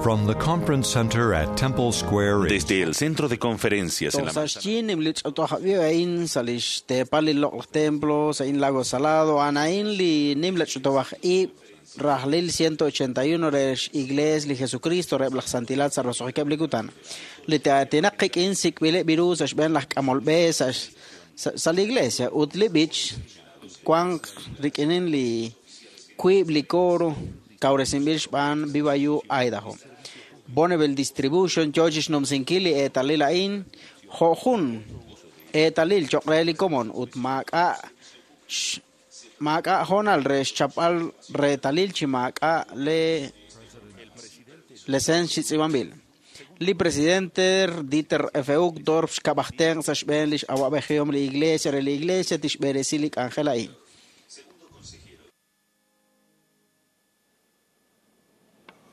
From the conference center at Temple Square in Desde el centro de conferencias en la Toj sa xyi li ch'otojabi ain sa lix teepal li loq'laj templo sa in Lago Salado anain li nim la ch'otowaj ib' rajlil 181 re Iglesia li Jesucristo reb laj santilat sa roso'jikeb' li kutan li te'aatinaq qik'in sik'b'ileb' biru sa xb'een laj k'amol b'e sa sa li iglesia ut li b'ich wanq rik'inin li wiib' li coro kawresinb'il xb'aan BYU Idaho. Bonneville Distribution yo chixnumsinkil li eetalil a'in jo' jun eetalil choq' re li komon ut maak'a' maak'a' hoonal re xchapb'al reetalil chi maak'a' le lesens chi tz'iib'anb'il. Li presidente Dieter F. Uchtdorf xkab'aj tenq' sa' xb'een lix awa'b'ejihom li iglesia re li iglesia tixb'eresi li k'anjel a'in.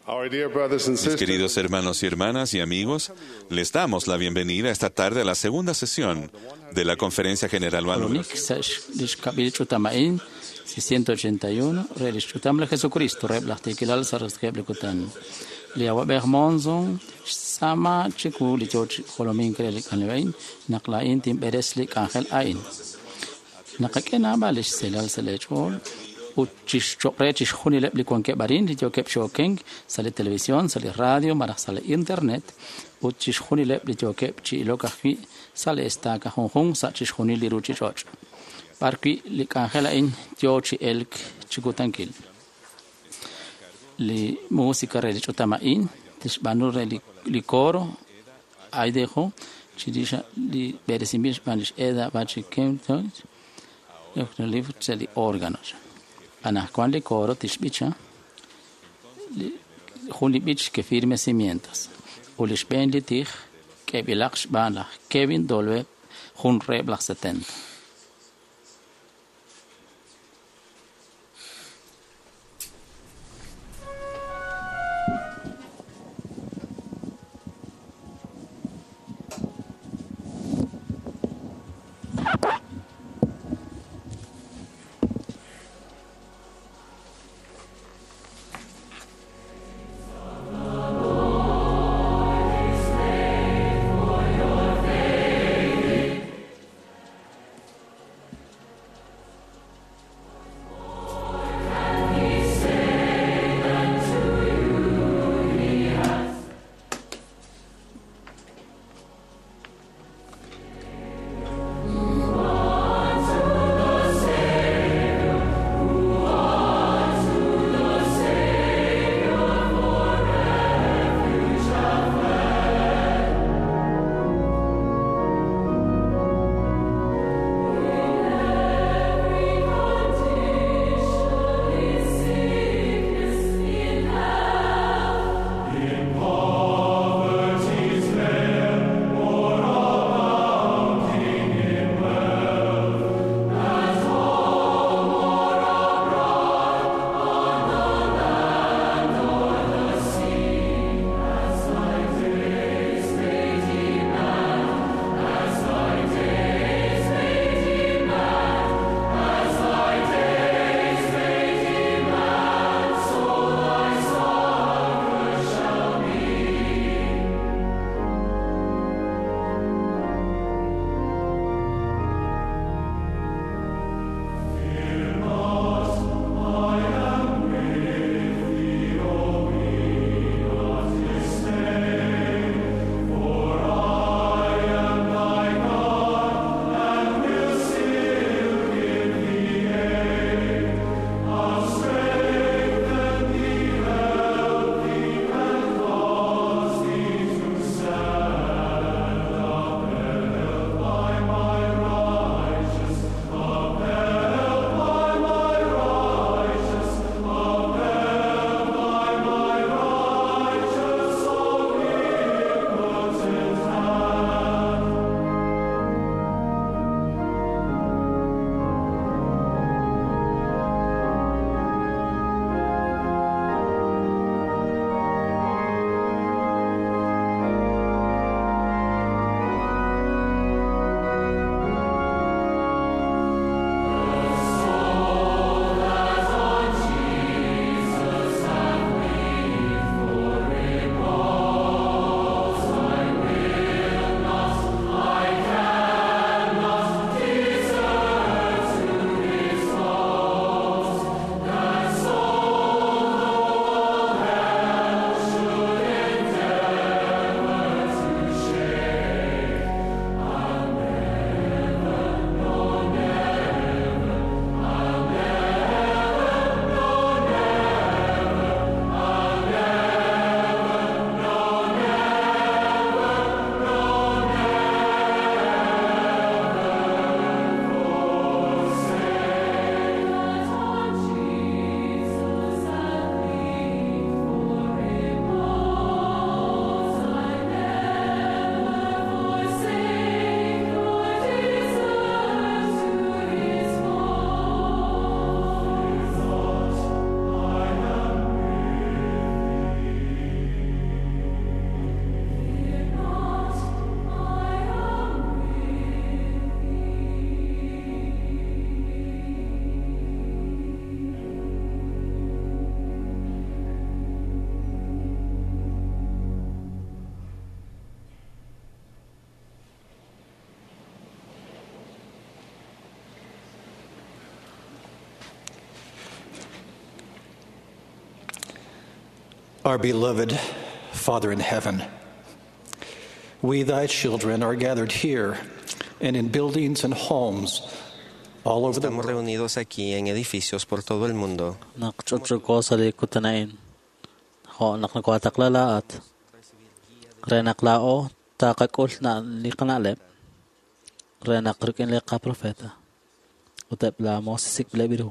Our dear brothers and Mis sisters, queridos hermanos y hermanas y amigos, les damos la bienvenida esta tarde a la segunda sesión de la Conferencia General Anual. Kolonik sa lix kab'il ch'utam a'in 681 re lix ch'utam li Jesucristo reheb' laj tiikilal sa' roso'jikeb' li kutan. Li awab'ej Monson xtz'aama chiwu li yoo chi jolomink re li k'anjel a'in naq laa'in tinb'eres li k'anjel a'in. Naqak'e naab'al lix selal sa' leech'ool ut chixchoq' re chixjunileb' li wankeb' arin li yookeb' chi okenk sa' li televisión, sa' li radio malaj sa' li internet ut chixjunileb' li yookeb' chi ilok ajwi' sa' li estaca junjunq sa' chixjunil li ruuchich'och'. B'arwi' li k'anjel a'in yoo chi elk chi kutankil. Li música re li ch'utam a'in tixb'aanu re li coro Idaho chirix li b'eresinb'il xb'aan lix Eda Bachikemton sa' li órganos. Anajwan li coro tixb'icha jun li b'ich que firme cimientos. Ut li xb'een li tij k'eb'ilaq xb'aan laj Kevin Dolbe jun reheb' laj 70. Our beloved Father in heaven, we, thy children, are gathered here and in buildings and homes all over the Estamos world. reunidos aquí en edificios por todo el mundo. Naq ch'utch'uko sa li kutan a'in jo' naq nokotaqla laa'at re naq laa'o taqak'ul na li qana'leb' re naq rik'in li qaprofeta ut eb' laa moos sik'b'ileb' ru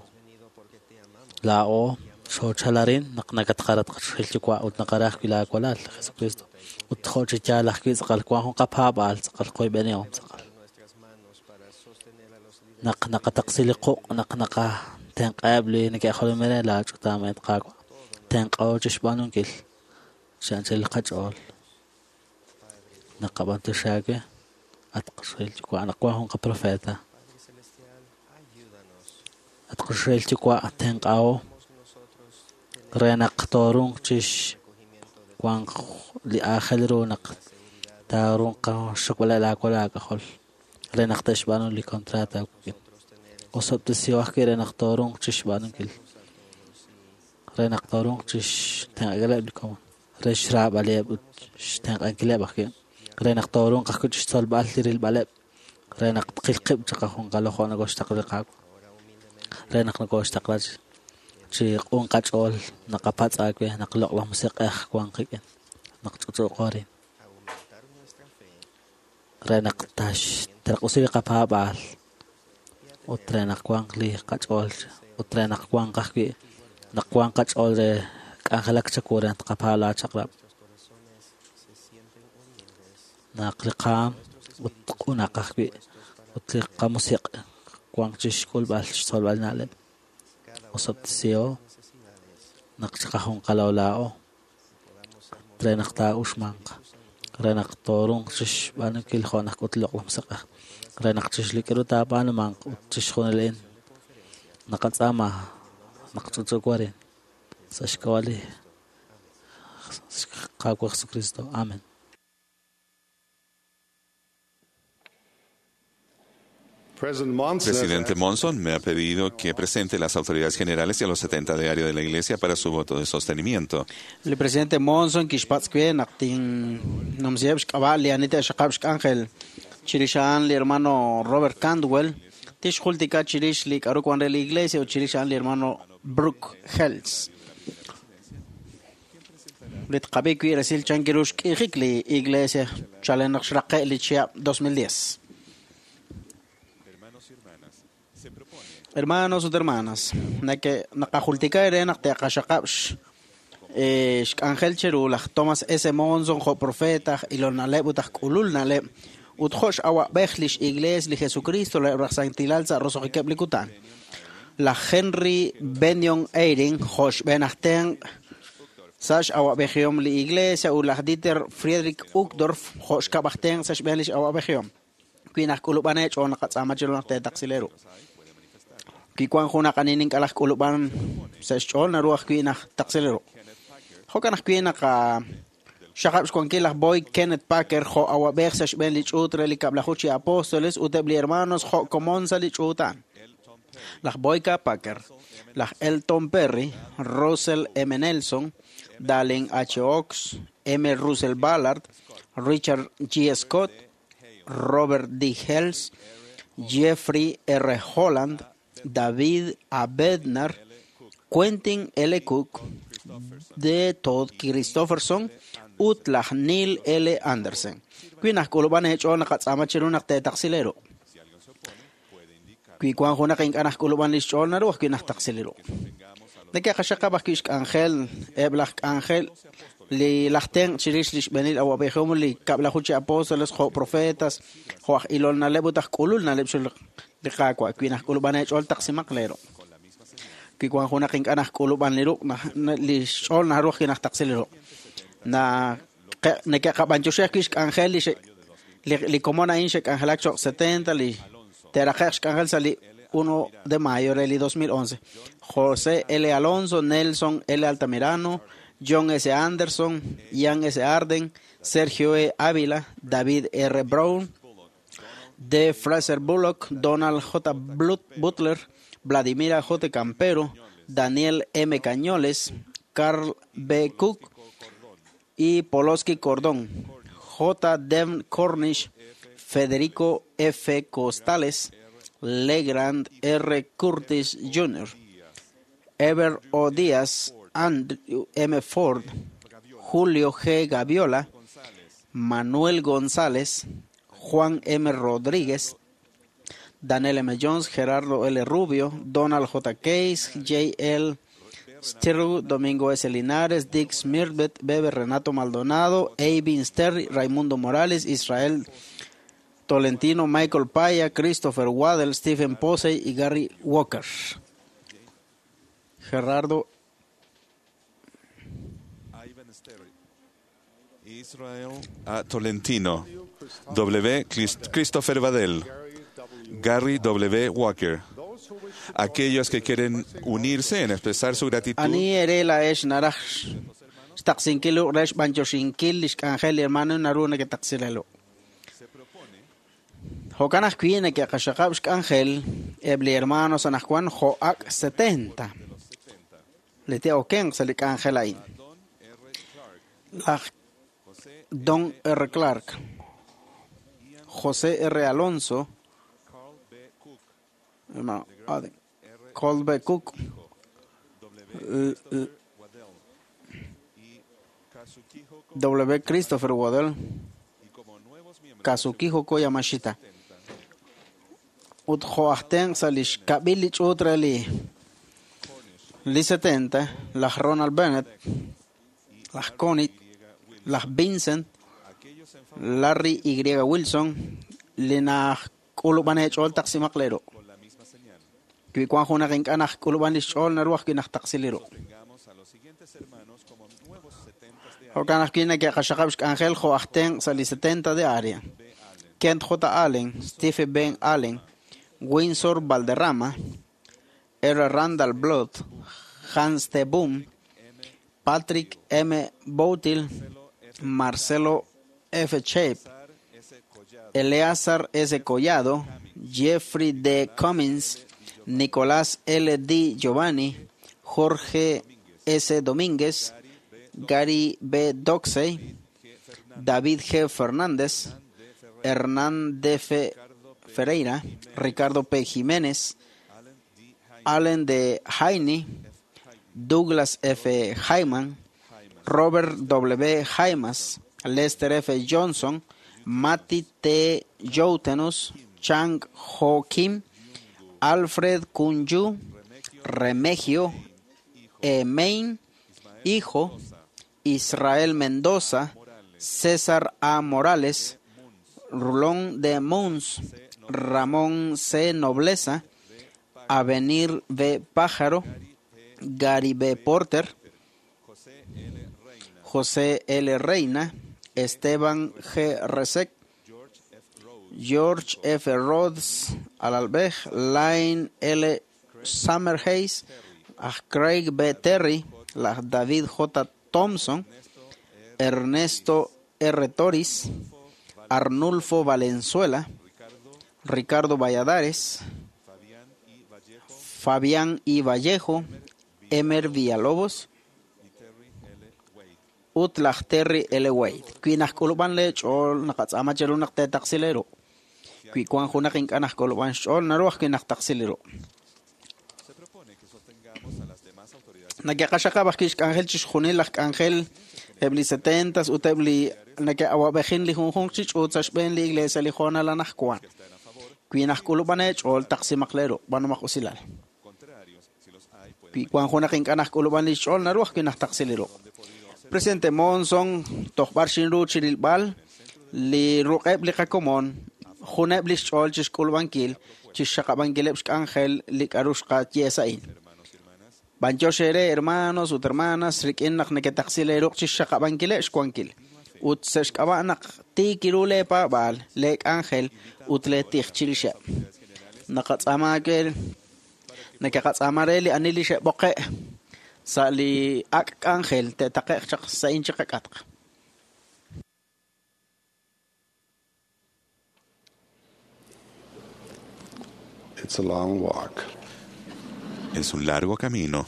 laa'o xoochalarin naq nakatqarat qachoxahil yuwa' ut naqara ajwi' laawalal Jesucristo ut jo' chi yaal ajwi' tz'aqal wan jun qapaab'aal tz'aqal qoyb'enihom tz'aqal naq naqataqsi li quq' naq naqatenq'aheb' li neke'jolomin re laa ch'utam et Qaawa' tenq'aho chixb'aanunkil chi anchal li qach'ool naqab'antiox aawe at qachoxahil yuwa' naq wan jun qaprofeta at qachoxahil yuwa' tenq'aho re naq toorunq chix wanq li aajel ru naq taarunq qaxokb'aleb' laawalal aak'ajol re naq te'xb'aanu li contrato aawik'in osob'tesiho ajwi' re naq toorunq chixb'aanunkil re naq toorunq chixtenq'ankileb' li komon re xraab'aleb' ut xtenq'ankileb' ajwi' re naq toorunq ajwi' chixtzolb'al li rilb'aleb' re naq tqil qib' chiqajunqalo jo' nokoxtaqla li Qaawa' re naq nokoxtaqla chi q'un qach'ool naqapatz' aawe naq loq'laj musiq'ej wan qik'in naq ch'utch'uuqo arin re naq tax tarq'usi li qapaab'aal ut re naq wanq li qach'ool ut re naq wanq ajwi' naq wanq qach'ool re k'anjelak chawu re naq tqapaab' laachaq'rab' naq li qaam ut q'unaq ajwi' ut li qamusiq' wanq chixk'ulb'al xtzolb'al na'leb' osob'tesiho naq chiqajunqalo laa'o re naq taa'uxmanq re naq toorunq chixb'aanunkil jo' naq k'ut loq'laj musiq'ej re naq chixlik'ru taab'aanumanq ut chixjunil a'in naqatz'aama naq ch'utch'uuko arin sa' xk'ab'a' li Qaawa' Jesucristo. Amen. President Monson Presidente Monson me ha pedido que presente las autoridades generales y a los 70 de área de la Iglesia para su voto de sostenimiento. Li presidente Monson kixpatz' we naq tinnumsiheb' xk'ab'a' li ani te'xaqab' xk'anjel chirix a'an li hermano Robert Cantwell tixjultika chirix li k'aru wan re li iglesia ut chirix a'an li hermano Brooke Hells. Li tqab'i wi' resil chan kiru xk'iijik li iglesia chalen naq xraqe' li chihab' 2010. Hermanos ut hermanas, nake naqajultika ere naq te'qaxaqab' xk'anjel cheru laj Thomas S. Monson jo' profeta aj ilol na'leb' ut aj k'ulul na'leb' ut jo' x'awab'ej lix iglees li Jesucristo reheb' laj santilal sa' roso'jikeb' li kutan. Laj Henry Benyon Eyring jo' xb'een aj tenq' sa' x'awab'ejihom li iglesia ut laj Dieter Friedrich Uchtdorf jo' xkab' aj tenq' sa' xb'een lix awab'ejihom. Wi naj k'ulub'an eech'ool naqatz'aama chiru naq teetaqsileru. Wi wan junaq ani ink'a' k'ulub'an sa' xch'ool naru ajwi' naj taqsileru. Jo'kan ajwi' naq xaqab' xwankil laj Boyd Kenneth Packer jo' awab'ej sa' xb'een li ch'uut re li kab'laju chi apóstoles ut eb' li hermanos jo' komon sa' li ch'uut a'an. Laj Boyd K. Packer, laj Elton Perry, Russell M. Nelson, Dallin H. Oaks, M. Russell Ballard, Richard G. Scott, Robert D. Hales, Jeffrey R. Holland, David A. Bednar, Quentin L. Cook, D. Todd Christofferson ut laj Neil L. Andersen. Wi naj k'ulub'an eech'ool naqatz'aama chiru naq teetaqsileru. Wi wan junaq ink'a' naj k'ulub'an lix ch'ool naru ajwi' naj taqsileru. Neke'qaxaqab' ajwi' xk'anjel eb' laj k'anjel li laj tenq' chirix li xb'eenil awab'ejihom li kab'laju chi apóstoles jo' profetas jo' aj ilol na'leb' ut aj k'ulul na'leb' xul li Qaawa' wi naj k'ulub'an eech'ool taqsimaq leeru. Wi wan junaq ink'a' naj k'ulub'an li ruq' li xch'ool naru ajwi' naj taqsi li ruq'. Neke'qab'antioxi ajwi' xk'anjel li komon a'in xe'k'anjelak cho'q 70 li te'raqe'q xk'anjel sa' li 1 de mayo del 2011. José L. Alonso, Nelson L. Altamirano, John S. Anderson, Ian S. Arden, Sergio E. Ávila, David R. Brown, D. Fraser Bullock, Donald J. Butler, Vladimira J. Campero, Daniel M. Cañoles, Carl B. Cook y Poloski Cordón, J. Devon Cornish, Federico F. Costales, Legrand R. Curtis Jr., Ever O. Díaz, Andrew M. Ford, Julio G. Gaviola, Manuel González, Juan M. Rodríguez, Daniel M. Jones, Gerardo L. Rubio, Donald J. Case, J. L. Stirru, Domingo S. Linares, Dick Smirbet, Bebe Renato Maldonado, A. Sterry, Raimundo Morales, Israel Tolentino, Michael Paya, Christopher Waddell, Stephen Posey y Gary Walker. Gerardo Israel A. Tolentino, W. Christopher Vadel, Gary W. Walker. Aquellos que quieren unirse en expresar su gratitud. Ani ere laex naraj xtaqsinkilu rex b'anyoxinkil lix k'anjel li hermano naru naketaqsilelu. Jo'kan ajwi' neke'qaxaqab' xk'anjel eb' li hermanos anajwan jo'ak 70 li te'okenq sa' li k'anjel a'in. Laj Don R. Clark, José R. Alonso, hermano Aden, Cole B. Cook, W. Christopher Waddell, Kazukiho Koyamashita. Ut jo'ajten sa' lix kab'il li ch'uut re li 70, laj Ronald Bennett, laj Connie, laj Vincent, Larry Y. Wilson, li najk'ulub'an eech'ool taqsimaq leru. Wi wan junaq ink'a' najk'ulub'an lix ch'ool naru ajwi' najtaqsiliru. Jo'kan ajwi' neke'qaxaqab' xk'anjel jo' aj tenq' sa' li 70 de área. Kent J. Allen, Stephen Ben Allen, Windsor Valderrama, R. Randall Blood, Hans T. Boom, Patrick M. Boutil, Marcelo F. Shape, Eleazar S. Collado, Jeffrey D. Cummins, Nicolás L. D. Giovanni, Jorge S. Domínguez, Gary B. Doxey, David G. Fernández, Hernán D. F. Ferreira, Ricardo P. Jiménez, Allen D. Heine, Douglas F. Hyman, Robert W. Jaimas, Lester F. Johnson, Matty T. Joutenus, Chang Ho Kim, Alfred Kunju, Remegio E. Main, Hijo, Israel Mendoza, César A. Morales, Rulón de Mons, Ramón C. Nobleza, Avenir V. Pájaro, Gary B. Porter, José L. Reina, Esteban G. Resek, George F. Rhodes, Alalbej, Line L. Summerhays, Craig B. Terry, David J. Thompson, Ernesto R. Toris, Arnulfo Valenzuela, Ricardo Valladares, Fabián I. Vallejo, Emer Villalobos, ut laj Terry L. Wade. Wi najk'ulub'an le ch'ool naqatz'aama cheru naq teetaqsileru. Wi wan junaq ink'a' najk'ulub'an xch'ool naru ajwi' najtaqsiliru. Neke'qaxaqab' ajwi' xk'anjel chixjunil laj k'anjel eb' li 70s ut eb' li neke'awab'ejin li junjunq chi ch'uut sa' xb'een li iglesia li hoonal anajwan. Wi najk'ulub'an eech'ool taqsimaq leru b'anomaq usilal. Wi wan junaq ink'a' najk'ulub'an li xch'ool naru ajwi' najtaqsiliru. Presidente Monson, tojb'ar xinru chirilb'al li ruq'eb' li qakomon, juneb' li xch'ool chixk'ulub'ankil, chixxaqab'ankileb' xk'anjel li k'aru xqaye sa'in. B'anyox ere hermanos ut hermanas rik'in naq neketaqsil eeruq chixxaqab'ankileb' xwankil. Ut sa' xk'ab'a' naq tiik iru leepaab'aal, leek'anjel ut leetij chirixeb'. Naqatz'aama nekeqatz'aama re li ani li xe'b'oqe' sa' li ak' k'anjel te'taqe'q chaq sa'in chiqak'atq. It's a long walk. Es un largo camino.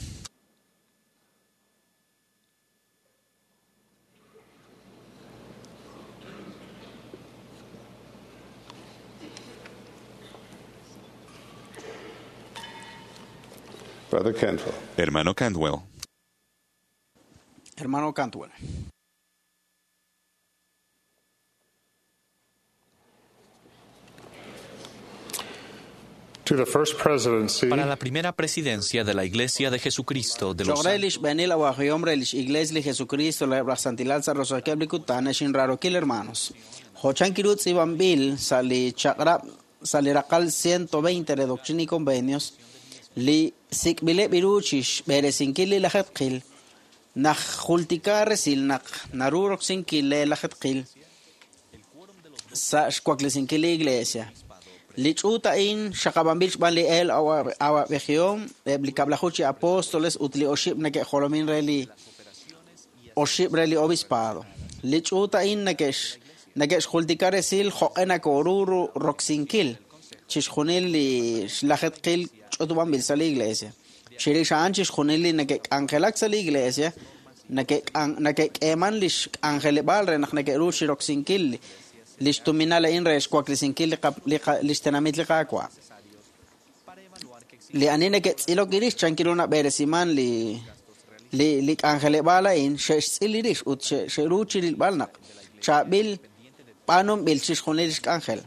Brother Cantwell. Hermano Cantwell. Hermano Cantwell. To the First Presidency, Para la primera presidencia de la Iglesia de Jesucristo de los Choq re lix b'eenil awajihom re lix Iglesia li Jesucristo reheb' laj Santilal sa' roso'jikeb' li kutan ex inraarokil hermanos. Jochan kiru tz'iib'anb'il sa' li chaq'rab' sa' li raqal 120 re Doctrina y Convenios li sik'b'ileb' iru chixb'eresinkil li lajetqil naq jultika resil naq naru roksinkil le lajetqil sa' xwaklesinkil li Iglesia. Li ch'uut a'in xaqab'anb'il xb'aan li el awab'ejihom eb' li kab'laju chi apóstoles ut li oxib' neke'jolomin re li oxib' re li obispado. Li ch'uut a'in neke'xjultika resil jo'q'e nakoru roksinkil chixjunil li xlajetqil ch'utub'anb'il sa' li Iglesia. Chirix a'an chixjunil li neke'k'anjelak sa' li Iglesia neke'k'eeman li xk'anjeleb'aal re naq neke'ru chiroksinkil lix tuminal a'in re xwaklesinkil lix tenamit li Qaawa'. Li ani neke'tz'ilok irix chan kiru nab'eresiman li k'anjeleb'aal a'in xe'xtz'il irix ut xe'ru chirilb'al naq chaab'il b'aanunb'il chixjunil lix k'anjel.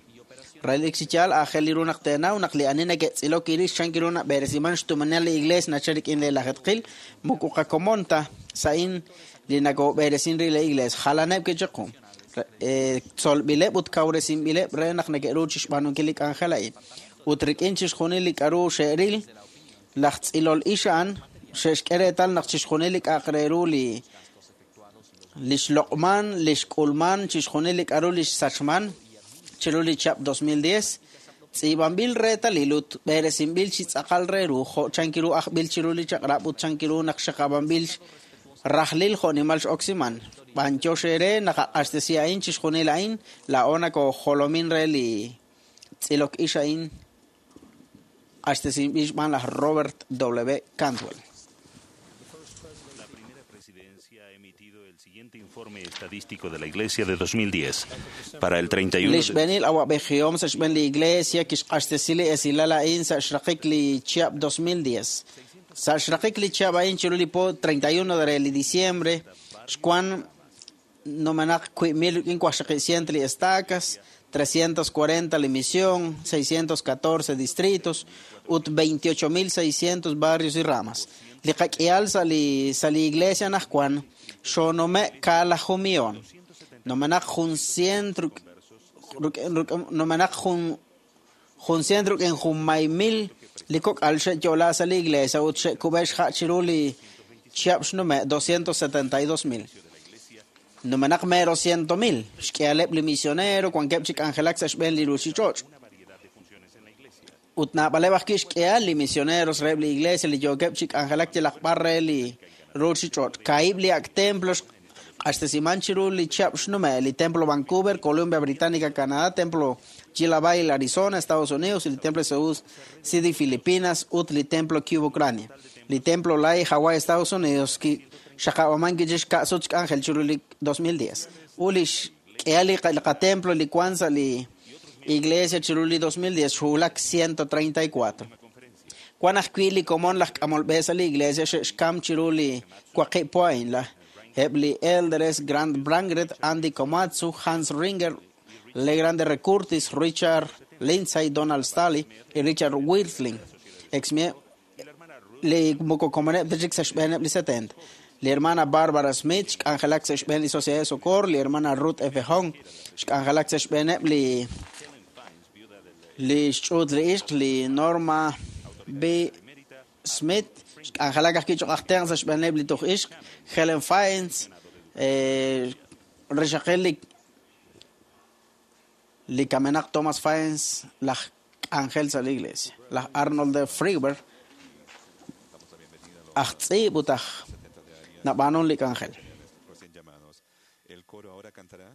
Relik chi yaal aajel li ru naq teenaw naq li ani neke'tz'ilok irix chan kiru nab'eresiman xtuminal li Iglesia nachal rik'in li lajetqil moko qakomon ta sa'in li nakob'eresin ri li Iglesia jalaneb' kichiqu. Tzolb'ileb' ut kawresinb'ileb' re naq neke'ru chixb'aanunkil li k'anjel a'in. Ut rik'in chixjunil li k'aru xe'ril laj tz'ilol ix a'an xe'xk'e reetal naq chixjunil li k'a'aq re ru li xloq'man, li xk'ulman, chixjunil li k'aru li xsachman chiru li chihab' 2010 tz'iib'anb'il reetalil ut b'eresinb'il chi tz'aqal re ru jo' chan kiru ajb'il chiru li chaq'rab' ut chan kiru naq xaqab'anb'il rajlil jo'nimal x'oksiman. B'anyox ere naq aq'axtesi a'in chixjunil a'in laa'o nakojolomin re li tz'ilok ix a'in q'axtesinb'il xb'aan laj Robert W. Cantwell. La primera presidencia ha emitido el siguiente informe estadístico de la Iglesia de 2010 para el 31 Lix de b'eenil awab'ejihom sa' xb'een li Iglesia kixq'axtesi li esilal a'in sa' xraqik li chihab' 2010. Sa' xraqik li chihab' a'in chiru li po 31 de li diciembre xwan nomenaq 1,400 li estacas, 340 li misión, 614 distritos ut 28,600 barrios y ramas. Li qak'ihal sa' li Iglesia najwan xonome' kaalaju millón. Nomenaq jun cien nomenaq jun cien ruk'in jun may mil li kok'al xe'yo'la sa' li Iglesia ut xe'kub'e xja' chiru li chihab' xnume' 272,000. Nomenaq mero 100,000 xk'ihaleb' li misionero wankeb' chi k'anjelak sa' xb'een li ruuchich'och'. Ut naab'aleb' ajwi' xk'ihal li misioneros reheb' li Iglesia li yookeb' chi k'anjelak yalaq b'ar re li ruuchich'och'. Kaahib' li ak' templo q'axtesiman chiru li chihab' xnume' li Templo Vancouver, Columbia Británica, Canadá, Templo Gila Valley, Arizona, Estados Unidos, li Templo Cebu City, Filipinas, ut li Templo Kyiv, Ucrania. Li Templo Laie, Hawaii, Estados Unidos, ki xaqab'aman kichix ka'sut xk'anjel chiru li 2010. U li xk'ihal li qatemplo li wan sa' li Iglesia chiru li 2010 xwulak 134. Wan ajwi' li komon laj k'amol b'e sa' li Iglesia xe'xkam chiru li waqib' po a'in la eb' li Elders Grant Brangret, Andy Komatsu, Hans Ringer, Legrande Recurtis, Richard Lindsay, Donald Staley y Richard Wirthlin. Li moko komoneb' ta chik sa' xb'eeneb' li 70. Li hermana Barbara Smith xk'anjelak sa' xb'een li Sociedad de Socorro, li hermana Ruth F. Hong xk'anjelak sa' xb'eeneb' li xch'uut li ixq, li Norma B. Smith xk'anjelak ajwi' choq' aj tenq' sa' xb'eeneb' li tuj ixq, Helen Fiennes, rixaqil li kamenaq Thomas Fiennes laj k'anjel sa' li Iglesia, laj Arnold de Friberg aj tz'iib' ut aj nab'aanun li k'anjel. Recién llamados. El coro ahora cantará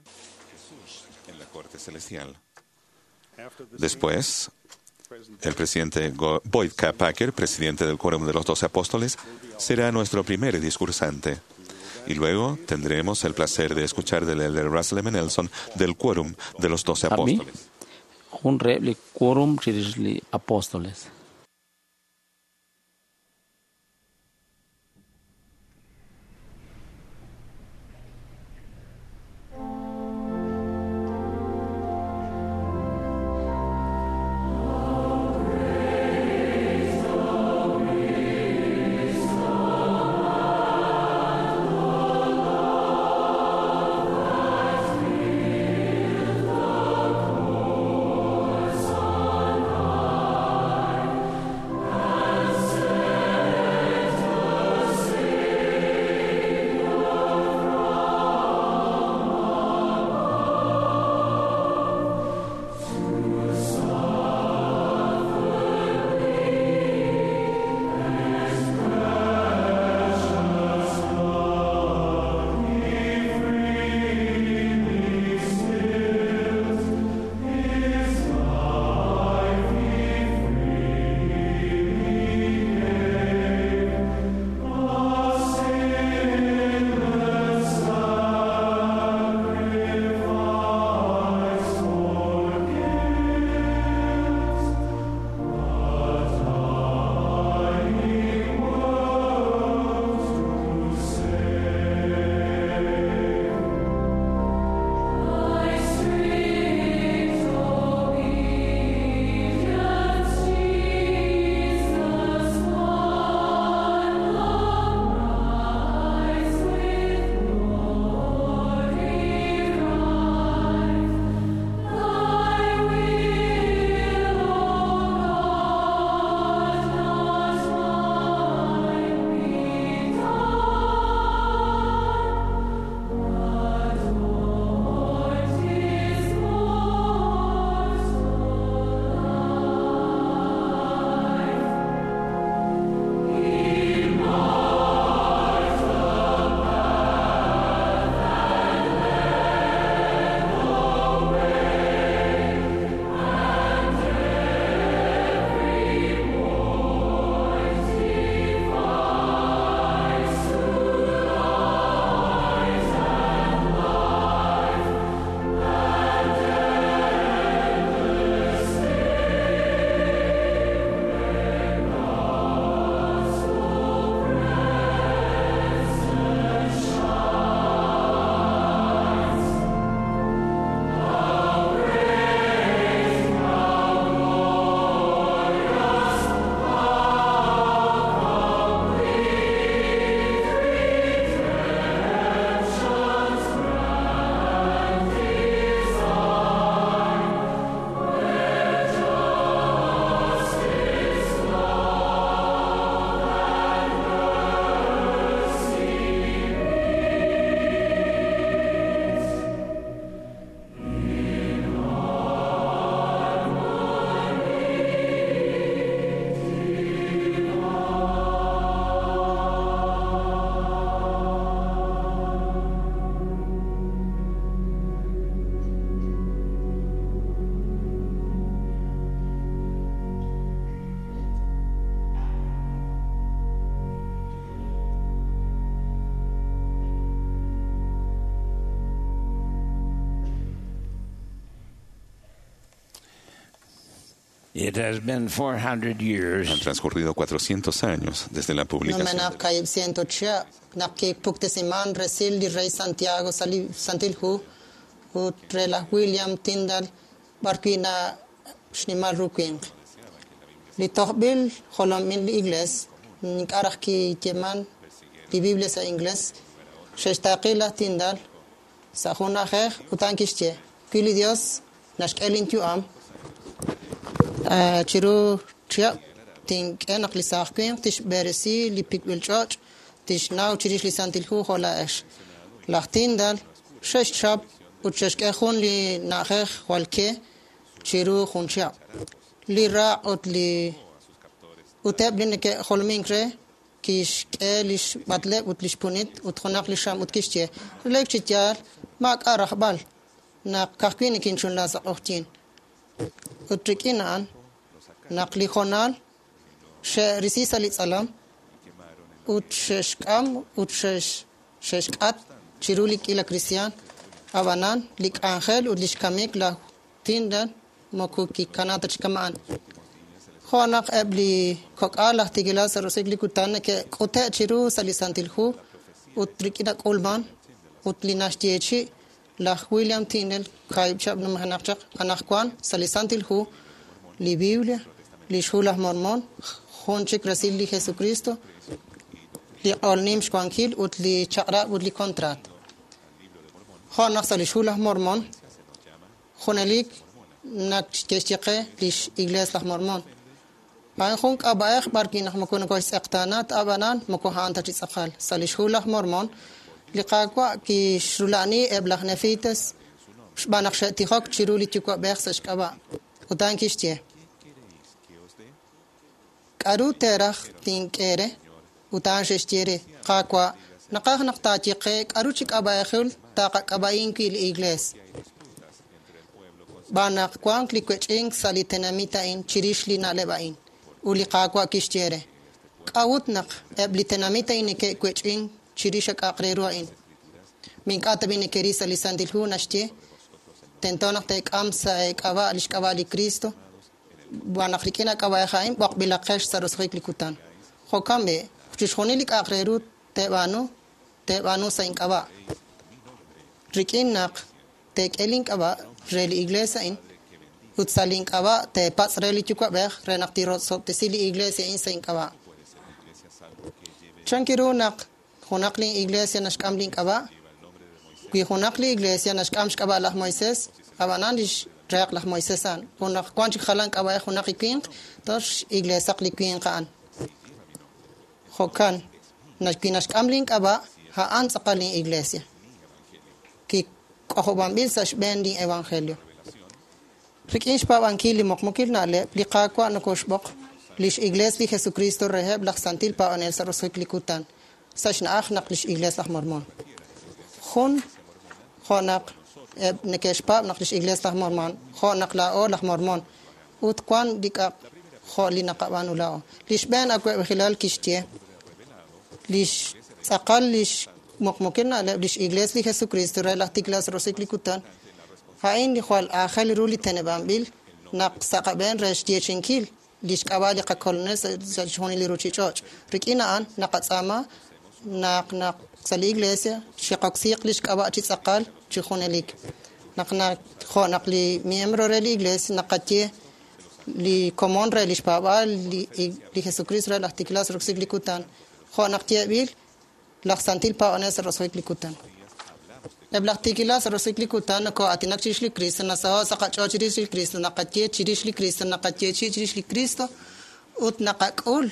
Jesús en la corte celestial. Después, el presidente Boyd K. Packer, presidente del Quórum de los Doce Apóstoles, será nuestro primer discursante. Y luego tendremos el placer de escuchar del elder Russell M. Nelson del Quórum de los Doce Ab'i Apóstoles. jun reheb' li quórum chirix li apóstoles. It has been 400 years Han transcurrido 400 años desde la publicación. Numenaq kayib ciento chihab naq kipuktesiman resil li rey Santiago sa li Santil Hu ut re laj William Tyndale b'ar wi' na xnimal ru winq. Li tojb'il jolomil li iglees ink'a' raj kiyeeman li Biblia sa' ingles xe'xtaaqi laj Tyndale sa' jun na'ajej ut a'an kixye wi li Dios naxk'e linyu'am chiru chihab' tink'e naq li saaj winq tixb'eresi li pikb'il ch'och' tixnaw chirix li Santil Hu jo' laa'ex. Laj Tyndale xe'xchap ut xe'xk'e jun li na'ajej jwal ke chiru jun chihab'. Li raq' ut li ut eb' li neke'jolomink re kixk'e lix b'atleb' ut lix punit ut junaq li xam ut kixye relik chi yaal maak'a' rajb'al naq ka'ajwi' nikinchunla sa' q'oqyink. Ut rik'in a'an naq li hoonal xe'risi sa' li tz'alam ut xe'xk'am ut xe'xk'at chiru li k'iila kristiaan. Ab'anan li k'anjel ut lix kamik laj Tyndale moko kikana ta chi kama'an. Jo' naq eb' li kok'al laj tiikilal sa' roso'jik li kutan neke'k'ute' chiru sa' li Santil Hu ut rik'in nak'ulman ut li naxyeechi' laj William Tyndale kaahib' chihab' numenaq chaq anaqwan sa' li Santil Hu, li Biblia, lix Hu laj Mormon, jun chik resil li Jesucristo, li q'ol nim xwankil ut li chaq'rab' ut li contrat. Jo' naq sa' lix Hu laj Mormon, junelik naq ke'xye qe lix Iglees laj Mormon. A'in jun k'ab'a'ej b'ar wi' naq moko nokoxtz'eqtaana ta ab'anan moko a'an ta chi tz'aqal. Sa' lix Hu laj Mormon, li Qaawa' kixrula'ani eb' laj Nefites xb'aan naq xe'tijok chiru li Yuwa'b'ej sa' xk'ab'a'. Ut a'an kixye: K'a'ru teeraj tink'e re? Ut a'an xe'xye re: Qaawa', naqaj naq taaye qe k'a'ru chi k'ab'a'ejil taqak'ab'a'in wi' li Iglees. Xb'aan naq wank li wech'ink sa' li tenamit a'in chirix li na'leb' a'in. Ut li Qaawa' kixye re: K'a'ut naq eb' li tenamit a'in neke'wech'ink chirix a k'a'aq re ru a'in? Mi ink'a' ta b'i' nekeril sa' li Santil Hu naxye tento naq teek'am sa' eek'ab'a' lix k'ab'a' li Cristo, xb'aan naq rik'in a k'ab'a'ej a'in b'oqb'ilaqex sa' roso'jik li kutan. Jo'kan b'i', chixjunil li k'a'aq re ru teeb'aanu, teeb'aanu sa' ink'ab'a'. Rik'in naq teek'e link'ab'a' re li Iglees a'in ut sa' link'ab'a' teepatz' re li Yuwa'b'ej re naq tirosob'tesi li Iglees a'in sa' ink'ab'a'. Chan ru naq junaq li Iglesia naxk'am link'ab'a'? Wi junaq li Iglesia naxk'am xk'ab'a' laj Moisés, ab'anan lix reeq laj Moisés a'an. Junaq wan chik jalan k'ab'a'ej junaq li winq, tox Iglesaq li winq a'an. Jo'kan, wi naxk'am link'ab'a', a'an tz'aqal lin Iglesia. Kik'ojob'anb'il sa' xb'een lin Evangelio. Rik'in xpaab'ankil li muqmukil na'leb', li Qaawa' nokoxb'oq lix Iglees li Jesucristo reheb' laj Santil Paab'anel sa' roso'jik li kutan, sa' xna'aj naq lix Iglees laj Mormon. Jun jo' naq eb' neke'xpaab' naq lix Iglees laj Mormon, jo' naq laa'o laj Mormon, ut wan li k'a' jo' li naqab'aanu laa'o. Li xb'een awa'b'ejilal kixye lix tz'aqal lix muqmukil na'leb' lix Iglees li Jesucristo re laj Tiklas roso'jik li kutan, a'in li jwal aajel ru li teneb'anb'il naq sa' qab'een re xyeechi'inkil lix k'ab'a' li qakolonel sa' chixjunil li ruchich'och'. Rik'in a'an naqatz'aama naq naq sa' li Iglesia xiqoksiiq lix k'ab'a' chi tz'aqal chi junelik. Naq jo' naq li miembro re li Iglesia naqaye li komon re lix paab'aal li Jesucristo re laj Tiklas roso'jik li kutan, jo' naq yeeb'il laj Santil Paab'anel sa' roso'jik li kutan. Eb' laj tiikilal sa' roso'jik li kutan noko'aatinak chirix li Cristo, nasaho' sa' qach'ool chirix li Cristo, naqaye chirix li Cristo, naqayeechi'i chirix li Cristo ut naqak'ul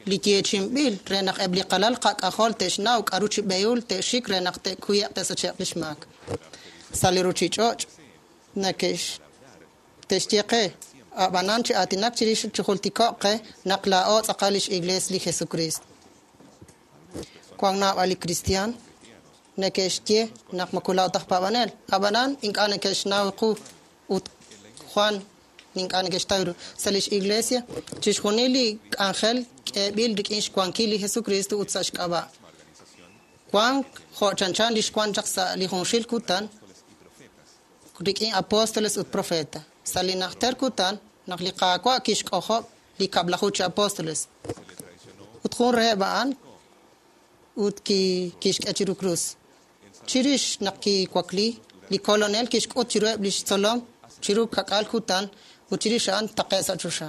li yeechi'inb'il re naq eb' li qalal qak'ajol te'xnaw k'a'ru chi b'ehul te'xik re naq te'kuye'q te'sache'q lix maak. Sa' li ruchich'och' te'xye qe, ab'anan chi aatinak chirix chi jultiko'q qe naq laa'o tz'aqal lix Iglees li Jesucristo. Wank naab'al li kristiaan neke'xye naq moko laa'o ta aj paab'anel, ab'anan ink'a' neke'xnaw qu ut Juan ink'a' neke'xtaw ru. Sa' lix Iglesia, chixjunil li k'anjel k'eeb'il rik'in xwankil li Jesucristo ut sa' xk'ab'a'. Wank jo' chanchan li xwan chaq sa' li junxil kutan rik'in apóstoles ut profeta. Sa' li najter kutan, naq li Qaawa' kixk'ojob' li 10 chi apóstoles. Ut jun reheb' a'an ut kixk'e chiru krus. Chirix naq kiwakli, li Kolonel kixk'ut chiruheb' lix tzolom chiru kak'al kutan ut chirix a'an taqe' sa' choxa.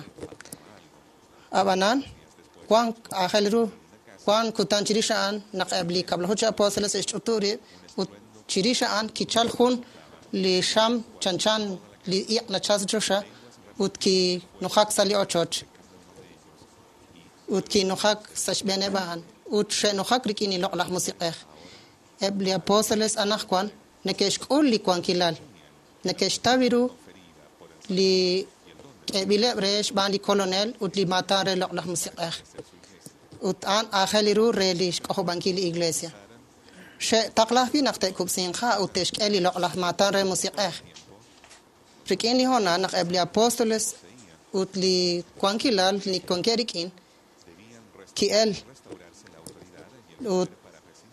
Ab'anan, wan aajel ru, wan kutan chirix a'an naq eb' li 10 chi apóstoles xe'xch'utu rib' ut chirix a'an kichal jun li xam chanchan li iq' nachal sa' choxa ut kinujak sa' li ochoch ut kinujak sa' xb'eeneb' a'an ut xe'nujak rik'in li Loq'laj Musiq'ej. Eb' li apóstoles anaqwan neke'xk'ul li wankilal, neke'xtaw ru li k'eeb'ileb' re xb'aan li Kolonel ut li maatan re Loq'laj Musiq'ej. Ut a'an aajel ru re li xk'ojob'ankil li Iglesia. Xe'taqla ajwi' naq te'kub'sinq ha' ut te'xk'e li loq'laj maatan re Musiq'ej. Rik'in li hoonal naq eb' li apóstoles ut li wankilal li wankeb' rik'in ki'el ut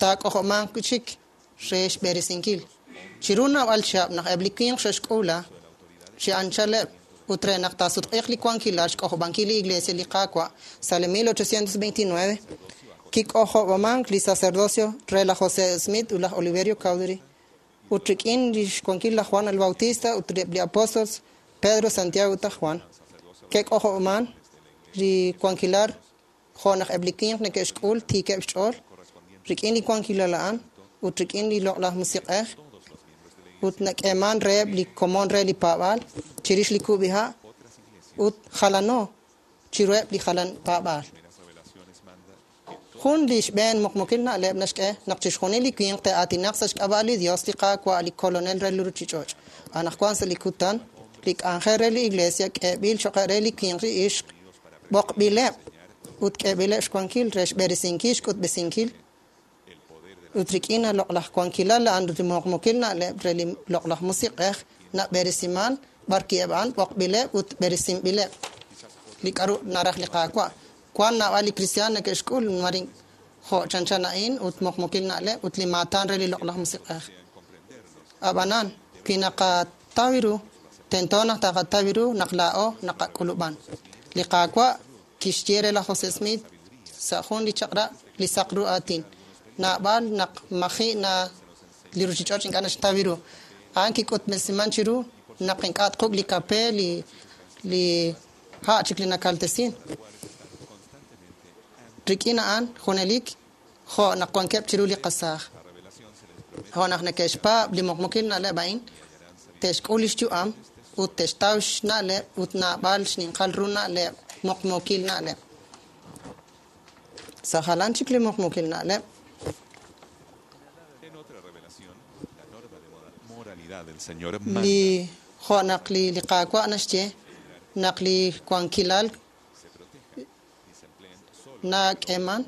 taak'ojob'manq wi' chik re xb'eresinkil. Chiru naab'al chihab' naq eb' li winq xe'xk'uula chi anchaleb' ut re naq taasutq'iiq li wankilal xk'ojob'ankil li Iglesia li Qaawa' sa' li 1829 kik'ojob'amank li sacerdocio re laj José Smith ut laj Oliverio Cowdery ut rik'in li xwankil laj Juan el Bautista ut eb' li apóstoles Pedro, Santiago ut laj Juan ke'k'ojob'aman li wankilal jo' naq eb' li winq neke'xk'ul tiikeb' xch'ool rik'in li wankilal a'an ut rik'in li Loq'laj Musiq'ej ut nak'eeman reheb' li komon re li paab'aal chirix li kub'iha' ut jalano chiruheb' li jalan paab'aal. Jun li xb'een muqmukil na'leb' naxk'e naq chixjunil li winq te'aatinaq sa' xk'ab'a' li Dios li Qaawa' li Kolonel re li ruchich'och'. Anaqwan sa' li kutan, li k'anjel re li Iglesia k'eeb'il choq' re li winq li ixq b'oqb'ileb' ut k'eeb'ileb' xwankil re xb'eresinkil xk'utb'esinkil ut rik'in loq'laj wankilal a'an li muqmukil na'leb' re li Loq'laj Musiq'ej nab'eresiman b'ar a'an b'oqb'ileb' ut b'eresinb'ileb' li k'a'ru naraj li Qaawa'. Wan naab'al li kristiaan neke'xk'ul marin jo' chanchan a'in ut muqmukil na'leb' ut li maatan re li Loq'laj Musiq'ej. Ab'anan, wi naqataw ru, tento naq taqataw ru naq laa'o naqak'ulub'an. Li Qaawa' kixye re laj José Smith sa' jun li chaq'rab' li saq ru aatin. Naab'al naq maji' na li ruchich'och' ink'a' naxtaw ru. A'an kik'utb'esiman chiru naq ink'a' tquk' li kape li ha' chik li nakaltesin. Rik'in a'an junelik jo' naq wankeb' chiru li qasaaj. Jo' naq neke'xpaab' li muqmukil na'leb' a'in, te'xk'ul lix yu'am ut te'xtaw xna'leb' ut naab'al xninqal ru na'leb' muqmukil na'leb'. Sa' jalan chik li muqmukil na'leb'. En otra revelación, la norma de moralidad del Señor manda Li jo' naq li Qaawa' naxye naq li wankilal nak'eeman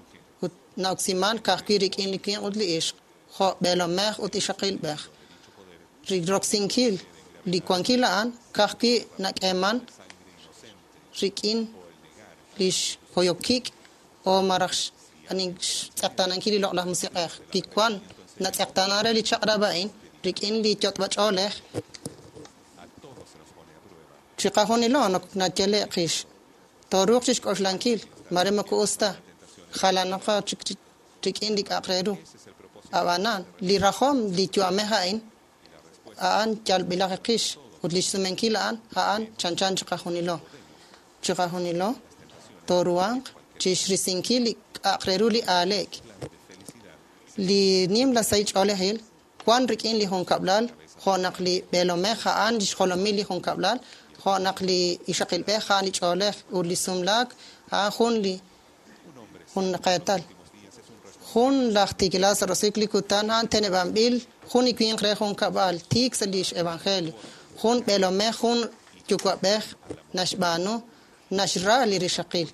ut na'oksiman ka'ajwi' rik'in li winq ut li ixq jo' b'eelomej ut ixaqilb'ej. Roksinkil li wankil a'an ka'ajwi' nak'eeman rik'in li xhoyokik o maraj xtz'eqtaanankil li Loq'laj Musiq'ej. Kiwan natz'eqtaana re li chaq'rab' a'in rik'in li yot'b'ach'oolej chiqajunilo nayale' qix. Tooruuq chixk'oxlankil mare moko us ta jalanoqa chik rik'in li k'a'aq re ru. Ab'anan, li rajom li yu'amej a'in a'an yalb'ilaq qix ut li xsumenkil a'an a'an chanchan chiqajunilo. Chiqajunilo tooruhanq chixrisinkil li k'a'aq re ru li aaleek. Li nimla sahil ch'oolejil wan rik'in li junkab'lal jo' naq li b'eelomej a'an li xjolomil li junkab'lal jo' naq li ixaqilb'ej a'an li ch'oolej ut li sumlaak a'an jun li jun qeetal. Jun laj tiikilal sa' roso'jik li kutan a'an teneb'anb'il jun li winq re junkab'al tiik sa' lix evangelio. Jun b'eelomej jun yuwa'b'ej naxb'aanu naxra li rixaqil.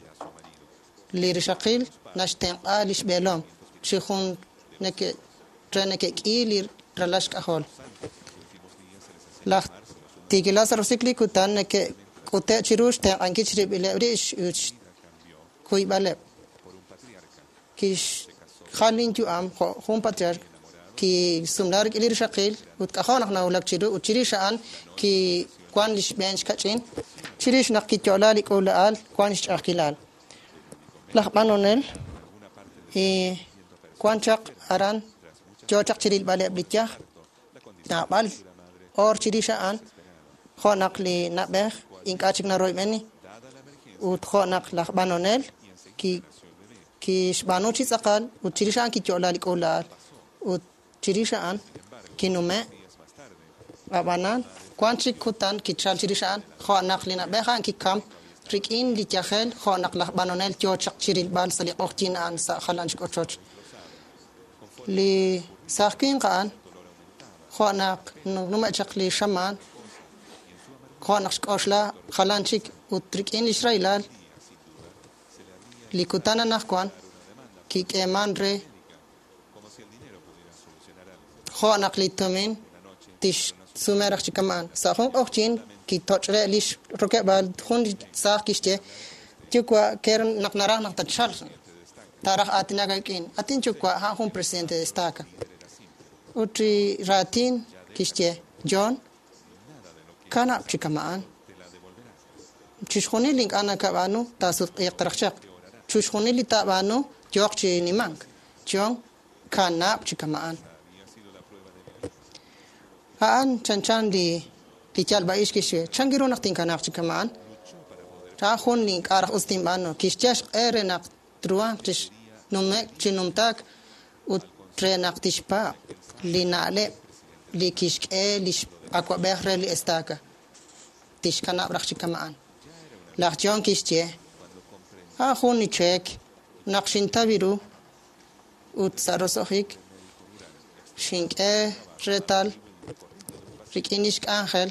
Li rixaqil naxtenq'a lix b'eelom chi jun re neke'k'i li ralal xk'ajol. Laj tiikilal sa' roso'jik li kutan neke'k'ute' chiru xtenq'ankil chirib'ileb' rib' ut xkuyb'aleb'. Kixjal linyu'am jo' jun patriarca kisumla rik'in li rixaqil ut k'ajo' naq nawulak chiru ut chirix a'an kiwan li xb'een xkach'in. Chirix naq kiyo'la li k'uula'al wan xch'a'ajkilal. Laj b'anonel wan chaq aran yo chaq chirilb'aleb' li yaj naab'al oor chirix a'an jo' naq li na'b'ej ink'a' chik naroyb'eni ut jo' naq laj b'anonel kixb'aanu chi tz'aqal ut chirix a'an kiyo'la li k'uula'al ut chirix a'an kinume' ab'anan wan chik kutan kichal chirix a'an jo' naq li na'b'ej a'an kikam rik'in li yajel jo' naq laj b'anonel yo chaq chirilb'al sa' li q'oqyink a'an sa' jalan chik ochoch. Li saaj winq a'an jo' naq nume' chaq li xamaan jo' naq xk'oxla jalan chik ut rik'in li xrahilal li kutan anaqwan kik'eeman re jo' naq li tumin tixsume raj chi kama'an. Sa' jun q'oqyink kitoch're li xrokeb'aal jun li saaj kixye yuwa' ker naq naraj naq tatchalq taaraj aatinak aawik'in. Atin yuwa' a'an jun presidente de estaca. Ut li raatin kixye John kanab' chi kama'an. Chixjunil li ink'a' nakab'aanu taasutq'iiq raj chaq. Chixjunil li taab'aanu yooq chi nimank. John kanab' chi kama'an. A'an chanchan li yalb'a'ix kixye chan ru naq tinkanaq chi kama'an. A'an jun li ink'a' raj us tinb'aanu. Kixye xq'e re naq truhanq chixnume'k chi numtaak ut re naq tixpaab' li na'leb' li kixk'e li awab'ej re li estaca. Tixkanab' raj chi kama'an. Laj John kixye a'an jun li cheek naq xintaw ru ut sa' roso'jik xink'e reetal rik'in li xk'anjel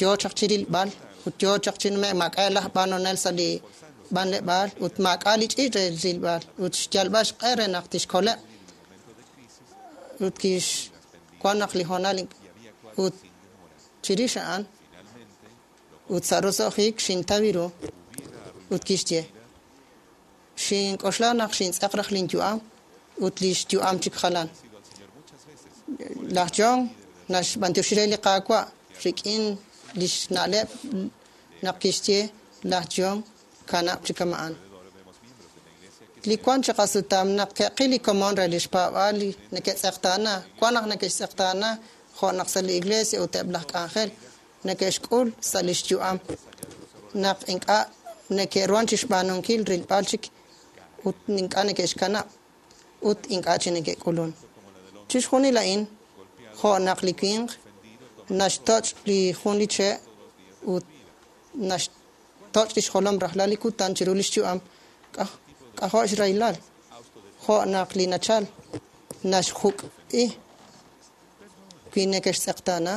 yo chaq chirilb'al ut yo chaq chi nume'k maak'a' laj b'anonel sa' li b'anleb'aal ut maak'a' li ch'iich' re rilb'al ut xyalb'al xq'e re naq tixkoleb' ut kix wan naq li hoonal ut chirix a'an ut sa' roso'jik xintaw ru ut kixye xink'oxla naq xintz'aq raj linyu'am ut li xyu'am chik jalan. Laj John naxb'antioxi re li Qaawa' rik'in li xna'leb' naq kixye laj John kanab' chi kama'an. Li wan chi qasutam naq ke'qil li komon re li xpaab'aal li neke'tz'eqtaana wan naq neke'xtz'eqtaana jo' naq sa' li iglesia ut eb' laj k'anjel neke'xk'ul sa' li xyu'am naq ink'a' neke'ruhan chi xb'aanunkil rilb'al chik ut ink'a' neke'xkanab' ut ink'a' chi neke'k'ulun. Chixjunil a'in jo' naq li winq naxtoch' li jun li che' ut naxtoch' li xjolom rajlal li kutan chiru li xyu'am k'ajo' xrahilal jo' naq li nachal naxjuk'i wi neke'xtz'eqtaana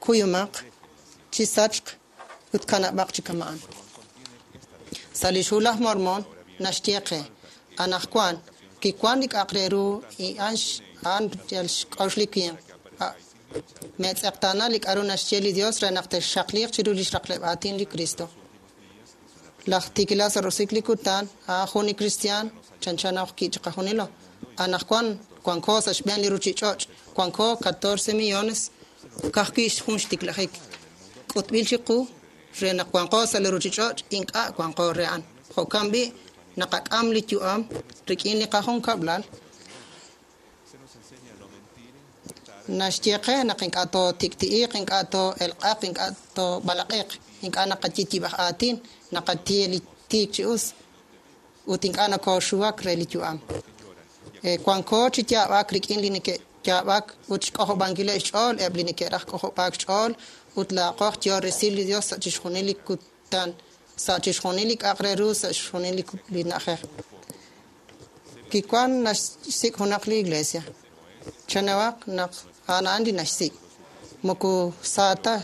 kuyumaq chi sachq ut kanab'aq chi kama'an. Sa' li xhu laj Mormon naxye qe anaqwan kiwan li k'a'aq re ru a'an yal xk'oxl li winq. Meetz'eqtaana li k'a'ru naxye li Dios re naq texxaqliiq chiru li xraqleb' aatin li Cristo. Laj tiikilal sa' roso'jik li kutan a'an jun li kristiaan chanchan ki chiqajunilo. Anaqwan wanko sa' xb'een li ruchich'och' wanko 14 millones ka'ajwi' jun xtiklajik. K'utb'il chiqu re naq wanqo sa' li ruchich'och' ink'a' wanqo re a'an. Jo'kan b'i' naqak'am li yu'am rik'in li qajunkab'lal naxye qe naq ink'a' tootik'ti'iq, ink'a' too'elq'aq, ink'a' toob'alaq'iq, ink'a' naqaye yib'aj aatin, naqaye li tiik chi us ut ink'a' nakooxuwak re li yu'am. Wanko chi yaab'ak rik'in li neke'yaab'ak ut xk'ojob'ankileb' xch'ool eb' li neke'raj k'ojob'aak xch'ool ut laaqoj yo resil li Dios sa' chixjunil li kutan, sa' chixjunil li k'a'aq re ru, sa' chixjunil li na'ajej. Kiwan naxsik' junaq li iglesia. Chanawaq naq a'an a'an li naxsik'. Moko sa ta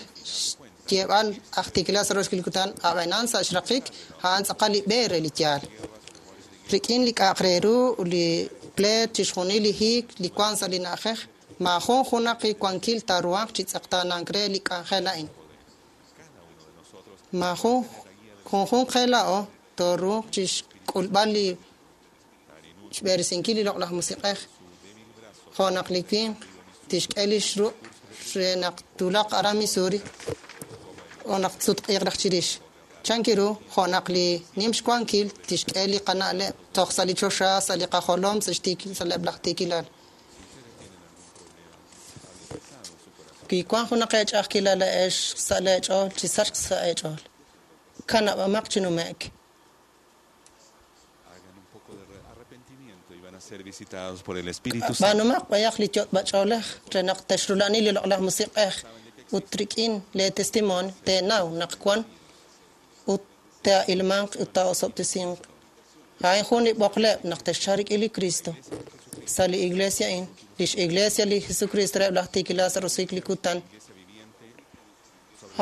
xyeeb'al aj tiikilal sa' roxkil kutan ab'anan sa' xraqik a'an tz'aqal li b'e re li yaal. Rik'in li k'a'aq re ru li pleet chixjunil li hiik li wan sa' li na'ajej maajun junaq li wankil taaruhanq chi tz'eqtaanank re li k'anjel a'in. Maajun junjunq qe laa'o tooruuq chi xk'ulb'al li xb'eresinkil li loq'laj musiq'ej jo' naq li winq tixk'e li xruq' re naq tulaq aran Missouri. o naq tsutq'iiq raj chirix. Chank ru jo' naq li nim xwankil tixk'e li qana'leb' toj sa' li choxa, sa' li qajolom, sa' eb' laj tiikilal. Wi wank junaq eech'a'ajkilal laa'ex sa' leech'ool, chisachq sa' eech'ool. Kanab'amaq chi nume'k. Ser visitados por el Espíritu Santo. B'aanumaq b'ayaq li yot'b'ach'oolej re naq texrula'ani li loq'laj musiq'ej ut rik'in lee testimonio teenaw naq wan ut te'ilmanq ut taa'osob'tesinq. A'in jun li b'oqleb' naq texchalq rik'in li Cristo sa' li iglesia a'in, lix iglesia li Jesucristo reheb' laj tiikilal sa' roso'jik li kutan.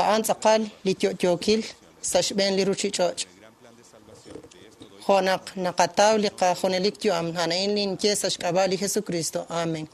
A'an tz'aqal li yo'yookil sa' xb'een li ruchich'och'. Jo' naq naqataw li qajunelik yu'am, a'in ninye sa' xk'ab'a' li Jesucristo. Amen.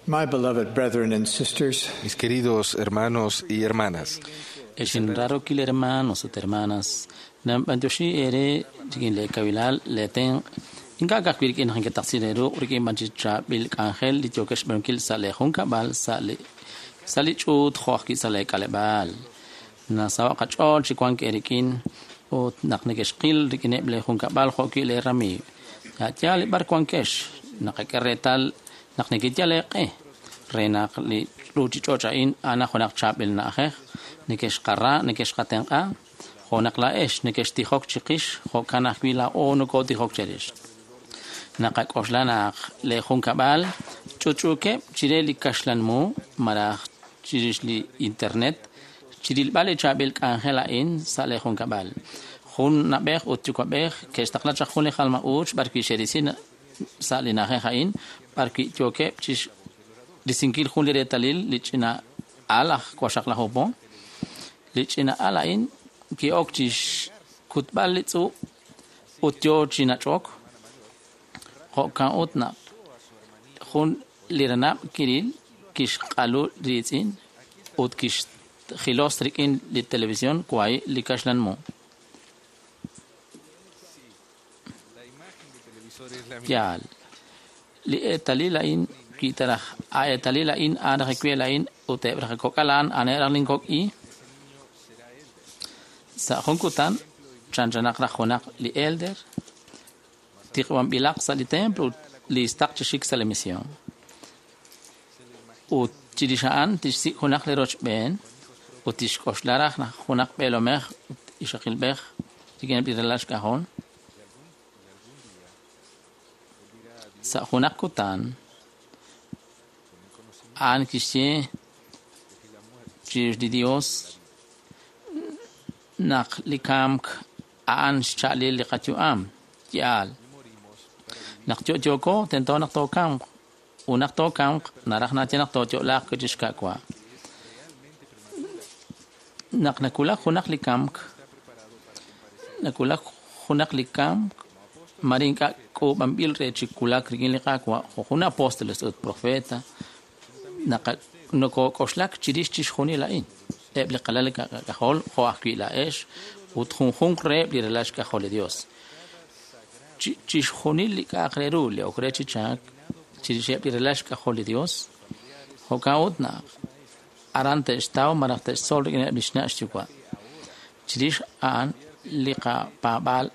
My beloved brethren and sisters, mis queridos hermanos y hermanas, Exinraro kil hermanos ut hermanas, namb'antioxi ere rikin le kabilal le ten ink'a' ka'ajwi' rik'in naq inkataqsireru rik'in b'an chi chaab'il k'anjel li yookex xb'aanunkil sa' le junkab'al sa' li ch'uut jo' ajwi' sa' le k'aleb'aal. Nasaho' qach'ool chi wank eerik'in ut naq nekexqil rik'ineb' le junkab'al jo' wi' le ramiiw. Ya'yaal b'ar wankex naqak'e reetal naq nekeyal eeq'e re naq li ruchich'och' a'in a'an junaq chaab'il na'ajej nekexqara nekexqatenq'a jo' naq laa'ex nekextijok chiqix jo'kan ajwi' laa'o nokootijok cherix. Naqak'oxla naq le junkab'al ch'utch'uukeb' chire li kaxlan mu malaj chirix li internet chirilb'al li chaab'il k'anjel a'in sa' le junkab'al. Jun nab'ej ut yuwa'b'ej ke'xtaqla chaq jun li jalma-uuch b'arwi' xe'risi sa' li na'ajej a'in b'arwi' yookeb' chirisinkil jun li reetalil li ch'ina al aj waxaqlaju po. Li ch'ina al a'in ki'ok chixkutb'al li tz'ub' ut yoo chi nach'ok. Jo'kan ut naq jun li ranab' kiril kixq'alu riitz'in ut kixjilos rik'in li televisión kwai li kaxlan mu. Yaal. Li eetalil a'in kitaraj a eetalil a'in a'an raj ekuel a'in ut eb' raj kok'al a'an a'an raj linkok'i. Sa' jun kutan chanchanaq raj junaq li elder tiqb'anb'ilaq sa' li templo ut li istaq chi xik sa' li misión. Ut chirix a'an tixsik' junaq li rochb'een ut tixk'oxla raj naq junaq b'eelomej ut ixaqilb'ej rik'ineb' li ralal xk'ajol. Sa' junaq kutan a'an kixye chirix li Dios naq li kamk a'an xcha'alil li qayu'am. Yaal. Naq yo'yooko tento naq tookamq ut naq tookamq naraj naye naq tooyo'laaq wi' xka'wa. Naq nakulak junaq li kamk nakulak junaq li kamk mare ink'a' k'uub'anb'il re chi kulak rik'in li Qaawa' jo' jun apóstoles ut profeta nokok'oxlak chirix chixjunil a'in. Eb' li qalal k'ajol jo' ajwi' laa'ex ut junjunq reheb' li ralal xk'ajol li Dios. Chixjunil li k'a'aq re ru li ok re chi chaak chirixeb' li ralal xk'ajol li Dios jo'kan ut naq aran te'xtaw malaj te'xtzol rik'ineb' li xna' xyuwa'. Chirix a'an li qapaab'aal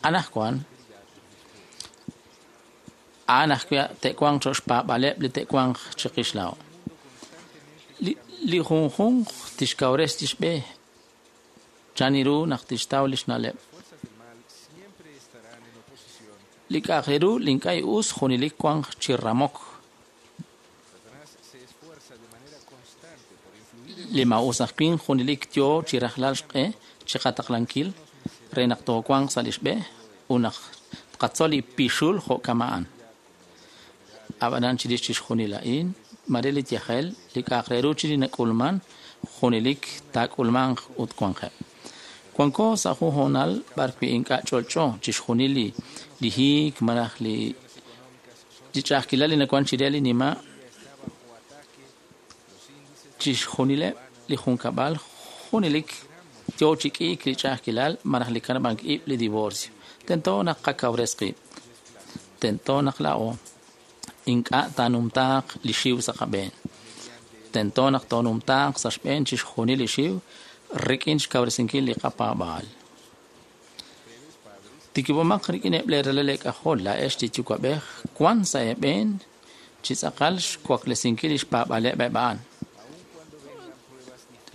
anajwan a'an ajwi' te'wanq cho'q xpaab'aaleb' li te'wanq chiqix laa'o. Li junjunq tixkawres tixb'e chan ru naq tixtaw li xna'leb'. Li k'a'aq re ru li ink'a' us junelik wanq chi ramok. Li maa'us aj winq junelik yoo chi rajlal xq'e chi qataqlankil re naq toowanq sa' li xb'e ut naq tqatzol li pixul jo' kama'an. Ab'anan chirix chixjunil a'in mare li yajel li k'a'aq re ru chi li nak'ulman junelik taak'ulmanq ut wanqeb'. Wanko sa' jun hoonal b'arwi' ink'a' ch'olch'o chixjunil li hiik malaj li ch'a'ajkilal li nawank chire li nima' chixjunileb' li junkab'al junelik yo chi k'iik li ch'a'ajkilal malaj li kanab'ank ib' li divorcio. Tento naq qakawres qib'. Tento naq laa'o ink'a' taanumtaaq li xiw sa' qab'een. Tento naq toonumtaaq sa' xb'een chixjunil li xiw rik'in xkawresinkil li qapaab'aal. Tikib'omaq rik'ineb' lee ralal eek'ajol laa'ex li yuwa'b'ej wan sa' eeb'een chi tz'aqal xwaklesinkil li xpaab'aaleb' eb' a'an.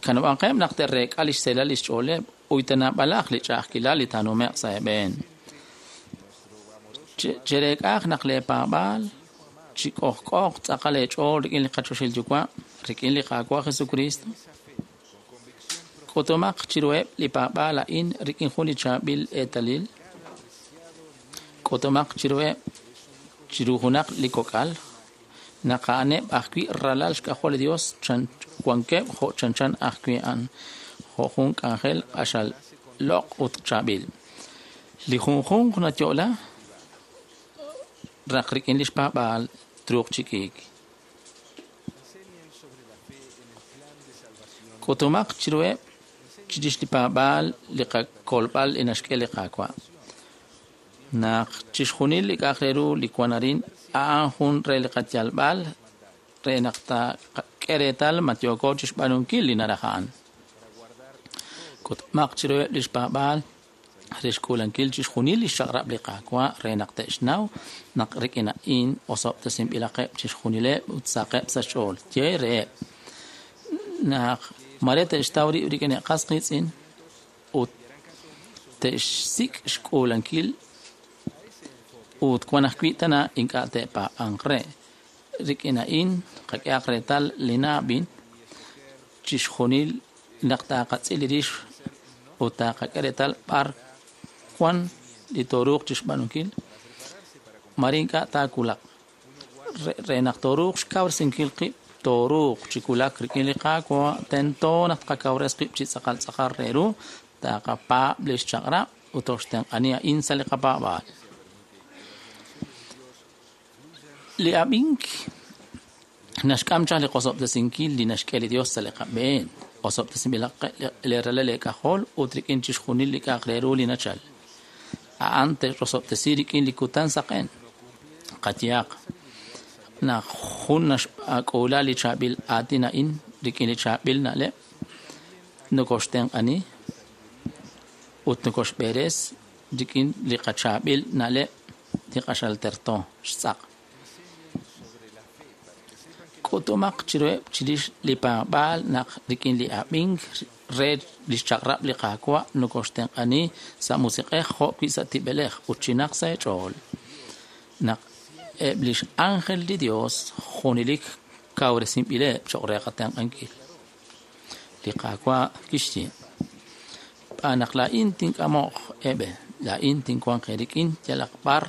Kanab'anqeb' naq te'reek'a li xseelal li xch'ooleb' uy tanaab'alaq li ch'a'ajkilal li taanume'q sa' eeb'een. Chereek'aaq naq lee paab'aal chi k'ojk'ooq tz'aqal eech'ool rik'in li qachoxil Yuwa', rik'in li Qaawa' Jesucristo. K'utumaq chiruheb' li paab'aal a'in rik'in jun li chaab'il eetalil. K'utumaq chiruheb' chiru junaq li kok'al naq a'aneb' ajwi' ralal xk'ajol li Dios wankeb' jo' chanchan ajwi' a'an jo' jun k'anjel q'axal loq' ut chaab'il. Li junjunq nayo'la raq rik'in li xpaab'aal truuq chi k'iik. K'utumaq chiruheb' chirix li paab'aal li qakolb'al li naxk'e li Qaawa'. Naq chixjunil li k'a'aq re ru li wan arin a'an jun re li qayalb'al re naq taqak'e reetal ma yooko chixb'aanunkil li naraj a'an. K'utumaq chiruheb' li xpaab'aal re xk'uulankil chixjunil li xchaq'rab' li Qaawa' re naq te'xnaw naq rik'in a'in osob'tesinb'ilaqeb' chixjunileb' ut saqeb' sa' xch'ool. Ye reheb' naq mare te'xtaw rib' rik'in qas qiitz'in ut te'xsik' xk'uulankil ut wan ajwi' tana ink'a' te'paab'anq re. Rik'in a'in qak'ehaq reetal li naab'in chixjunil naq taqatz'il li rix ut taqak'e reetal b'ar wan li tooruuq chixb'aanunkil mare ink'a' taawulaq. Re naq tooruuq xkawresinkil qib' tooruuq chi wulak rik'in li Qaawa' tento naq tqakawres qib' chi tz'aqal tz'aqal re ru taqapaab' li xchaq'rab' ut toxtenq'ani a'in sa' li qapaab'aal. Li ab'ink naxk'am chaq li qosob'tesinkil li naxk'e li Dios sa' li qab'een. Osob'tesinb'ilaq li ralal eek'ajol ut rik'in chixjunil li k'a'aq re ru li nachal. A'an te'rosob'tesi rik'in li kutan saqen. Qayehaq naq jun naxk'uula li chaab'il aatin a'in rik'in li chaab'il na'leb' nokoxtenq'ani ut nokoxb'eres rik'in li qachaab'il na'leb' li q'axal terto xtz'aq. K'utumaq chiruheb' chirix li paab'aal naq rik'in li ab'ink re li xchaq'rab' li Qaawa' nokoxtenq'ani sa' musiq'ej jo' wi' sa' tib'elej ut chinaq sa' eech'ool. Naq eb' li x'ánjel li Dios junelik kawresinb'ileb' cho'q re qatenq'ankil. Li Qaawa' kixye: Xb'aan naq laa'in tink'amoq eeb'e, laa'in tinwanq eerik'in yalaq b'ar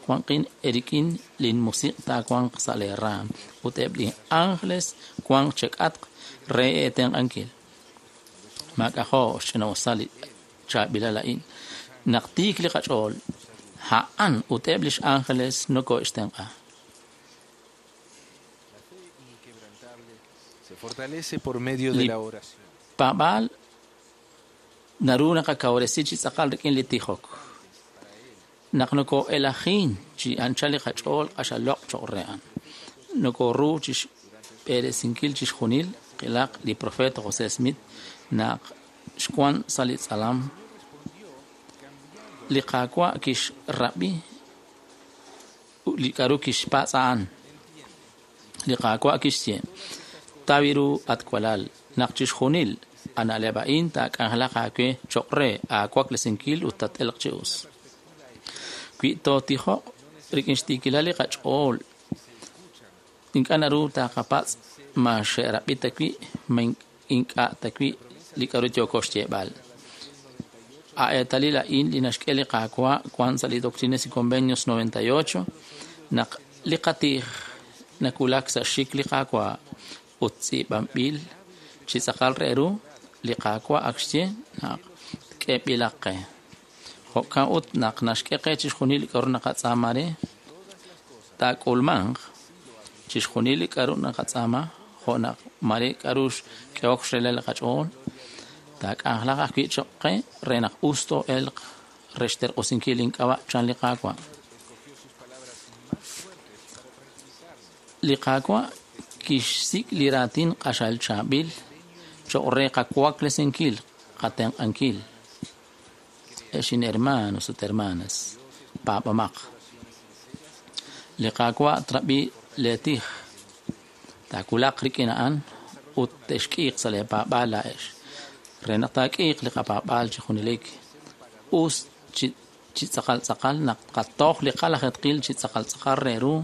wanqin eerik'in linmusiq' taawanq sa' lee raam ut eb' li ánjeles wanq chek'atq re eetenq'ankil. Maak'ajo' xch'ina'usal li chaab'ilal a'in. Naq tiik li qach'ool, a'an ut eb' li x'ánjeles noko'xtenq'a. Se fortalece por medio de la oración. Paab'aal naru naqakawresi chi tz'aqal rik'in li tijok. Naq noko'elajin chi anchal li qach'ool q'axal loq' cho'q re a'an. Nokoru chi xb'eresinkil chixjunil qilaq li profeta José Smith naq xwan sa' li tz'alam. Li Qaawa' kixrab'i li k'aru kixpatz' a'an. Li Qaawa' kixye: Taw ru at walal naq chixjunil a na'leb' a'in taak'anjelaq aawe cho'q re aawaklesinkil ut tat-elq chi us. Wi tootijoq rik'in xtiikilal li qach'ool ink'a' naru taqapatz' ma xe'rab'i ta wi' ma ink'a' ta wi' li k'aru yooko xyeeb'al. A eetalil a'in li naxk'e li Qaawa' wan sa' li Doctrinas y Convenios 98 naq li qatij nawulak sa' xxik li Qaawa' ut tz'iib'anb'il chi tz'aqal re ru li Qaawa' ak xye naq k'eb'ilaq qe. Jo'kan ut naq naxk'e qe chixjunil li k'aru naqatz'aama re taak'ulmanq chixjunil li k'aru naqatz'aama jo' naq mare k'aru xk'ehok xrelel li qach'ool taak'anjelaq ajwi' cho'q qe re naq us too'elq re xterq'usinkil ink'ab'a' chan li Qaawa'. Li Qaawa' kixsik' li raatin q'axal chaab'il cho'q re qawaklesinkil qatenq'ankil. Ex inhermanos ut hermanas, paab'amaq. Li Qaawa' trab'i leetij, taawulaq rik'in a'an ut te'xk'iiq sa' leepaab'aal laa'ex. Re naq taak'iiq li qapaab'aal chi junelik, us chi tz'aqal tz'aqal naq qatoj li qalajetqil chi tz'aqal tz'aqal re ru.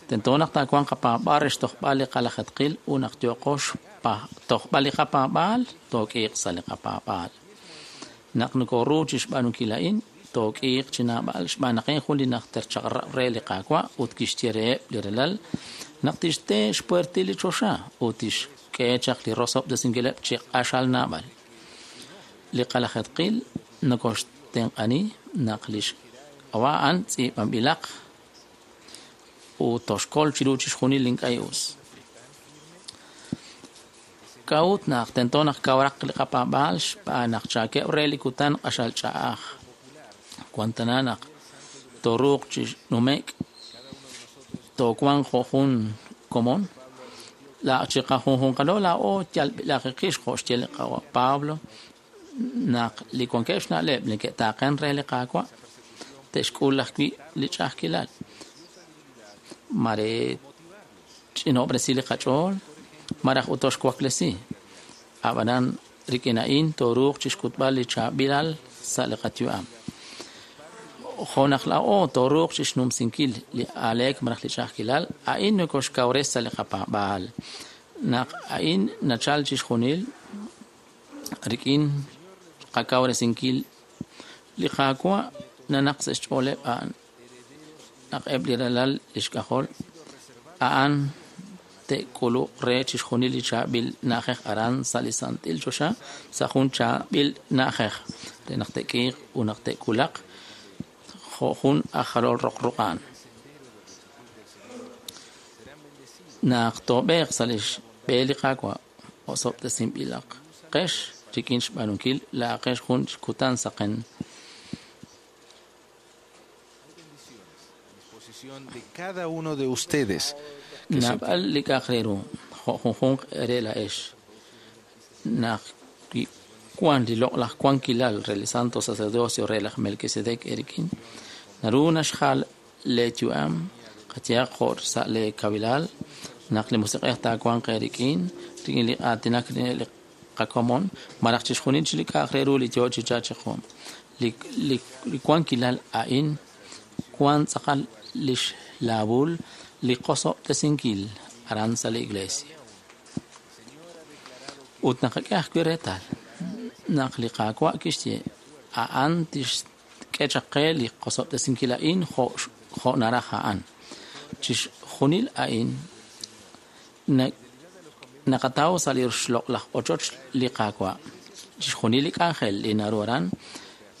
Tento naq taawanq qapaab'aal re xtojb'al li qalajetqil ut naq yooqo xtojb'al li qapaab'aal, took'iiq sa' li qapaab'aal. Naq nokoru chi xb'aanunkil a'in, took'iiq chi naab'al xb'aan naq jun li najter chaq'rab' re li Qaawa' ut kixye reheb' li relal naq tixte xpuertil li choxa ut tixk'e chaq li rosob'tesinkileb' chi q'axal naab'al. Li qalajetqil nokoxtenq'ani naq li xk'ab'a' a'an tz'iib'anb'ilaq ut toxkol chiru chixjunil li ink'a' us. K'a'ut naq tento naq kawraq li qapaab'aal xb'aan naq chaakeb' re li kutan q'axal ch'a'aj. Wan tana naq tooruuq chi nume'k toowanq jo' jun komon. Chi qajunjunqalo laa'o yalb'ilaqeqix jo' xye li Qawa' Pablo naq li wankeb' xna'leb' neke'taaqen re li Qaawa' te'xk'ul ajwi' li ch'a'ajkilal. Mare ch'inob'resi li qach'ool maraj ut toxwaklesi. Ab'anan rik'in a'in tooruuq chi xk'utb'al li chaab'ilal sa' li qayu'am. Jo' naq laa'o tooruuq chi xnumsinkil li aaleek maraj li ch'a'ajkilal, a'in nokoxkawres sa' li qapaab'aal. Naq a'in nachal chixjunil rik'in qakawresinkil li Qaawa' nanaq sa' xch'ooleb' a'an naq eb' li ralal li xk'ajol a'an te'k'uluq re chixjunil li chaab'il na'ajej aran sa' li santil choxa sa' jun chaab'il na'ajej re naq te'k'iiq ut naq te'wulaq jo' jun aj jalol roq ruq'an. Naq toob'eeq sa' li xb'e li Qaawa' osob'tesinb'ilaq qex rik'in xb'aanunkil laa'aqex jun kutan saqen. De cada uno de ustedes. Naab'al li k'a'aq re ru jo' junjunq re laa'ex. Naq wan li loq'laj wankilal re li santo sacerdocio re laj Melquisedec erik'in, naru naxjal leeyu'am qayehaq jo' sa' leekawilal naq li musiq'ej taawanq eerik'in rik'in li aatinak li qakomon malaj chixjunil chi li k'a'aq re ru li yoo chi chachiqu. Li wankilal a'in wan tz'aqal lix laabul li qosob'tesinkil aran sa' li iglesia. Ut naqak'e ajwi' reetal naq li Qaawa' kixye a'an tixk'e chaq qe li qosob'tesinkil a'in jo' naraj a'an. Chixjunil a'in naqataw sa' li xloq'laj ochoch li Qaawa'. Chixjunil li k'anjel li naru aran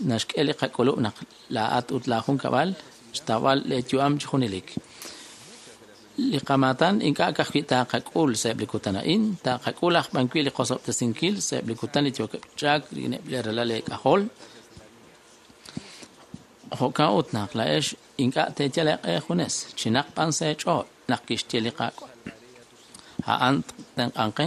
naxk'e li qak'ulub' naq laa'at ut laajunkab'al xtawb'al leeyu'am chi junelik. Li qamaatan ink'a' ka'ajwi' taaqak'ul sa'eb' li kutan a'in, taaqak'ul aj b'an wi' li qosob'tesinkil sa'eb' li kutan li yookeb' chak rik'ineb' li ralal eek'ajol. Jo'kan ut naq laa'ex ink'a' teeyal eeq'e junes, chinaq b'an sa' eech'ool naq kixye li Qaawa'. A'an tenq'anqe.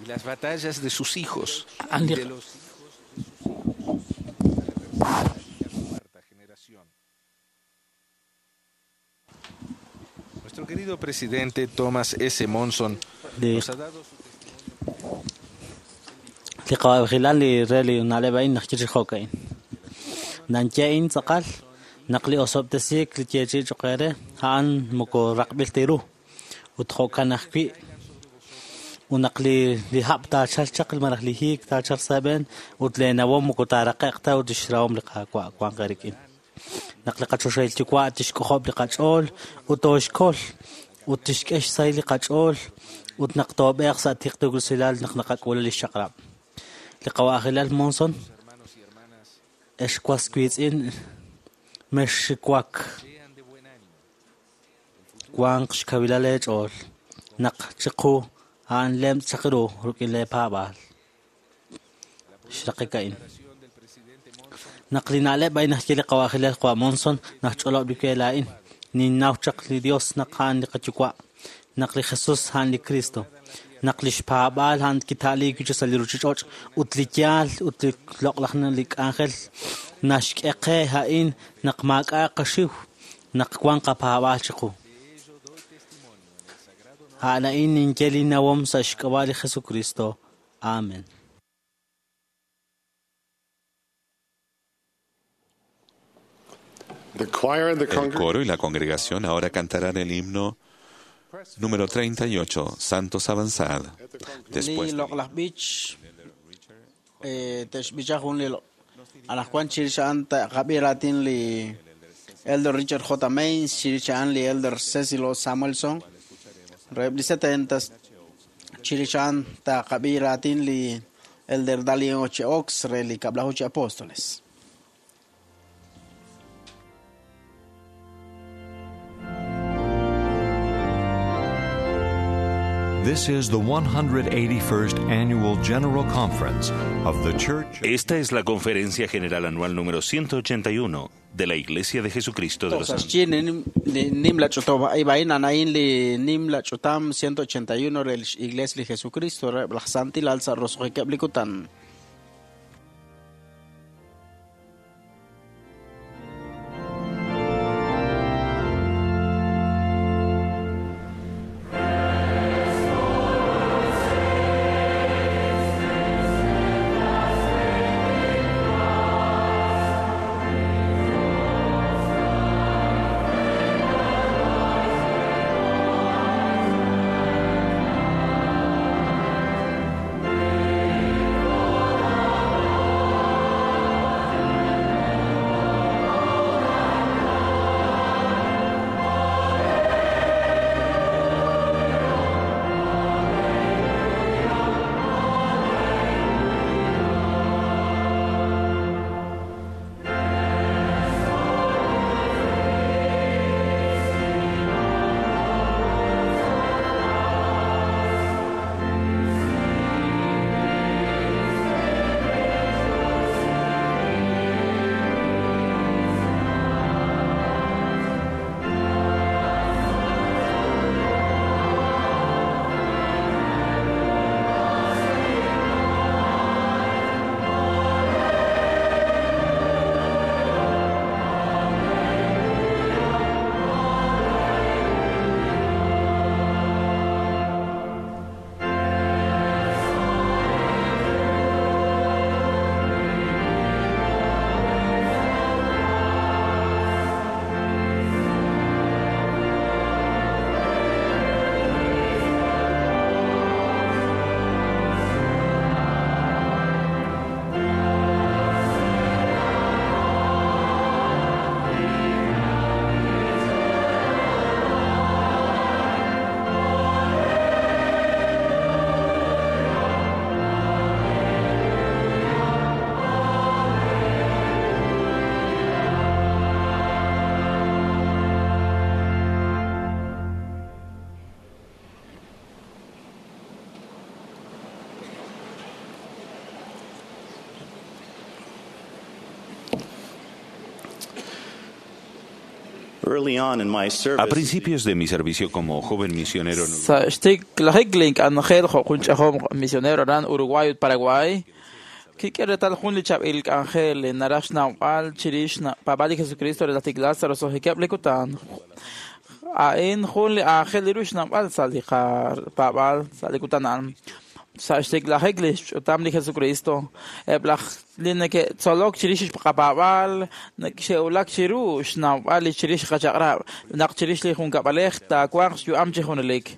Y las batallas de sus hijos y de los hijos de sus hijos hasta la tercera y la cuarta generación. Nuestro querido presidente Thomas S. Monson nos ha dado su testimonio. Li qawab'ejilal li re li na'leb' a'in naq chirix jo'ka'in. Nanye'in tz'aqal naq li osob'tesiik li yeechi'i cho'q re a'an moko raqb'il ta ru ut jo'kan ajwi' Ut naq li hab' taachalq chaq malaj li hiik taachalq sa' eeb'een ut leenawom moko taaraqe'q ta ut lix rahom li Qaawa' wanq eerik'in. Naq li qachoxahil Yuwa' tixk'ojob' li qach'ool ut tooxkol ut tixk'e xsahil li qach'ool ut naq toob'eeq sa' tiqtuusilal naq naqak'ul lix chaq'rab'. Li qawa'ajilal Monson, ex was wiitz'in mexxiwak wanq xkawilal eech'ool naq chiqu a'an lemtz' chaq ru rik'in leepaab'aal. Xraqik a'in. Naq li na'leb' a'in naxye li qawa'ajilal Qawa' Monson naxch'olob' li we laa'in. Ninnaw chaq li Dios naq a'an li qaYuwa', naq li Jesus a'an li Cristo, naq lix paab'aal a'an kita'liik wi' sa' li ruchich'och' ut li yaal ut li loq'laj li k'anjel naxk'e qe a'in naq maak'a' qaxiw, naq wan qapaab'aal chiqu. A'an a'in ninye li nawom sa' xk'ab'a' li Jesucristo. Amen. The choir and the El congregation. coro y la congregación ahora cantarán el himno número 38, Santos Avanzad. Después Li loq'laj b'ich te'xb'icha jun li anaqwan chirix a'an taqab'i raatin li Elder Richard J. Mains, chirix a'an li Elder Cecil O. Samuelson, reheb' li 70s, chirix a'an taqab'i raatin li Elder Dallin H. Oaks re li Kab'laju chi Apóstoles. This is the 181st Annual General Conference of the Church. Esta es la Conferencia General Anual número 181 de la Iglesia de Jesucristo de los Sa Santos. xyi li nimla ch'utam a'in a'in li nimla ch'utam 181 re lix Iglesia li Jesucristo reheb' laj Santilal sa' roso'jikeb' li kutan. Early on in my A service, principios de mi servicio como joven misionero en Sa xtiklajik k'anjel jo' jun ch'ajom misionero aran Uruguay ut Paraguay kik'e reetal jun li chab'il k'anjel naraj xnawb'al chirix paab'al li Jesucristo re laj tiklal sa' roso'jikeb' li kutan. A'in jun li aajel ru xnawb'al sa' li qapaab'al sa' li kutan a'an. Sa' xtiklajik li xch'utam li Jesucristo, eb' laj li neke'tzolok chirix xqapaab'aal xe'wulak chiru xnawb'al li chirix qachaq'rab' naq chirix li junkab'alej taawanq xyu'am chi junelik.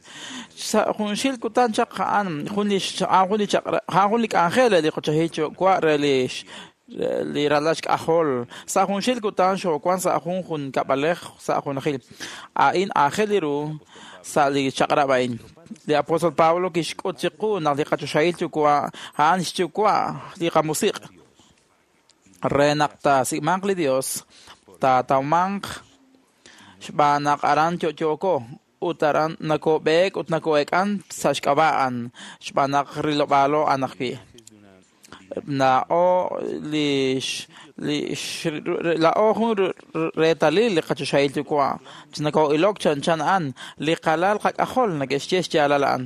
Sa' junxil kutan chaq a'an jun li a'an jun li chaq'rab' a'an jun li k'anjel re li qochohil yuwa' re li li ralal xk'ajol. Sa' junxil kutan xoowan sa' jun junkab'alej sa' junajil. A'in aajel ru sa' li chaq'rab' a'in. Li apóstol Pablo kixk'ut chiqu naq li qachoxahil yuwa' a'an xyuwa' li qamusiq'. Re naq taasik'manq li Dios, taatawmanq xb'aan naq aran yo'yooko ut aran nakob'eek ut nako'eek'an sa' xk'ab'a' a'an, xb'aan naq rilob'aalo a'an ajwi'. Laa'o li laa'o jun reetalil li qachoxahil yuwa' chi nako'ilok chanchan a'an, li qalal qak'ajol neke'xye xyaalal a'an.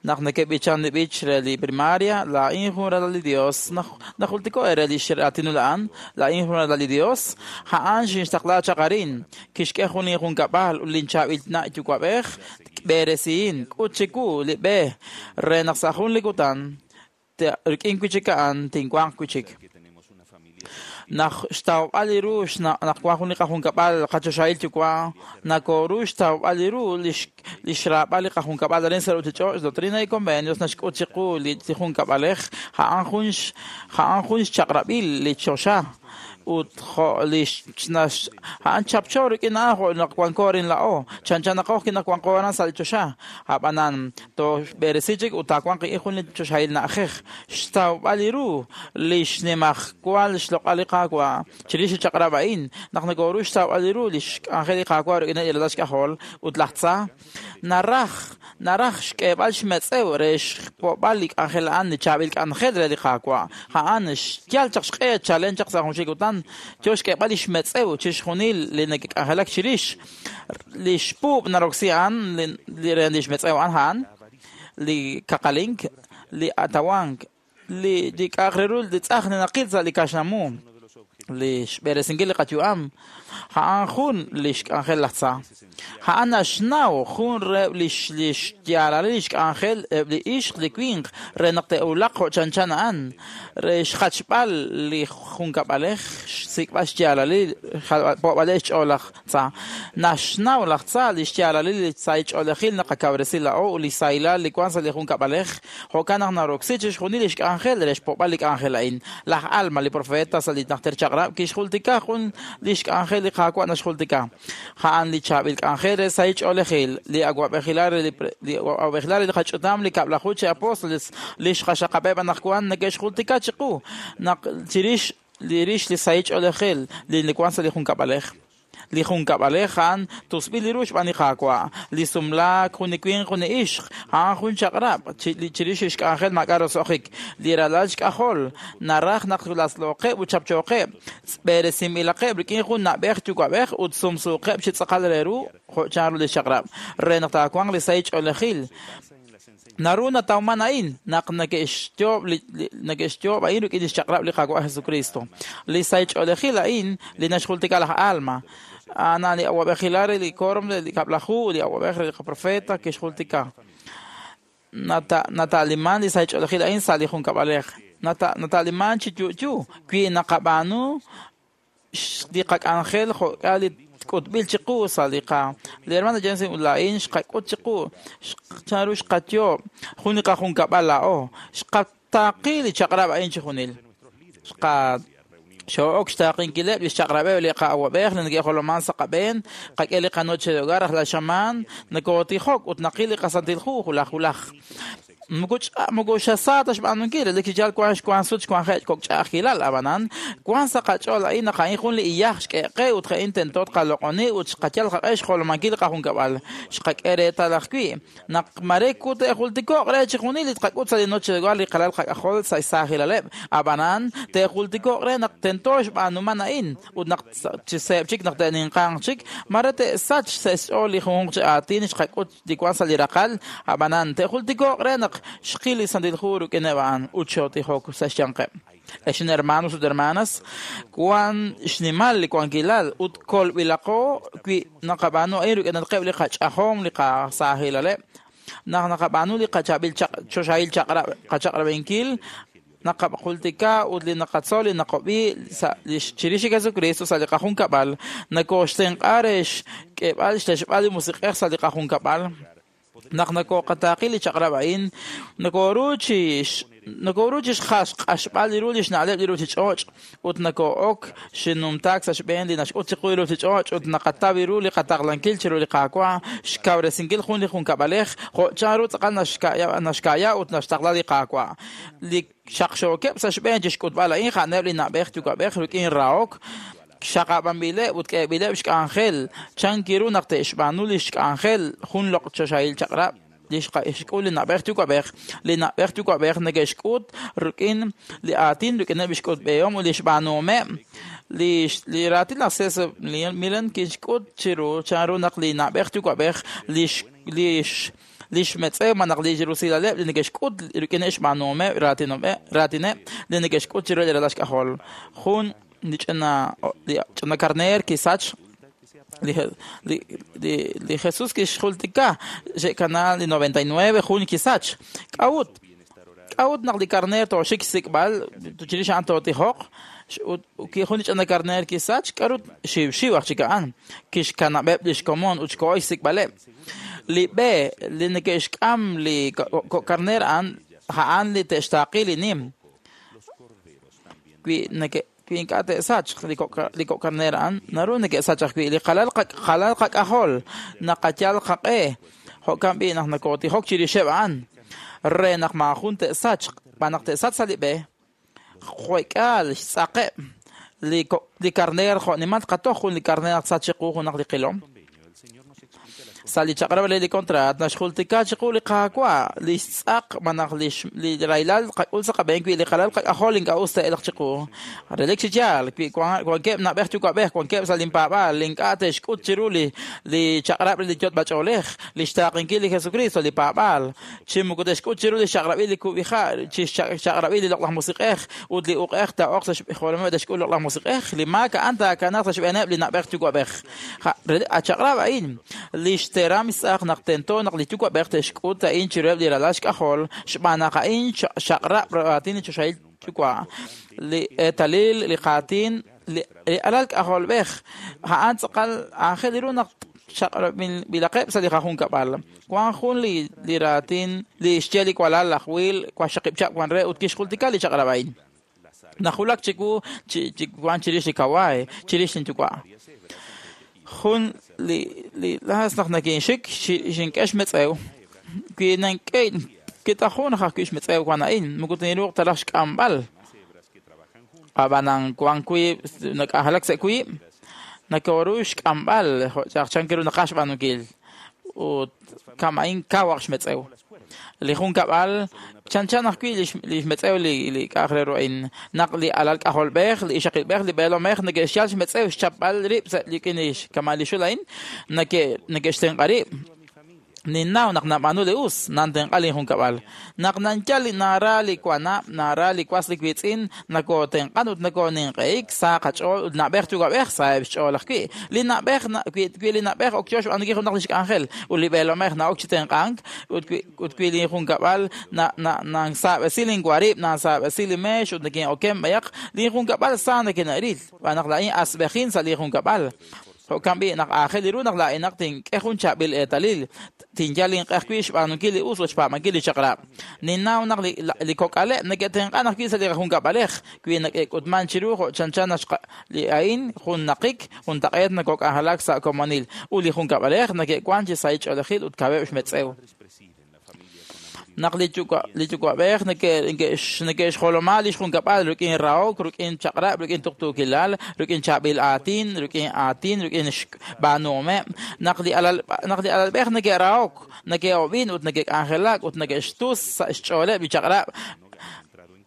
Naq neke'b'ichan li b'ich re li primaria, laa'in jun ralal li Dios, najultiko re li xraatinul a'an, laa'in jun ralal li Dios, a'an xinxtaqla chaq arin, kixk'e jun injunkab'al ut linchaab'il na' yuwa'b'ej b'eresihin, k'ut chiwu li b'e re naq sa' jun li kutan rik'in wi' chik a'an tinwanq wi' chik. Naq xtawb'al li ru naq wan jun li qajunkab'al qachoxahil yuwa' nakoru xtawb'al li ru li xraab'al li qajunkab'al arin sa' ruuchich'och'. Doctrina y Convenios naxk'ut chiqu li junkab'alej a'an jun xchaq'rab'il li choxa ut jo' li a'an chapcho rik'in a'an jo' naq wanko arin laa'o chanchan naqoj naq wanko aran sa' li choxa. Ab'anan toxb'eresi chik ut taawanq jun li choxahil na'ajej xtawb'al li ru li xnimajwal xloq'al li Qaawa' chirix li chaq'rab' a'in naq nakoru xtawb'al li ru li xk'anjel li Qaawa' rik'in li ralal xk'ajol ut laj tza naraj xk'eeb'al xmetz'ew re xpo'b'al li k'anjel a'an li chaab'il k'anjel re li Qaawa'. A'an xyal chaq xq'e chalen chaq sa' junxil kutan yo xk'eeb'al li xmetz'ew chixjunil li neke'k'anjelak chirix li xpuub' naroksi a'an li re li xmetz'ew a'an a'an li kaqalink, li atawank, li k'a'aq re ru li tz'aj naqil sa' li kaxlamu, li xb'eresinkil li qayu'am, a'an jun li xk'anjel laj tza. A'an naxnaw jun re li xyaalalil li xk'anjel eb' li ixq li winq re naq te'wulaq jo' chanchan a'an, re xjachb'al li junkab'alej, xsik'b'al xyaalalil, po'b'alej xch'ool laj tza. Naxnaw laj tza li xyaalalil li sahil ch'oolejil naqakawresi laa'o ut li sahilal li wan sa' li junkab'alej, jo'kan naq naroksi chixjunil li xk'anjel re xpo'b'al li k'anjel a'in. Laj Alma, li profeta sa' li najter chaq'rab', kixjultika jun li xk'anjel li Qaawa' naxjultika. A'an li chaab'il k'anjel re sahil ch'oolejil, li awa'b'ejilal re li qach'utam li kab'laju chi apóstoles li xqaxaqab'eb' anaqwan neke'xjultika chiqu naq chirix li rix li sahil ch'oolejil li wan sa' li junkab'alej. Li junkab'alej a'an tusb'il li ru xb'aan li Qaawa', li sumlaak jun li winq jun li ixq, a'an jun chaq'rab' chirix xk'anjel maak'a' roso'jik. Li ralal xk'ajol naraj naq laslooqeb' ut chapchooqeb', b'eresinb'ilaqeb' rik'in jun na'b'ej yuwa'b'ej ut sumsuuqeb' chi tz'aqal re ru jo' chanru li chaq'rab' re naq taawanq li sahil ch'oolejil. Naru natawman a'in naq neke'xyoob' a'in rik'in li xchaq'rab' li Qaawa' Jesucristo. Li sahil ch'oolejil a'in li naxjultika laj Alma, a'an li awa'b'ejilal re li quórum li kab'laju li awa'b'ej re li qaprofeta kixjultika. Nata'liman li sahil ch'oolejil a'in sa' li junkab'alej. Nata'liman chi yu'yu wi naqab'aanu li qak'anjel jo'k'a li k'utb'il chiqu sa' li qa. Li hermana Jensen ut laa'in xqak'ut chiqu chanru xqayoob' jun li qajunkab'al laa'o. Xqataaqi li chaq'rab' a'in chi junil. Xoo'ok xtaaqinkileb' li xchaq'rab'eb' li qa'awab'ej li neke'joloman sa' qab'een, qak'e li qanoche de hogar rajlal xamaan, nakotijok ut naqil li qasantil hu hulaj hulaj. Moko xasa ta xb'aanunkil li kichal wan xwan sut xwanje' kok' ch'a'ajkilal ab'anan wan sa' qach'ool a'in naq a'in jun li iyaj xk'e'qe ut a'in tento tqaloq'oni ut xqayal qaq'e xjolomankil li qajunkab'al. Xqak'e reetal ajwi' naq mare te'jultiko'q re chi junil li tqak'ut sa' li noche de hogar li qalal qak'ajol sa' xsaajilaleb'. Ab'anan te'jultiko'q re naq tento xb'aanuman a'in ut naq chi seeb' chik naq te'ninqanq chik mare te'sach sa' xch'ool li junjunq chi aatin xqak'ut li wan sa' li raqal. Ab'anan te'jultiko'q re naq xqil li Santil Hu rik'ineb' a'an ut xootijok sa' xyanqeb'. Ex hermanos ut hermanas, wan xnimal li wankilal ut kolb'ilaqo wi naqab'aanu a'in rik'inatqeb' li qach'ajom li qasaajilaleb'. Naq naqab'aanu li qachaab'il choxahil chaq'rab' qachaq'rab'inkil, naqajultika ut li naqatzol li naqob'i sa' chirix li Jesucristo sa' li qajunkab'al, nakooxtenq'a re xk'eeb'al xtexb'al li musiq'ej sa' li qajunkab'al. Naq nakooqataaqi li chaq'rab' a'in, nakooru chi xq'axb'al ru li xna'leb' li ruuchich'och' ut nakoo'ok xnumtaak sa' xb'een li naxk'ut chiqu li ruuchich'och' ut naqataw ru li qataqlankil chiru li Qaawa' xkawresinkil jun li junkab'alej jo' chanru tz'aqal naxka'ya ut naxtaqla li Qaawa'. Li xaqxookeb' sa' xb'een chi xk'utb'al a'in ja'aneb' li na'b'ej yuwa'b'ej rik'in rahok xaqab'anb'ileb' ut k'eeb'ileb' xk'anjel chankiru naq te'xb'aanu li xk'anjel jun loq' choxahil chaq'rab' li xk'ul li na'b'ej yuwa'b'ej. Li na'b'ej yuwa'b'ej neke'xk'ut rik'in li aatin rik'ineb' xk'utb'ehom ut li xb'aanuhomeb'. Li raatin laj Cesar Milan kixk'ut chiru chanru naq li na'b'ej yuwa'b'ej li xmetz'ew malaj li rusilaleb' li neke'xk'ut rik'ineb' xb'aanuhomeb' raatineb' li neke'xk'ut chiru li ralal xk'ajol. Jun li ch'ina karneer kisach li Jesús kixjultika xe'kana li 99 jun kisach. K'a'ut naq li karneer tooxik xsik'b'al chirix a'an tootijoq ut jun li ch'ina karneer kisach k'a'ru xiwxiw aj chik a'an kixkanab'eb' li xkomon ut xkoho xsik'b'aleb'. Li b'e li neke'xk'am li karneer a'an a'an li te'xtaaqi li nim. Wi ink'a' te'sachq li kok' karneer a'an naru neke'sach ajwi' li qalal qak'ajol naqayal qaq'e jo'kan b'i' naq nakootijok chirixeb' a'an re naq maajun te'sachq b'an naq te'sach sa' li b'e jwek'aal xtz'aqeb' li karneer jo'nimal qatoj jun li karneer naq tsach chiqu junaq li qilom. Sa' li chaq'rab' re li kontraat naxjultika chiqu li Qaawa' li xtz'aq malaj li rahilal qak'ul sa' qab'een wi li qalal qak'ajol ink'a' us te'elq chiqu. Relik chi yaal wi wankeb' na'b'ej yuwa'b'ej wankeb' sa' linpaab'aal li ink'a' te'xk'ut chiru li chaq'rab' li yot'b'ach'oolej li xtaaqenkil li Jesucristo li paab'aal chi moko te'xk'ut chiru li xchaq'rab'il li kub'iha' chi xchaq'rab'il li loq'laj musiq'ej ut li uq'ej taa'oq sa' xjolomeb' te'xk'ul loq'laj musiq'ej li maak a'an taakanaaq sa' xb'eeneb' li na'b'ej yuwa'b'ej. A chaq'rab' a'in li xteram xtz'aq naq tento naq li yuwa'b'ej te'xk'ut a'in chiruheb' li ralal xk'ajol xb'aan naq a'in xaq'rab' raatin li choxahil yuwa' li eetalil li qaatin li alal k'ajolb'ej a'an tz'aqal aajel ru naq xaq'rab'ilaqeb' sa' li qajunkab'al. Wan jun li raatin li xye li walal laj Will waxaqib' chab' wan re ut kixjultika li chaq'rab' a'in. Najulak chiwu chi wan chirix li kawaay chirix linyuwa'. Jun li laas naq nakinxik xink'e xmetz'ew wi nank'e kitajun ajwi' xmetz'ew wan a'in moko tinruuq ta raj xk'amb'al. Ab'anan wan wiib' nak'anjelak sa' wiib' nakooru xk'amb'al jo' chankiru naqaj xb'aanunkil ut kama'in kawaq xmetz'ew. Li junkab'al chanchan ajwi' li xmetz'ew li k'a'aq re ru a'in naq li alal k'ajolb'ej li ixaqilb'ej li b'eelomej neke'xyal xmetz'ew xchapb'al rib' sa' rik'in li kama' li xul a'in neke'xtenq'a rib'. Ninnaw naq nab'aanu li us nantenq'a linjunkab'al. Naq nanyal li nara li wanab' nara li was li wiitz'in nakootenq'an ut nakooninq'ehik sa qach'ool ut na'b'ej yuwa'b'ej saheb' xch'ool ajwi'. Li na'b'ej wi li na'b'ej ok yo xb'aanunkil junaq li xk'anjel ut li b'eelomej na'ok chi tenq'ank ut wi linjunkab'al nansaab'esi linwarib' nansaab'esi li meex ut nakin'oken b'ayaq linjunkab'al sa nakina'ril xb'aan naq laa'in asb'ejin sa' linjunkab'al. Jo'kan b'i' naq aajel ru naq laa'inaq tink'e jun chaab'il eetalil tinyal inq'e ajwi' xb'aanunkil li us ut xpaab'ankil li chaq'rab'. Ninnaw naq li kok'aleb' neke'tenq'an ajwi' sa' li qajunkab'alej wi neke'k'utman chiru jo' chanchan li a'in jun naqik juntaq'eet nakok'anjelak sa' komonil ut li junkab'alej neke'wan chi sahil ch'oolejil ut kaweb' xmetz'ew. Naq li yuwa'b'ej neke'xjoloma li xjunkab'al rik'in rahok, rik'in chaq'rab', rik'in tuqtuukilal, rik'in chaab'il aatin, rik'in xb'aanuhomeb'. Naq li alalb'ej neke'rahok, neke'ob'in ut neke'k'anjelak ut neke'xtus sa' xch'ooleb' li chaq'rab'.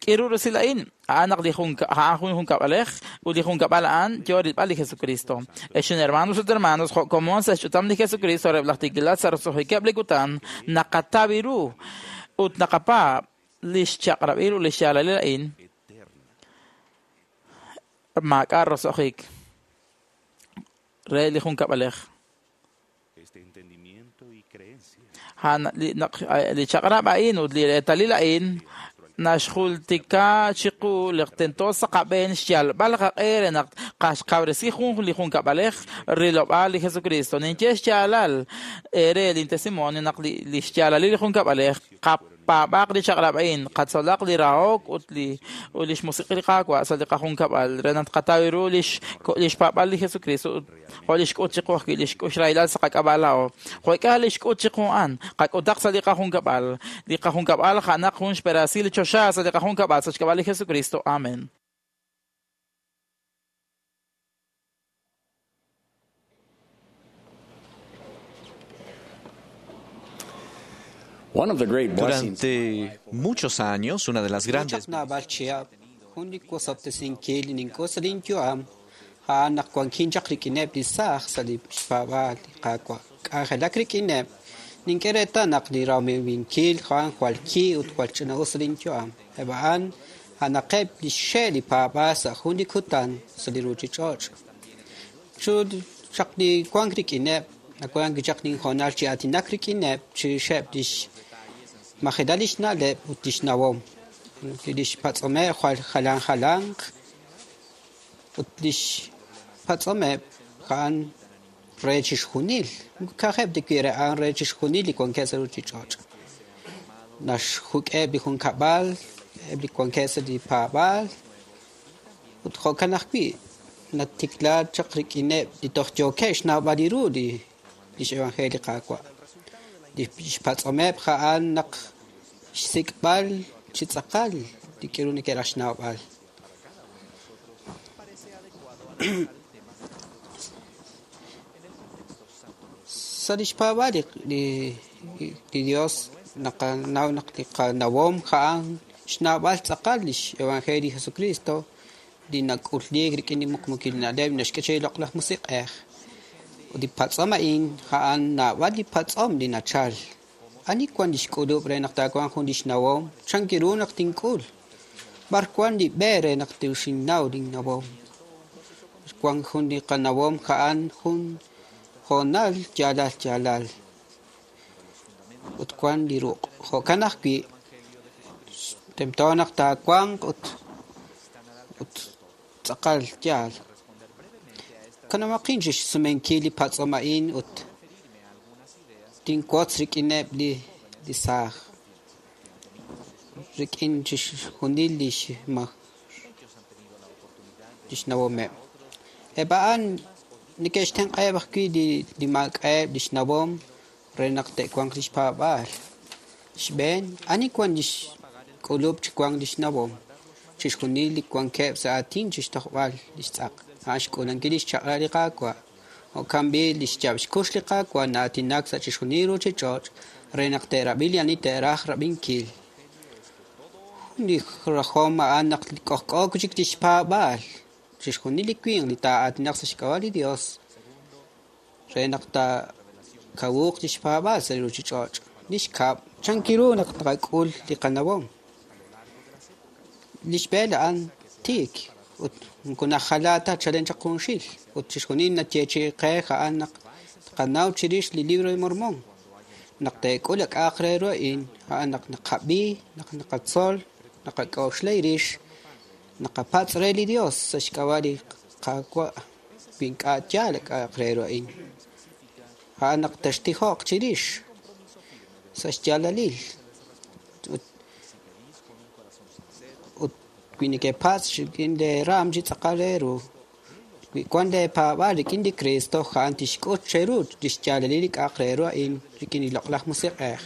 K'iru rusil a'in a'an naq a'an jun junkab'alej ut li junkab'al a'an yo rilb'al li Jesucristo. Ex hermanos ut hermanos jo' komon sa' xch'utam li Jesucristo reheb' laj tiikilal sa' roso'jikeb' li kutan naqataw ru ut naqapaab' li xchaq'rab'il ut li xyaalalil a'in maak'a' roso'jik re li junkab'alej. Li chaq'rab' a'in ut li reetalil a'in naxjultika chiqu li tento sa' qab'een xyalb'al qaq'e re naq qaxqawresi jun li junkab'alej rilob'aal li Jesucristo. Ninye xyaalal re lin testimonio naq li xyaalalil li junkab'alej qapaab'aq li chaq'rab' a'in, qatzolaq li rahok ut li xmusiq li Qaawa' sa' li qajunkab'al re naq tqataw ru li xpaab'al li Jesucristo ut jo' li xk'ut chiqu ajwi' li xk'uxrahilal sa' qak'ab'a' laa'o. Jo'k'a li xk'ut chiqu a'an, qak'utaq sa' li qajunkab'al. Li qajunkab'al ja'naq jun xperasil li choxa sa' li qajunkab'al sa' xk'ab'a' li Jesucristo. Amen. Durante muchos años, una de las grandes Naq wankin chaq rik'ineb' li saaj sa' li xpaab'aal li Qaawa'. K'anjelak rik'ineb', nink'e reetal naq li ramiiwinkil a'an jwal ki ut jwal ch'ina'us sa' linyu'am. Eb' a'an a'anaqeb' li xxe' li paab'aal sa' jun li kutan sa' li ruuchich'och'. Chu chaq li wank rik'ineb', nawank chaq linhoonal chi aatinak rik'ineb' chirixeb' li xmajelal li xna'leb' ut li xnawom. Li xpatz'omeb' jwal jalan jalanq ut li xpatz'omeb' a'an re chixjunil. Ka'ajeb' li wi' re a'an re chixjunil li wankeb' sa' ruuchich'och'. Naxjuk'eb' li junkab'al, eb' li wankeb' sa' li paab'aal ut jo'kan ajwi' natikla chaq rik'ineb' li toj yookeb' xnawb'al ru li xevangelio li Qaawa'. Li xpatz'omeb' a'an naq xsik'b'al chi tz'aqal li k'aru neke'raj xnawb'al. Sa' li xpaab'aal li Dios naqanaw naq li qanawom a'an xnawb'al tz'aqal li xevangelio li Jesucristo li nak'ulliik rik'in li muqmukil na'leb' naxk'e che li loq'laj musiq'ej. Ut li patz'om a'in a'an naab'al li patz'om li nachal. Ani wan li xk'ulub' re naq taawanq jun li xnawom? Chan ru naq tink'ul? B'ar wan li b'e re naq tiuxinnaw linnawom? Wan jun li qanawom a'an jun hoonal yaalal yaalal. Ut wan li ruq'. Jo'kan ajwi' tento naq taawanq ut tz'aqal yaal. Kanamaqin chi xsumenkil li patz'om a'in ut tinwotz rik'ineb' li saaj. Rik'in chixjunil li xnawomeb'. Eb' a'an neke'xtenq'eb' ajwi' li maak'a'eb' li xnawom re naq te'wanq li xpaab'aal. Xb'een, ani wan li xk'ulub' chi wank li xnawom? Chixjunil li wankeb' sa' aatin chi xtojb'al li xtz'aq. A'an xk'uulankil li xchaq'rab' li Qaawa'. Jo'kan b'i' li xyaab' xkux li Qaawa' na'aatinak sa' chixjunil ruuchich'och' re naq te'rab'i li ani te'raj rab'inkil. Jun li rajom a'an naq k'ojk'o chik li xpaab'aal. Chixjunil li winq li taa'aatinaq sa' xk'ab'a' li Dios re naq taakawuq li xpaab'aal sa' li ruuchich'och'. Li xkab', chan ru naq tqak'ul li qanawom? Li xb'een a'an tiik ut moko najala ta chalen chaq junxil ut chixjunil nayeechi'i qe a'an naq tqanaw chirix li Libro de Mormón. Naq teek'ul ak'aq re ru a'in, a'an naq naqab'i, naq naqatzol, naqak'oxla rix, naqapatz' re li Dios sa' xk'ab'a' li Qaawa' wi ink'a' yaal ak'aq re ru a'in. A'an naq textijoq chirix sa' xyaalalil ut wi nekepatz' rik'in lee raam chi tz'aqal re ru. Wi wan leepaab'aal rik'in li Cristo, a'an tixk'ut cheru li xyaalalil li k'a'aq re ru a'in rik'in li loq'laj musiq'ej.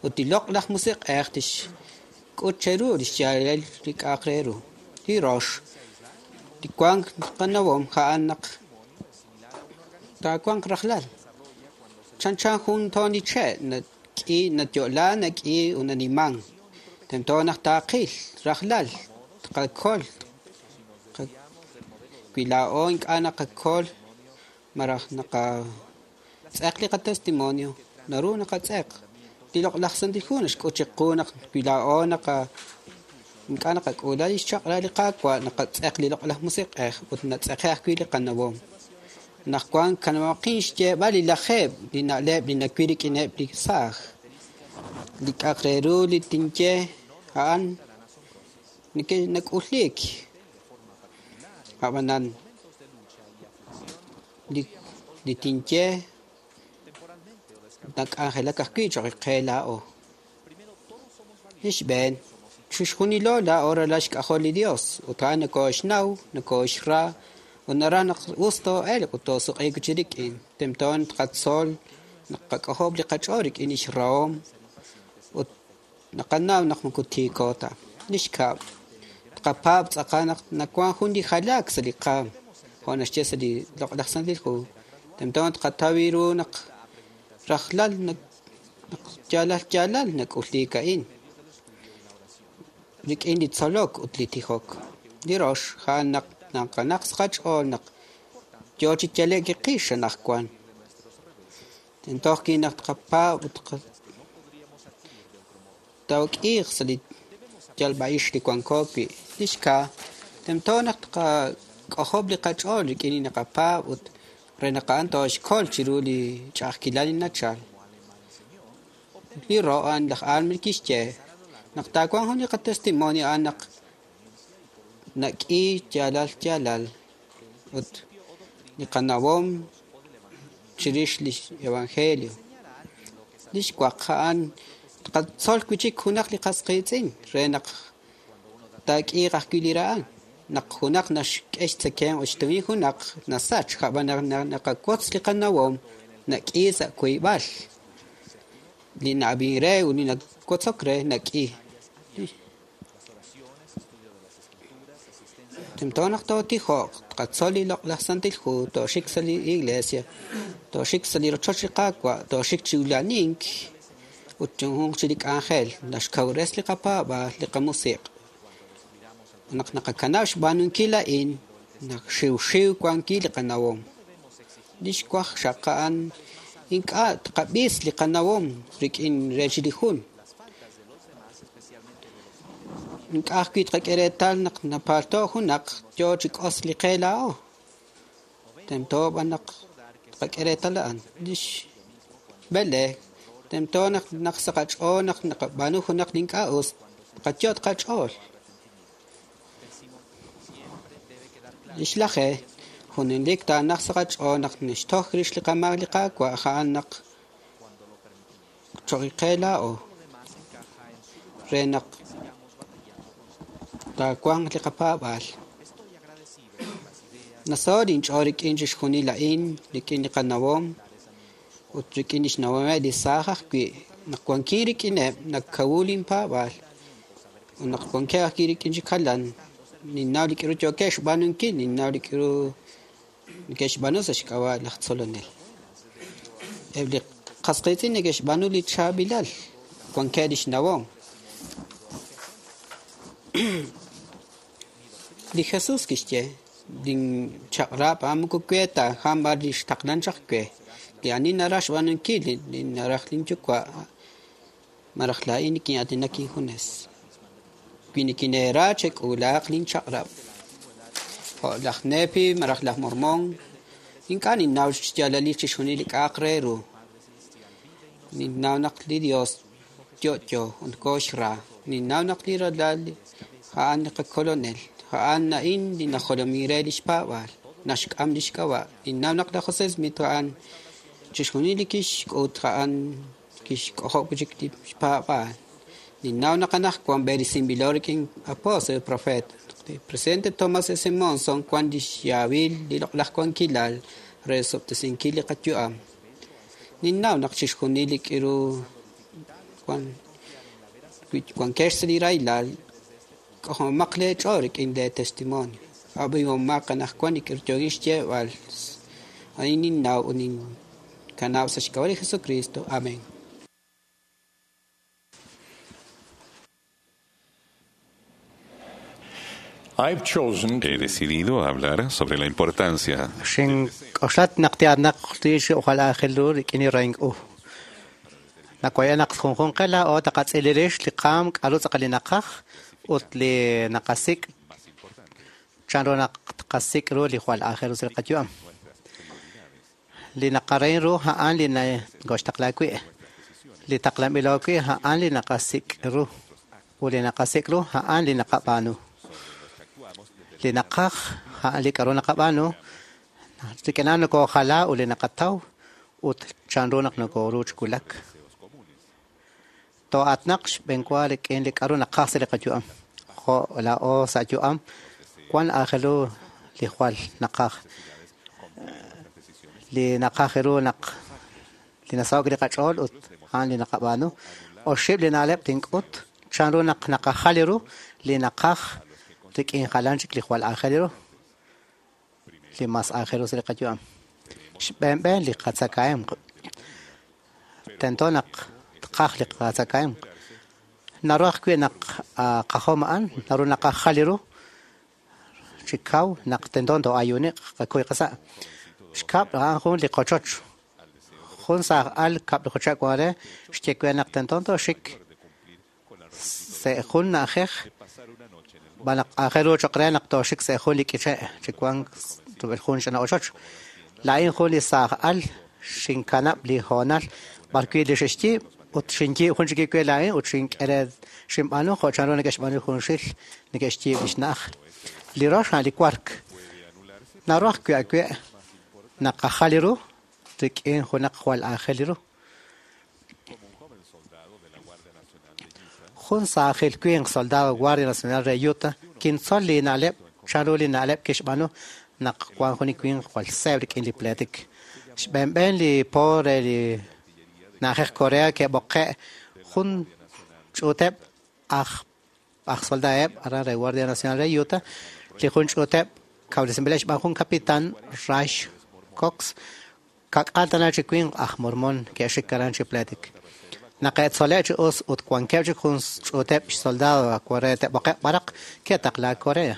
Ut li loq'laj musiq'ej tixk'ut cheru li xyaalalil li k'a'aq re ru. Li rox, li wank qanawom a'an naq taawanq rajlal. Chanchan jun toon li che' nak'i natyo'la nak'i unaniman. Tento naq taaqil rajlal tqakol wi laa'o ink'a' naqakol malaj naqatz'eq li qatestimonio naru naqatz'eq. Li loq'laj Santil Hu naxk'ut chiqu naq wi laa'o ink'a' naqak'uula li xchaq'rab' li Qaawa' naqatz'eq li loq'laj musiq'ej ut natz'eqe ajwi' li qanawom. Naq wan kanamaqin xyeeb'al li lajeeb' li na'leb' li nawil rik'ineb' li saaj. Li k'a'aq re ru li tinye a'an nak'ulik. Ab'anan li tinye nak'anjelak ajwi' choq' qe laa'o. Li xb'een, chixjunilo laa'o ralal xk'ajol li Dios, ut a'an nokooxnaw, nokooxra, ut naraj naq us too'elq ut toosuk'iiq chi rik'in. Tento tqatzol naq qak'ojob' li qach'ool rik'in lix rahom ut naqanaw naq moko tiiko ta. Li xkab', tqapaab' tz'aqal naq nawank jun li jalaak sa' li qaam, jo' naxye sa' li loq'laj Santil Hu. Tento tqataw ru naq rajlal naq yaalal yaalal nak'ulik a'in rik'in li tzolok ut li tijok. Li rox, a'an naq naqanaq sa' qach'ool naq yo chi yale'k qix anaqwan. Tento ajwi' naq tqapaab' ut took'iiq sa' li yalb'a'ix li wanko wi'. Li xkaa, tento naq tqak'ojob' li qach'ool rik'in li naqapaab' ut re naq a'an tooxkol chiru li ch'a'ajkilal li nachal. Li ro' a'an laj Alma kixye naq taawanq jun li qatestimonio a'an naq nak'i yaalal yaalal ut li qanawom chirix li evangelio. Li xwaq a'an tqatzol wi' chik junaq li qas qiitz'in re naq taak'iiq ajwi' li ra'al. Naq junaq naxk'e xtzekemq ut xtumin junaq nasach, ab'an naq naqawotz li qanawom nak'i sa' wiib'al. Li na'ab'in re ut li nawotzok re nak'i. Tento naq tootijoq, tqatzol li loq'laj Santil Hu, tooxik sa' li iglesia, tooxik sa' li rochoch li Qaawa', tooxik chi ulanink ut junjunq chi li k'anjel naxkawres li qapaab'aal, li qamusiq'. Naq naqakanab' xb'aanunkil a'in, naq xiwxiw wankil li qanawom. Li xwaj xaq a'an ink'a' tqab'is li qanawom rik'in rech li jun. Ink'a' ajwi' tqak'e reetal naq napalto' junaq yo chi k'os li qe laa'o. Tento b'an naq tqak'e reetal a'an. Li xb'ele, tento naq naq sa' qach'ool naq naqab'aanu junaq li ink'a' us, tqayot' qach'ool. Li xlaje, junelik taanaq sa' qach'ool naq nixtoj rix li qamaak li Qaawa' a'an naq choq' qe laa'o re naq taawanq li qapaab'aal. Nasaho' inch'ool rik'in chixjunil a'in, rik'in li qanawom ut rik'in li xnawomeb' li saaj ajwi'. Naq wankin rik'ineb', nakawu linpaab'aal. Ut naq wankeb' ajwi' rik'in chi jalan, ninnaw li k'aru yookeb' xb'aanunkil, ninnaw li k'aru neke'xb'aanu sa' xk'ab'a' laj tzolonel. Eb' li qas qiitz'in neke'xb'aanu li chaab'ilal, wankeb' li xnawom. Li Jesús kixye, linchaq'rab' a'an moko we ta, a'an b'an li xtaqlan chaq we. Li ani naraj xb'aanunkil li naraj linyuwa', malaj laa'in nikin'aatinak injunes. Wi nikineera chek'uulaaq linchaq'rab'. Jo' laj Nefi malaj laj Mormón, ink'a' ninnaw xyaalalil chixjunil li k'a'aq re ru. Ninnaw naq li Dios yo'yo ut kooxra. Ninnaw naq li ralal a'an li qakolonel. A'an a'in li najolomin re lix paab'aal, naxk'am lix k'ab'a'. Ninnaw naq laj José Smith a'an chixjunil li kixk'ut a'an kixk'ojob' chik li xpaab'aal. Ninnaw naq anaqwan b'eresinb'ilo rik'in apóstol profeta. Li presidente Thomas S. Monson wan lix yaawil li loq'laj wankilal re sob'tesinkil li qayu'am. Ninnaw naq chixjunil li k'aru wankex sa' li rahilal, k'ojomaq leech'ool rik'in lee testimonio. Ab'ihomaq anaqwan li k'aru yookin xyeeb'al. A'in ninnaw ut ninkanab' sa' xk'ab'a' li Jesucristo. Amén. He decidido hablar sobre la importancia Xink'oxlat naq ti'anaq tix ojalá aajel ru rik'in li rahink'u. Nakoyanaq junjunq qe laa'o taqatz'ilirix li qaam k'aru tz'aqal li naqaj ut li naqasik' chanru naq tqasik' ru li jwal aajel ru sa' li qayu'am. Li naqarahin ru a'an li nakoxtaqla wi'. Li taqlanb'ilo wi' a'an li naqasik' ru, ut li naqasik' ru a'an li naqab'aanu. Li naqaj a'an li k'a'ru naqab'aanu, rik'in a'an nokojala ut li naqataw ut chanru naq nokoru chi wulak. Too'atinaq xb'eenwa rik'in li k'a'ru naqaj sa' li qayu'am. Jo' laa'o sa' yu'am, wan aajel ru li jwal naqaj. Li naqaj ru naq li nasaho'k li qach'ool ut a'an li naqab'aanu. Oxib' li na'leb' tink'ut chanru naq naqajal ru li naqaj rik'in jalan chik li jwal aajel ru, li mas aajel ru sa' li qayu'am. Xb'een b'een li qatzakahemq. Tento naq tqaj li qatzakahemq. Naru ajwi' naq qajom a'an, naru naqajal ru chi kaw naq tento too'ayuuniq qakuy qasa'. Xkab' a'an jun li qochoch. Jun saaj al kab'laju chihab' wan re xye we naq tento tooxik sa' jun na'ajej xb'aan naq aajel ru cho'q re naq tooxik sa' jun li k'iche' chi wank rub'el jun ch'ina ochoch. Laa'in jun li saaj al xinkanab' li hoonal b'arwi' li xe'xyiib' ut xinyiib' jun chik we laa'in ut xink'e re xinb'aanu jo' chanru neke'xb'aanu junxil neke'xyiib' li xna'aj. Li rox a'an li wark. Naru ajwi' awe' naqajal ru rik'in junaq jwal aajel ru. Jun saajil winq soldado Guardia Nacional re Utah kintzol li na'leb' chanru li na'leb' kixb'aanu naq wan jun li winq jwal seeb' rik'in li pleetik. Xb'een b'een li po re li na'ajej Corea ke'b'oqe' jun ch'uuteb' aj aj soldadeb' aran re Guardia Nacional re Utah, li jun ch'uuteb' kawresinb'ileb' xb'aan jun kapitan Ray Cox, ka'k'aal tana chi winq aj Mormon ke'xik aran chi pleetik. Naq ke'tzole' chi us ut wankeb' chik jun ch'uuteb' xsoldado re te'b'oqe'q b'araq, ke'taqlaak Corea,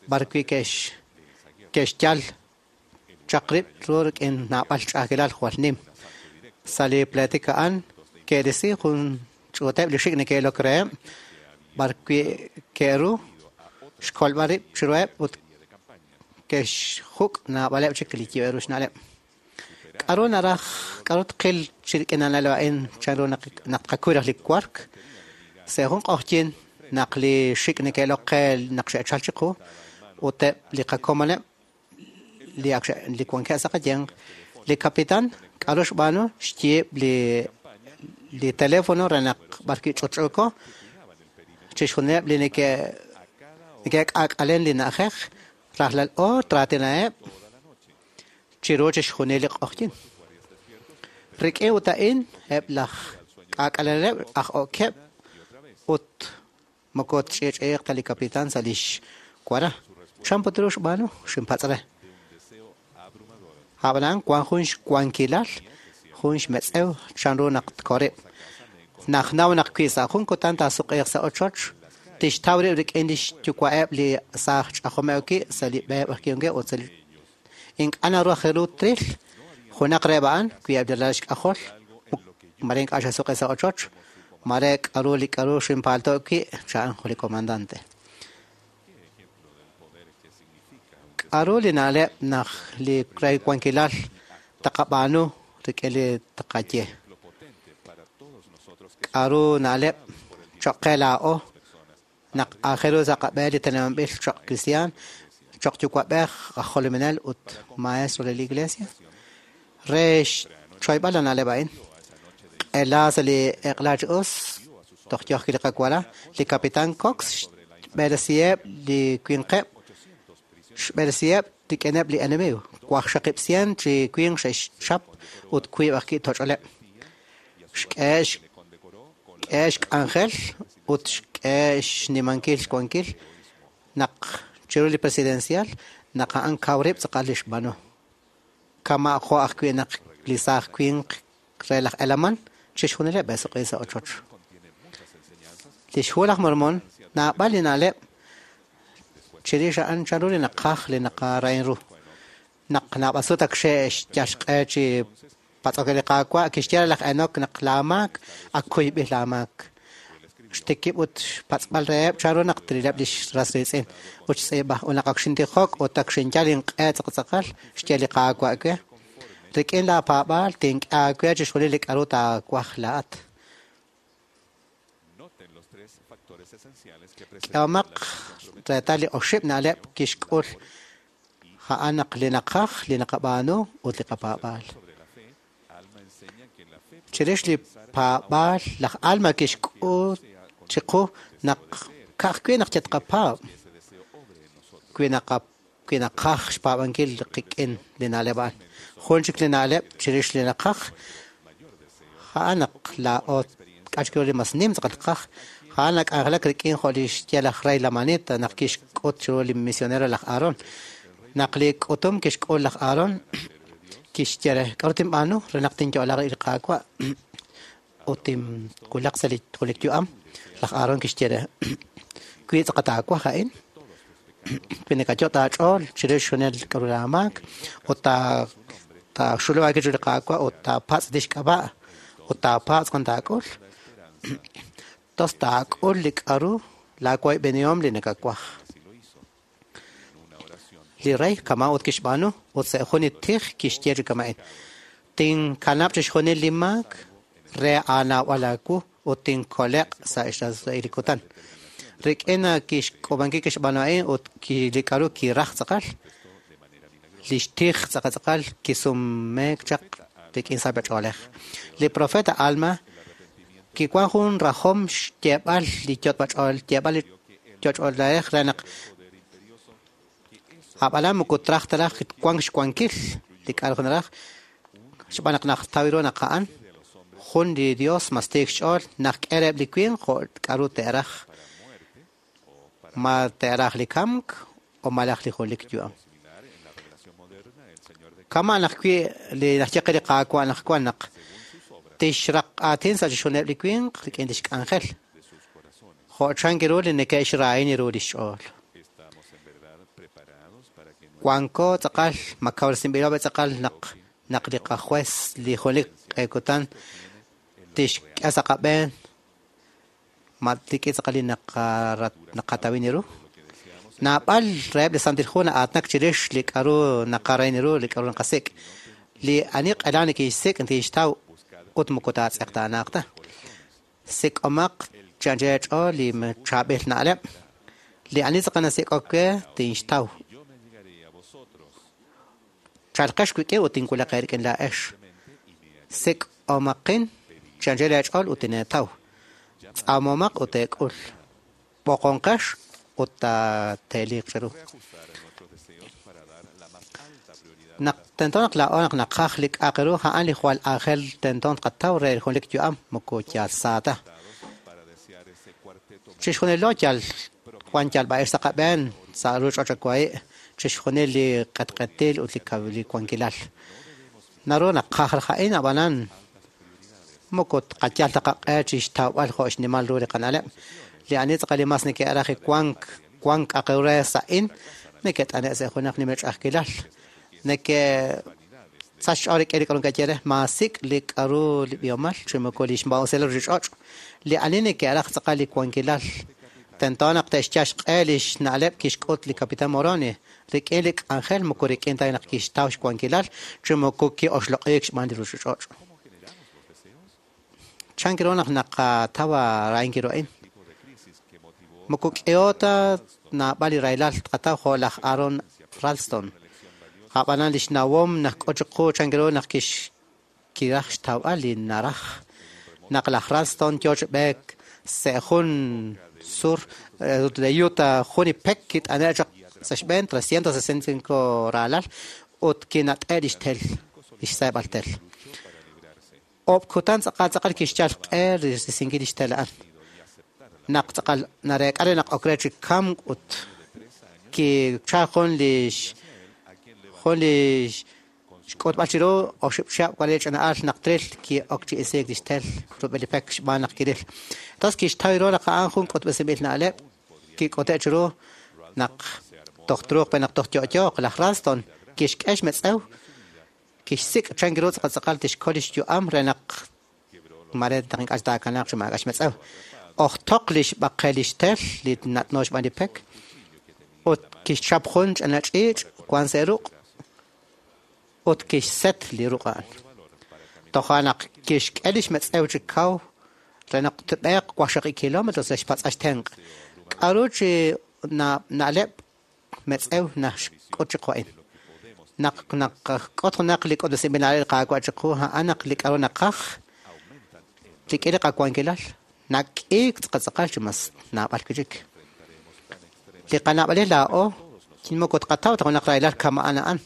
b'arwi' ke'xyal chaq rib' ru rik'in naab'al ch'a'ajkilal jwal nim. Sa' li pleetik a'an ke'risi jun ch'uuteb' li xik' neke'ilok reheb', b'arwi' ke'ru xkolb'al rib' chiruheb' ut ke'xjuk' naab'aleb' chik li yib'eb' ru xna'leb'. K'aru naraj, k'aru tqil chi rik'in a na'leb' a'in chanru naq naq tqakuy raj li wark? Sa' jun q'oqyink naq li xik' neke'ilok qe naq xe'chalk chiqu ut eb' li qakomoneb' li ak li wankeb' sa' qayanq, li kapitan k'aru xb'aanu? Xyiib' li li teléfono re naq b'arwi' ch'utch'uuko chixjunileb' li neke' neke'k'aak'alen li na'ajej rajlal oor traatinaheb' chiru chixjunil li q'oqyink. Rik'in ut a'in eb' laj k'aak'aleneleb' aj okeb' ut Moko tch'i'ch'i'iq ta li kapitan sa' li xwara. Chan put ru xb'aanu? Xinpatz' re. Ab'anan wank jun xwankilal, jun xmetz'ew chanru naq tkorib'. Najnaw naq wi sa' jun kutan taasuq'iiq sa' ochoch, tixtaw rib' rik'in li xyuwa'eb' li saaj ch'ajomeb' wi' sa' li b'e b'arwi' ut sa' li Ink'a' naru aj ru tril junaq reheb' a'an wi eb' li ralal xk'ajol mare ink'a' xe'suq'i sa' ochoch, mare k'aru li k'aru xinpaalto'k wi', cha'an jun li komandante. K'aru li na'leb' naq li re wankilal taqab'aanu rik'in li taqaye? K'aru na'leb' choq' qe laa'o Naq aajel ru sa' qab'een li teneb'anb'il choq' kristiaan, choq' yuwa'b'ej, aj jolominel, ut maestro re li Iglesia? Re xchoyb'al li na'leb' a'in, q'ela sa' li eq'la chi us, toj yoo ajwi' li qawara, li Kapitan Cox xb'eresiheb' li winqeb' xb'eresiheb' rik'ineb' li enemigo. 600 chi winq xe'xchap ut wiib' ajwi' toch'oleb'. Xk'ehe' xk'ehe' xk'anjel ut xk'ehe' xnimankil xwankil naq chiru li presidencial naq a'an kaw rib' tz'aqal li xb'aanu. Kama' jo' ajwi' naq li saaj winq re laj Helaman chixjunileb' e'suq'i sa' ochoch. Lix Hu laj Mormon naab'al li na'leb' chirix a'an chanru li naqaj li naqarahin ru. Naq naab'al sut ak xe'xyal xq'e chi patz'ok re li Qaawa', kixye re laj Enok naq laamaak ak kuyb'il laamaak. Xtikib' ut xpatz'b'al reheb' chanru naq trileb' li ras riitz'in. Ut xtz'iib'a, Ut naq ak xintijok ut ak xinyal inq'e tz'aqal, xye li Qaawa' we, Rik'in laapaab'aal tink'e aawe chixjunil li k'aru taawaj laa'at. K'ehomaq reetal li oxib' na'leb' kixk'ul a'an naq li naqaj, li naqab'aanu ut li qapaab'aal. Chirix li paab'aal, laj Alma kixk'ut chiqu naq ka'ajwi' naq yatqapaab', wi wi naqaj xpaab'ankil qik'in li na'leb' a'an. Jun chik li na'leb' chirix li naqaj, a'an naq laa'o k'achk'u li mas nim tz'aqal qaj, a'an nak'anjelak rik'in jo' li xye laj rey Lamanita naq kixk'ut chiru li misionero laj Aaron. Naq li k'utum kixk'ul laj Aaron, kixye re, k'aru tinb'aanu re naq tinyo'laq li Qaawa' ut tinwulaq sa' li junelik yu'am? Laj Aaron kixye re, wi tz'aqal taawaj a'in, wi nakayot' aach'ool chirix junel k'aru laamaak ut taaxulub' aawib' chiru li Qaawa' ut taapatz' lix k'ab'a' ut taapatz' jun taak'ul, tos taak'ul li k'aru laawoyb'enihom li nakawaj. Li rey kama' ut kixb'aanu ut sa' jun li tij kixye chi kama'in, tinkanab' chixjunil li maak re aanawb'al aawu ut tinkole'q sa' xrahil li kutan. Rik'in kixk'uub'ankil kixb'aanu a'in ut li k'aru kiraj tz'aqal, lix tij tz'aqal tz'aqal kisumeek chaq rik'in sachb'a-ch'oolej. Li profeta Alma kiwan jun rajom xyeeb'al li yot'b'ach'ool, yeeb'al li yot'ch'oolej re naq ab'anan moko traj ta raj wank xwankil li k'aru naraj, xb'aan naq naqtaw ru naq a'an jun li Dios mas tiik xch'ool naq k'e reheb' li winq jo' k'aru te'raj, ma te'raj li kamk o malaj li junelik yu'am. Kama' naq wi' li naxye qe li Qaawa' naq wan naq tixraq aatin sa' chixjunileb' li winq rik'in lix k'anjel, jo' chank ru li neke'xrahin ru lix ch'ool. Wanko tz'aqal, ma kawresinb'ilo b'e tz'aqal naq naq li qajuez li junelik q'e kutan tixk'e sa' qab'een ma rik'in tz'aqal li naqatawin ru. Naab'al reheb' li Santil Hu na'aatinak chirix li k'aru naqarahin ru, li k'aru naqasik'. Li ani q'elan neke'xsik' neke'xtaw ut moko taatz'eqtaanaaq ta. Sik'omaq chi anchal eech'ool li chaab'il na'leb'. Li ani tz'aqal nasik'ok we tinxtaw. Chalqex wik'in ut tinwulaq eerik'in laa'ex. Sik'omaqin chi anchal eech'ool ut tineetaw. Tz'aamomaq ut teek'ul. B'oqonqex ut taateeliiq cheru. Naq tento naq laa'o naq naqaj li k'a'aq ru, a'an li jwal aajel tento tqataw re li junelik yu'am, moko yal sa ta. Chixjunilo yal wan yalb'a'ix sa' qab'een sa' ruuchich'och' wahi', chixjunil li q'etq'etil ut li wankilal. Naru naqaj raj a'in, ab'anan moko tqayal ta qaq'e chi xtawb'al jo' xnimal ru li qana'leb'. Li ani tz'aqal li mas neke'raj wank wank k'a'aq re sa'in neke't'ane' sa' junaq nimla ch'a'ajkilal. Neke'sach xch'ool rik'in li k'aru neke'ye re, maasik' li k'aru li b'ihomal chi moko li xmaa'usilal ruuchich'och'. Li ani neke'raj tz'aqal li wankilal tento naq te'xyal xq'e li xna'leb' kixk'ut li Capitán Moroni rik'in li k'anjel moko rik'in ta naq kixtaw xwankilal chi moko ki'oxloq'iik xb'aan li ruuchich'och'. Chank ru naq naqataw rahinkil ru a'in? Moko k'iho ta naab'al li rahilal tqataw jo' laj Aaron Ralston. Ab'anan li xnawom naxk'ut chiqu chank ru naq kiraj xtawb'al li naraj. Naq laj Ralston yo chi b'eek sa' jun sur re Utah, jun li pek kit'ane' chaq sa' xb'een 365 raalal ut kinat'e' li xtel, li xseeb'al tel. Oob' kutan tz'aqal tz'aqal kixyal xq'e risinkil li xtel a'an. Naq tz'aqal nareek'a re naq ok re chi kamk ut kichal jun li jun li xk'utb'al chiru oxib' chihab' wan li ch'ina'al naq tril ki'ok chi isiik li xtel rub'el li pek xb'aan naq kiril. Entonces kixtaw ru naq a'an jun k'utb'esinb'il na'leb' kik'ute' chiru naq toj truuq pe naq toj yo'yooq. Laj Ralston kixk'e xmetz'ew kixsik' chank ru tz'aqal tz'aqal tixkol lix yu'am re naq mare naq ink'a' taakanaaq chi maak'a' xmetz'ew. Ojtoq li xb'aqel li xtel li nat'no xb'aan li pek ut kixchap jun ch'ina ch'iich' wan sa' ruq' ut kixset li ruq' a'an. Toja' naq kixk'e li xmetz'ew chi kaw re naq tb'eeq waqxaqib' kilómetros re xpatz'a xtenq'. K'aru chi na'leb' metz'ew naxk'ut chiqu a'in? Naq naqak'ut junaq li k'utb'esinb'il na'leb' li Qaawa' chiqu, a'an naq li k'aru naqaj rik'in li qawankilal nak'iik tz'aqal chi mas naab'al wi' chik. Li qana'b'alil laa'o moko tqataw ta junaq rahilal kama'an a'an.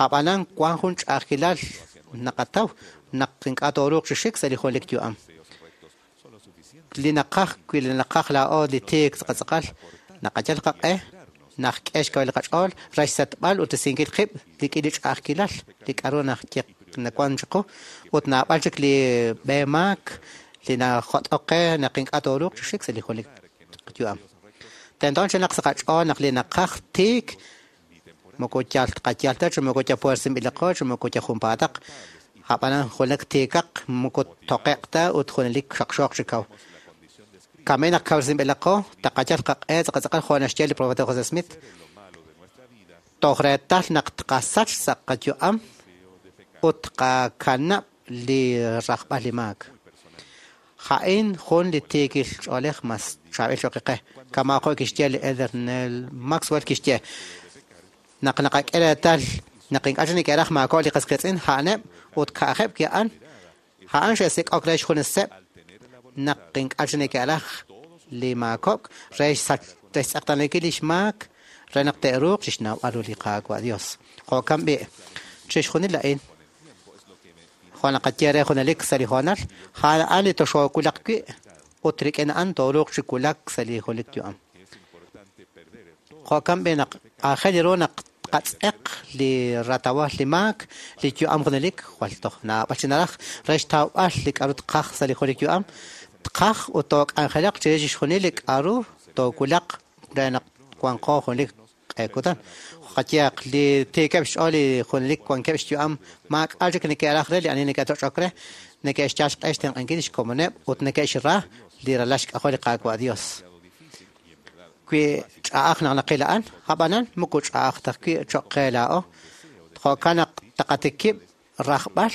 Ab'anan wank jun ch'a'ajkilal naqataw naq ink'a' tooruuq chi xik sa' li junelik yu'am. Li naqaj wi li naqaj laa'o li tiik tz'aqal naqayal qaq'e naqk'e xkawil li qach'ool re xsetb'al ut risinkil qib' rik'in li ch'a'ajkilal li k'aru nawank chiqu ut naab'al chik li b'e maak li najot'ok qe naq ink'a' tooruuq chi xik sa' li junelik yu'am. Tento chinaq sa' qach'ool naq li naqaj tiik moko yal tqayal ta chi moko yal puersinb'ilaqo chi moko yal junpaataq. Ab'anan junelik tiikaq moko toqe'q ta ut junelik xaqxooq chi kaw. Kame naq kawresinb'ilaqo taqayal qaq'e tz'aqal jo' naxye li profeta José Smith. Toj reetal naq tqasach sa' qayu'am ut tqakanab' li rajb'al li maak. A'in jun li tiikil ch'oolej mas chaab'il cho'q qe. Kama' jo' kixye li Elder Neal Maxwell kixye naq naqak'e reetal naq ink'a' chik neke'raj maako' li qas qiitz'in a'aneb' ut ka'ajeb' wi' a'an, a'an xe'sik'ok re xjuneseb' naq ink'a' chik neke'raj li maakok' re xtz'eqtaanankil li xmaak re naq te'ruuq chixnawb'al ru li Qaawa' Dios. Jo'kan b'i' chixjunil a'in jo' naqaye re junelik sa' li hoonal, a'an li toxoowulaq wi' ut rik'in a'an tooruuq chi wulak sa' li junelik yu'am. Jo'kan b'i' naq aajel ru naq tqatz'eq li ratawal li maak li yu'am junelik jwal toj naab'al chi naraj re xtawb'al li k'aru tqaj sa' li junelik yu'am, tqaj ut took'anjelaq chirix chixjunil li k'aru toowulaq re naq wanqo junelik q'e kutan. Qayehaq li tiikeb' xch'ool li junelik wankeb' xyu'am maak'a' chik neke'raj re li ani neke'toch'ok re, neke'xyal xq'e xtenq'ankil li xkomoneb' ut neke'xra li ralal xk'ajol li Qaawa' Dios. Wi ch'a'aj naq naqil a'an, ab'anan moko ch'a'aj ta wi' cho'q qe laa'o. Jo'kan naq taqatikib' rajb'al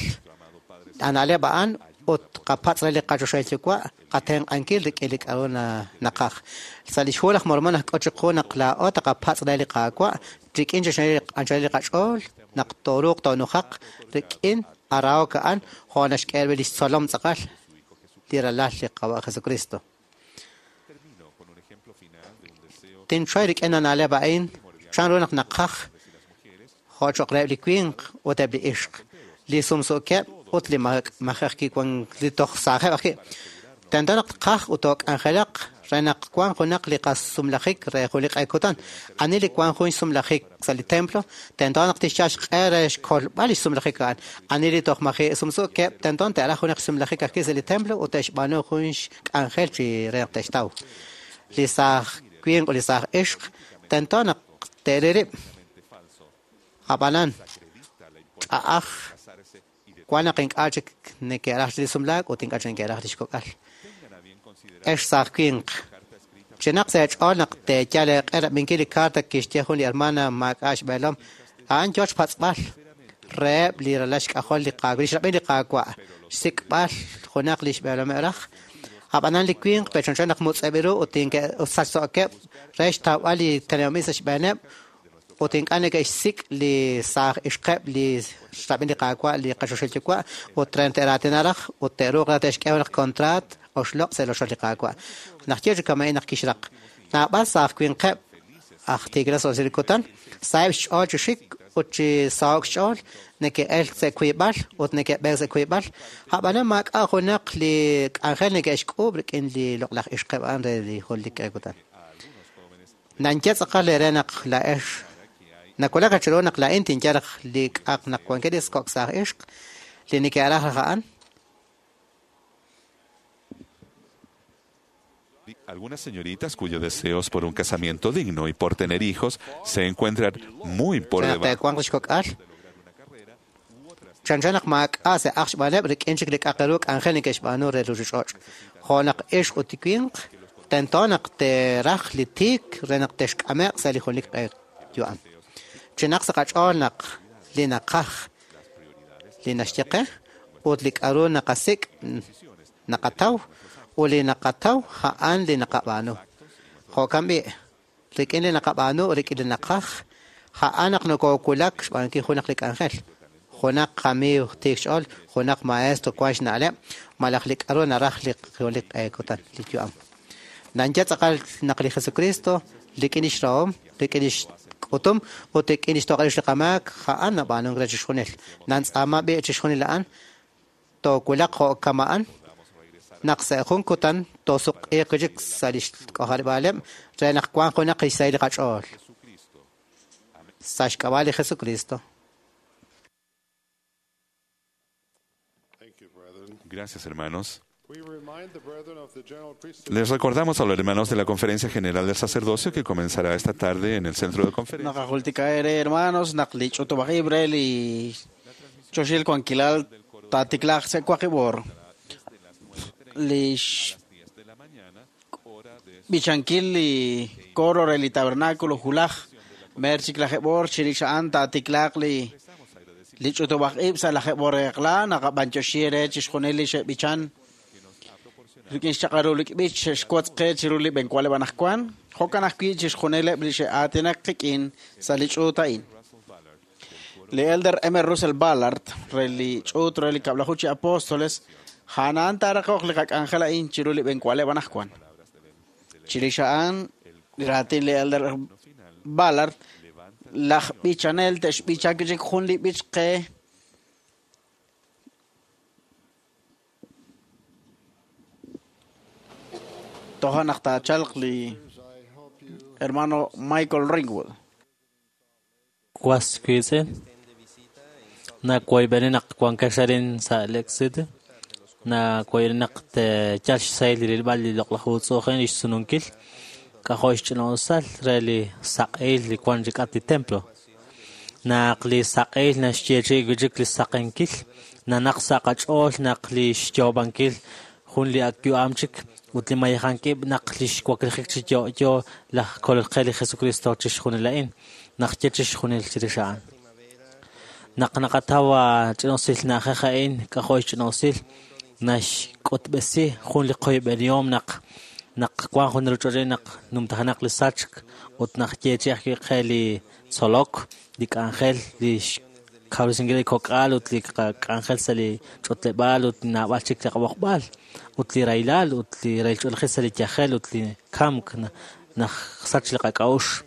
ana'leb' a'an ut qapatz' re li qachoxahil Yuwa' qatenq'ankil rik'in li k'aru naqaj. Sa' lix Hu laj Mormon najk'ut chiqu naq laa'o taqapatz' re li Qaawa' rik'in chixjunil li qach'ool naq tooruuq toonujaq rik'in arahok a'an jo' naxk'e li xtzolom tz'aqal li ralal li Qaawa' Jesucristo. Tinchoy rik'in ana'leb' a'in chanru naq naqaj jo' cho'q reheb' li winq ut eb' li ixq, li sumsuukeb' ut li maji ajwi' wank li toj saajeb' ajwi'. Tento naq tqaj ut took'anjelaq re naq wanq junaq li qasumlajik re jun li q'e kutan. Ani li wank jun xsumlajik sa' li templo, tento naq tixyal xq'e re xkolb'al li xsumlajik a'an. Ani li toj maji' sumsuukeb', tento te'raj junaq xsumlajik ajwi' sa' li templo ut te'xb'aanu jun xk'anjel chi re naq te'xtaw. Li saaj winq ut li saaj ixq tento naq te'ril rib'. Ab'anan, ch'a'aj wank naq ink'a' chik neke'raj li sumlaak ut ink'a' chik neke'raj li xkok'al. Ex saaj winq, chinaq sa' eech'ool naq teeyal eeq'e rab'inkil li karta kixye jun li hermana maak'a' xb'eelom. A'an yoo xpatz'b'al reheb' li ralal xk'ajol li Qaawa', li xrab'in li Qaawa', xsik'b'al junaq li xb'eelomeb' raj. Ab'anan li winq pe'chanchan naq mutz'eb' ru ut sachso'keb' re xtawb'al li teneb'anb'il sa' xb'eeneb' ut ink'a' neke'xsik' li saaj ixqeb' li xrab'in li Qaawa' li qachoxahil Yuwa' ut re te'raatina raj ut te'ruuq raj te'xk'e junaq kontraat oxloq' sa' rochoch li Qaawa'. Naq ye chi kama'in naq kixraq. Naab'al saaj winqeb' aj tiikilal sa' li kutan, saheb' xch'ool chi xik ut chi saho'k xch'ool, neke'elk sa' wiib'al ut neke'b'eek sa' wiib'al. Ab'anan maak'a' junaq li k'anjel neke'xk'uub' rik'in li loq'laj ixqeb' a'an re li junelik q'e kutan. Nanye tz'aqal eere naq laa'ex nawulak chiru naq laa'in tinyal raj li k'aq naq wankeb' li kok' saaj ixq li neke'raj raj a'an. Algunas señoritas cuyos deseos por un casamiento digno y por tener hijos se encuentran muy por Re naq debajo. te'wanq lix kok'al. Chanchan naq maak'a' se'aj xb'aaneb' rik'in chik li k'aq ru k'anjel neke'xb'aanu re ruuchich'och'. Jo' naq ixq ut winq, tento naq te'raj li tiik re naq te'xk'ame'q sa' li junelik q'e yu'am. Chinaq sa' qach'ool naq li naqaj li naxye qe ut li k'aru naqasik' naqataw ut li naqataw a'an li naqab'aanu. Jo'kan b'i', rik'in li naqab'aanu rik'in li naqaj, a'an naq nokowulak xb'aanunkil junaq li k'anjel, junaq qamiiw tiik xch'ool, junaq maestro wan xna'leb', malaj li k'aru naraj li junelik q'e kutan, li yu'am. Nanye tz'aqal naq li Jesucristo rik'in lix rahom, rik'in lix k'utum ut rik'in lix toq'il li qamaak, a'an nab'aanunk re chixjunil. Nantz'aama b'i' chixjunil a'an, toowulaq jo' kama'an, naq sa' jun kutan toosuq'iiq chik sa' lix k'ojarib'aaleb' re naq wanq junaq lix sahil li qach'ool. Sa' xk'ab'a' li Jesucristo. Gracias, hermanos. Les recordamos a los hermanos de la Conferencia General del Sacerdocio que comenzará esta tarde en el Centro de Conferencias. Naqajultika ere hermanos, naq li ch'utub'aj ib' re li choxil wankilal taatiklaaq sa' waqib' oor. Lix b'ichankil li coro re li tabernáculo hulaj mer chik lajeb' oor chirix a'an taatiklaaq li li ch'utub'aj ib' sa' lajeb' oor eq'la naqab'anyoxi re chixjunil li xe'b'ichan rik'in xchaq'al ru li b'ich xe'xwotz qe chiru li b'enwaleb' anaqwan jo'kan ajwi' chixjunileb' li xe'aatinak qik'in sa' li ch'uut a'in. Li Elder M. Russell Ballard re li ch'uut re li kab'laju chi apóstoles a'an taaraqoq li qak'anjel a'in chiru li b'enwaleb' anaqwan. Chirix a'an li raatin li Elder Ballard laj b'ichanel te'xb'icha chik jun li b'ich qe toja' naq taachalq li hermano Michael Ringwood. Was wiitz'in, nawoyb'eni naq wankex arin sa' Lake City, nawoyb'eni naq teeyal xsahil li rilb'al li loq'laj uutz'u'ujin li xsununkil, k'ajo' xch'ina'usal re li saq'ehil li wan chik'at li templo. Naq li saq'ehil naxyeechi'i wi' chik li saqenkil, nanaq sa' qach'ool naq li xyoob'ankil jun li ak yu'am chik ut li mayejankib' naq li xwaklijik chi yo'yo laj Kolol qe li Jesucristo chixjunil a'in, naq ye chixjunil chirix a'an. Naq naqataw ch'ina'usil na'ajej a'in, k'ajo' xch'ina'usil, naxk'utb'esi jun li qoyb'enihom naq naq wan jun ruuchich'och' naq numtajenaq li sachk ut naq yeechi ajwi' qe li tzolok, li k'anjel, li xkawresinkil li kok'al ut li qak'anjel sa' li ch'utleb'aal ut naab'al chik li qab'oqb'al ut li rahilal ut li rahil ch'oolejil sa' li yajel ut li kamk naq sach li qak'a'uxl.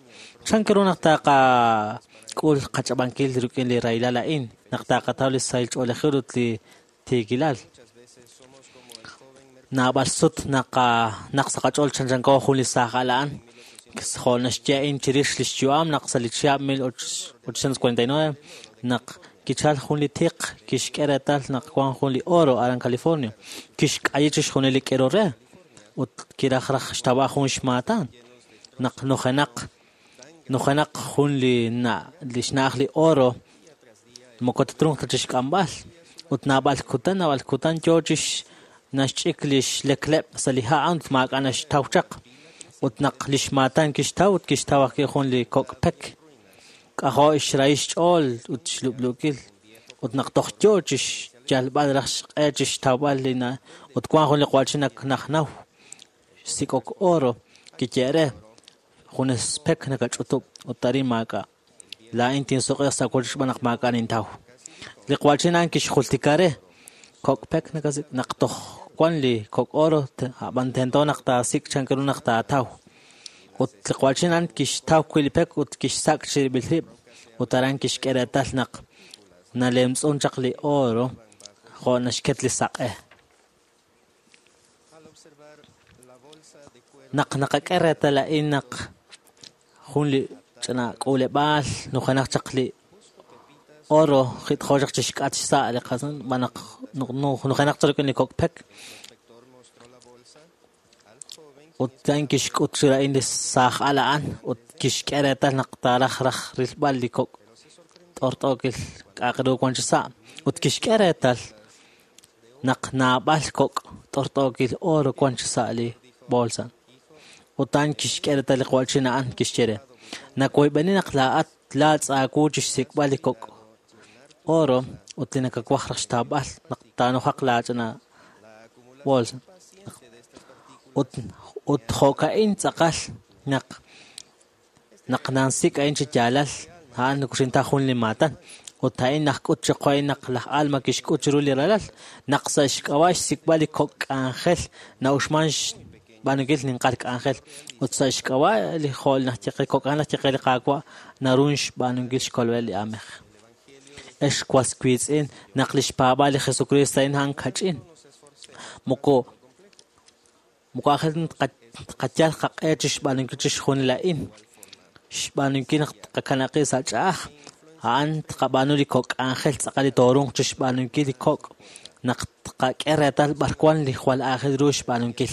Chan ru naq taqak'ul qach'ab'ankil rik'in li rahilal a'in, naq taqataw li sahil ch'oolejil ut li tiikilal. Naab'al sut naq sa' qach'ool chanchanko jun li saaj al a'an, jo' naxye a'in chirix lix yu'am naq sa' li chihab' 1849 naq kichal jun li tiq kixk'e reetal naq wan jun li oro aran California, kixk'ayi chixjunil li k'ero re ut kiraj raj xtawb'al jun xmaatan naq nujenaq jun li xna'aj li oro moko tatrunq ta chixk'amb'al ut naab'al kutan yoo chix naxch'ik li xlekleb' sa' li ha' ut maak'a' naxtaw chaq ut naq li xmaatan kixtaw ut kixtaw ajwi' jun li kok' pek k'ajo' xrahil xch'ool ut xlub'luukil ut naq toj yoo chixyalb'al raj xq'e chixtawb'al li na ut wan jun li q'uachil najnaw xsik'ok oro kiye' re junes pek nakach'utub' ut arin maak'a' laa'in tinsuq'iiq sa' wochoch xb'aan naq maak'a' nintaw. Li q'uachil a'an kixjultika re kok' pek nakasik' naq toj wan li kok' oro ab'an tento naq taasik' chan ru naq taataw. Ut li q'uachil a'an kixtaw wi' li pek ut kixsak' chirib'il rib' ut aran kixk'e reetal naq nalemtz'un chaq li oro jo' naxket li saq'e. Naq naqak'e reetal a'in naq jun li ch'ina k'uuleb'aal nujenaq chaq li oro jit'jo chaq chixk'at xsa' li qasan b'an naq nujenaq chaq rik'in li kok' pek ut a'in kixk'ut chiru a'in li saaj al a'an ut kixk'e reetal naq taaraj raj rilb'al li kok' t'ort'ookil k'a'aq ru wan chi sa' ut kixk'e reetal naq naab'al kok' t'ort'ookil oro wan chi sa' li bolsa. Ut a'an kixk'e reetal li q'uachil a'an kixye re nawoyb'eni naq laa'at laatz' aawu chixsik'b'al li kok' oro ut li nakawaj raj xtawb'al naq taanujaq laach'ina bolsa. Ut jo'ka'in tz'aqal Naq naq nansik' a'in chi yaalal, a'an nakuxinta jun li maatan. Ut a'in najk'ut chiqu a'in naq laj Alma kixk'ut chiru li ralal, naq sa' xk'ab'a' xsik'b'al li kok' k'anjel na'uxman xb'aanunkil ninqal k'anjel. Ut sa' xk'ab'a' li jo' naj ye qe kok' k'anjel naj ye qe li Qaawa' naru xb'aanunkil xkolb'al li aamej. Ex was wiitz'in, naq lix paab'aal li Jesucristo a'in a'an kach'in. Moko moko aajel tqayal qaq'e chi xb'aanunkil chixjunil a'in. Xb'aanunkil naq tqakanab' qib' sa' ch'a'aj, a'an tqab'aanu li kok' k'anjel tz'aqal li toorunq chi xb'aanunkil li kok' naq tqak'e reetal b'ar wan li jwal aajel ru xb'aanunkil.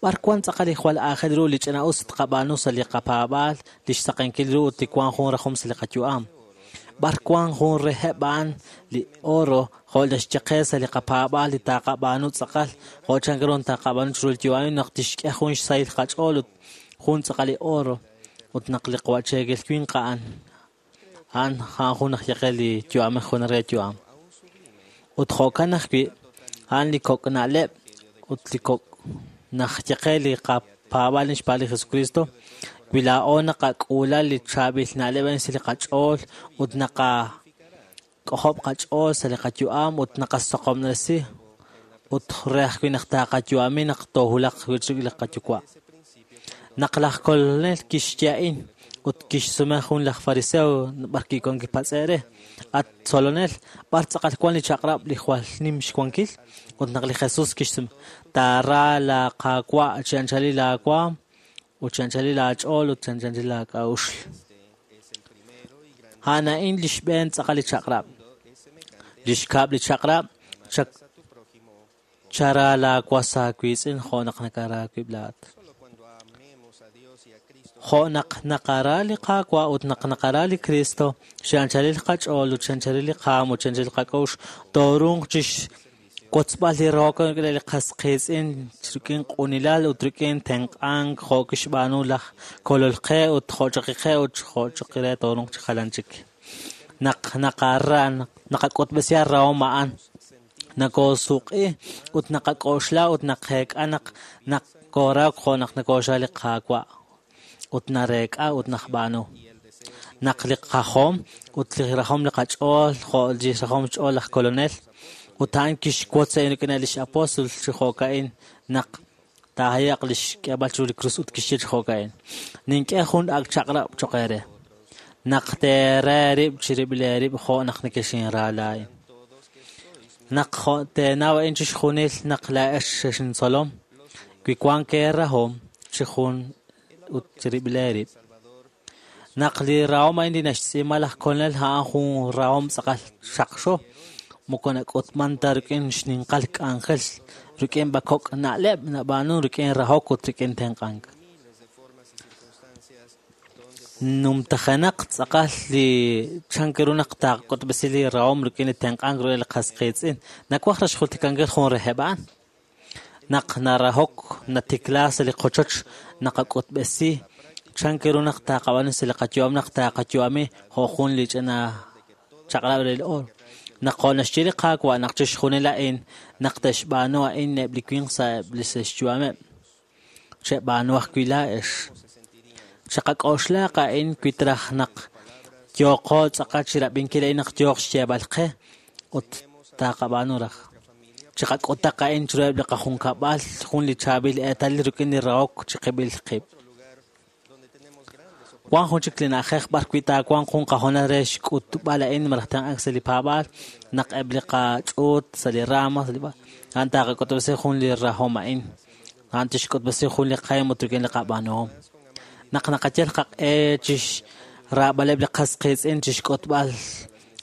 B'ar wan tz'aqal li jwal aajel ru li ch'ina'us tqab'aanu sa' li qapaab'aal, li xsaqenkil ru ut li wank jun rajom sa' li qayu'am. B'ar wan jun reheb' a'an li oro jo' naxye qe sa' li qapaab'aal li taqab'aanu tz'aqal jo' chan ru taqab'aanu chiru li yu'am naq tixk'e jun xsahil qach'ool ut jun tz'aqal li oro ut naq li qacheekil winq a'an a'an a'an jun aj ye qe li yu'amej jun re yu'am. Ut jo'kan ajwi' a'an li kok' na'leb' ut li kok' naj ye qe li qapaab'aal xpaal li Jesucristo wi laa'o naqak'uula li chaab'il na'leb' a'in sa' li qach'ool ut naqak'ojob' qach'ool sa' li qayu'am ut naqasoqomresi ut re ajwi' naq taqayu'ami naq toohulaq wi'chik li qayuwa'. Naq laj Kolonel kixye a'in ut kixsume jun laj fariseo b'ar kiwan kipatz'e' re, at tzolonel, b'ar tz'aqal wan li chaq'rab' li jwal nim xwankil? Ut naq li Jesus kixsume, taara la Qaawa' chi anchalil laawaam ut chi anchalil aach'ool ut chi anchalil aak'a'uxl. A'an a'in li xb'een tz'aqal li chaq'rab'. Li xkab' li chaq'rab' chara laawas aawiitz'in jo' naq nakara aawib' laa'at. Jo' naq naqara li Qaawa' ut naq naqara li Cristo, chi anchalil qach'ool ut chi anchalil li qaam ut chi anchalil qak'a'uxl, toorunq chixwotzb'al li rahok rik'in li qas qiitz'in rik'in q'unilal ut rik'in tenq'ank jo' kixb'aanu laj Kolol qe ut jo' chaqi qe ut jo' chaqi re toorunq chi jalan chik. Naq naqara naqak'utb'esi rahom a'an, nakoosuq'i ut naqak'oxla ut naqeek'a naq nakoorahok jo' naq nakooxra li Qaawa' ut nareek'a ut najb'aanu. Naq li qajom ut li rajom li qach'ool jo' li rajom xch'ool laj Kolonel ut a'an kixwotz a'in rik'in lix apóstol chi jo'ka'in naq taahayaq lix k'eeb'al chiru li krus ut kixye chi jo'ka'in. Nink'e jun ak' chaq'rab' choq' eere. Naq teere eerib' chirib'il eerib' jo' naq nekexinra laa'in. Naq jo' teenaw a'in chixjunil naq laa'ex xexintzolom, wi wank eerahom chi jun ut chirib'il eerib'. Naq li rahom a'in li naxtz'iima laj Kolonel a'an jun rahom tz'aqal xaqxo, moko nak'utman ta rik'in xninqal k'anjel, rik'in b'akok' na'leb' nab'aanu rik'in rahok ut rik'in tenq'ank. Numtajenaq tz'aqal li chan ru naq taqak'utb'esi li rahom rik'in li tenq'ank rik'in li qas qiitz'in. Nawaj raj xjultikankil jun reheb' a'an. Naq narahok natikla sa' li qochoch naqak'utb'esi chan ru naq taqab'aanu sa' li qayu'am naq taqayu'ami jo' jun li ch'ina chaq'rab' re li oro. Naq jo' naxye li Qaawa' naq chixjunil a'in naq te'xb'aanu a'in eb' li winq sa' eb' li xyu'ameb'. Cheb'aanu ajwi' laa'ex. Chaqak'oxlaq a'in wi traj naq yooqo tz'aqal chirab'inkil a'in naq yooq xyeeb'al qe ut taqab'aanu raj. Chaqak'utaq a'in chiruheb' li qajunkab'al jun li chaab'il eetalil rik'in li rahok chiqib'il qib'. Wan jun chik li na'ajej b'ar wi' taawanq jun qahoonal re xk'utb'al a'in malaj tenq'ank sa' li paab'aal naq eb' li qach'uut sa' li rama sa' li a'an taqak'utb'esi jun li rahom a'in. A'an tixk'utb'esi jun li qahem ut rik'in li qab'aanuhom. Naq naqayal qaq'e chixraab'aleb' li qas qiitz'in chixk'utb'al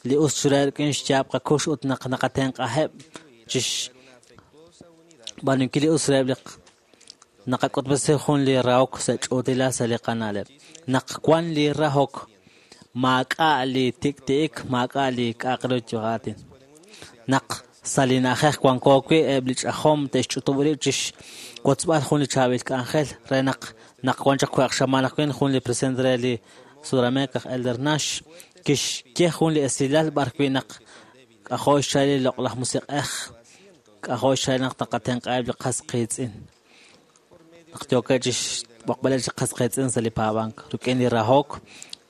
li us chiru rik'in xyaab' qakux ut naq naqatenq'aheb' chixb'aanunkil li us reheb' li naqak'utb'esi jun li rahok sa' ch'uutilal sa' li qana'leb'. Naq wan li rahok, maak'a' li tik'ti'ik, maak'a' li k'a'aq ru yu'aatin. Naq sa' li na'ajej wanko wi' eb' li ch'ajom te'xch'utub' rib' chixwotzb'al jun li chaab'il k'anjel re naq naq wan chaq waq xamaan ajwi' jun li presidente re li Sudamérica aj Elder Nash kixye jun li esilal b'ar wi' naq k'ajo' xchal li loq'laj musiq'ej, k'ajo' xchal naq taqatenq'aheb' li qas qiitz'in. Naq yookeb' chix xb'oqb'aleb' chi qas qiitz'in sa' li paab'ank. Rik'in li rahok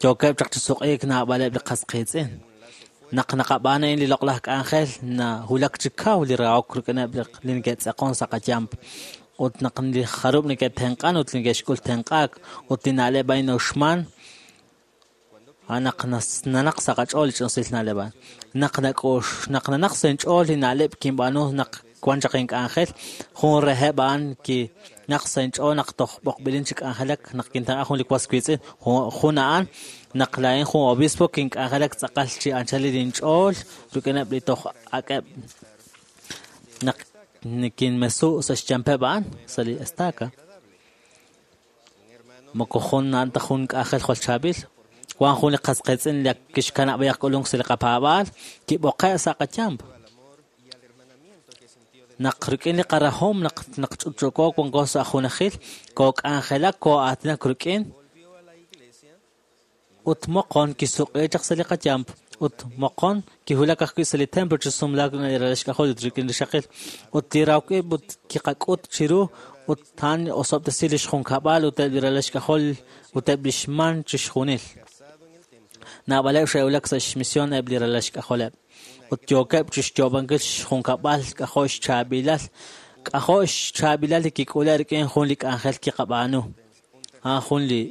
yookeb' chaq chi suq'iik naab'aleb' li qas qiitz'in. Naq naqab'aanu a'in li loq'laj k'anjel nahulak chi kaw li rahok rik'ineb' li neke'tz'aqon sa' qayamp. Ut naq li jarub' neke'tenq'an ut neke'xk'ul tenq'aak ut li na'leb' a'in uxman, naq nanaq sa' qach'ool li ch'insil na'leb' a'an. Naq nak'ux naq nanaq sa' inch'ool li na'leb' kinb'aanu naq wan chaq ink'anjel, jun reheb' a'an ki naq sa' inch'ool naq toj b'oqb'ilin chi k'anjelak naq kintenq'a jun li was wiitz'in, jun a'an naq laa'in jun obispo kink'anjelak tz'aqal chi anchalil inch'ool rik'ineb' li toj ak'eb' naq kinmesu' sa' xyampeb' a'an sa' li estaca. Moko jun a'an ta jun k'anjel jwal chaab'il. Wan jun li qas qiitz'in li kixkanab' b'ayaq k'ulunk sa' li qapaab'aal, kib'oqe' sa' qayamp. Naq rik'in li qarahom naq naq ch'utch'uko wanko sa' junajil, kook'anjelak koo'aatinak rik'in ut moqon kisuq'i chaq sa' li qayamp ut moqon kihulak ajwi' sa' li templo chi sumlaak li ralal xk'ajol ut rik'in li xaqil ut li rahok ib' ut kiqak'ut chiru ut a'an osob'tesi lix junkab'al ut eb' li ralal xk'ajol ut eb' lix man chixjunil. Naab'aleb' xe'wulak sa' xmision eb' li ralal xk'ajoleb' ut yookeb' chixyoob'ankil xjunkab'al k'ajo' xchaab'ilal k'ajo' xchaab'ilal li kik'ule' rik'in jun li k'anjel kiqab'aanu a'an jun li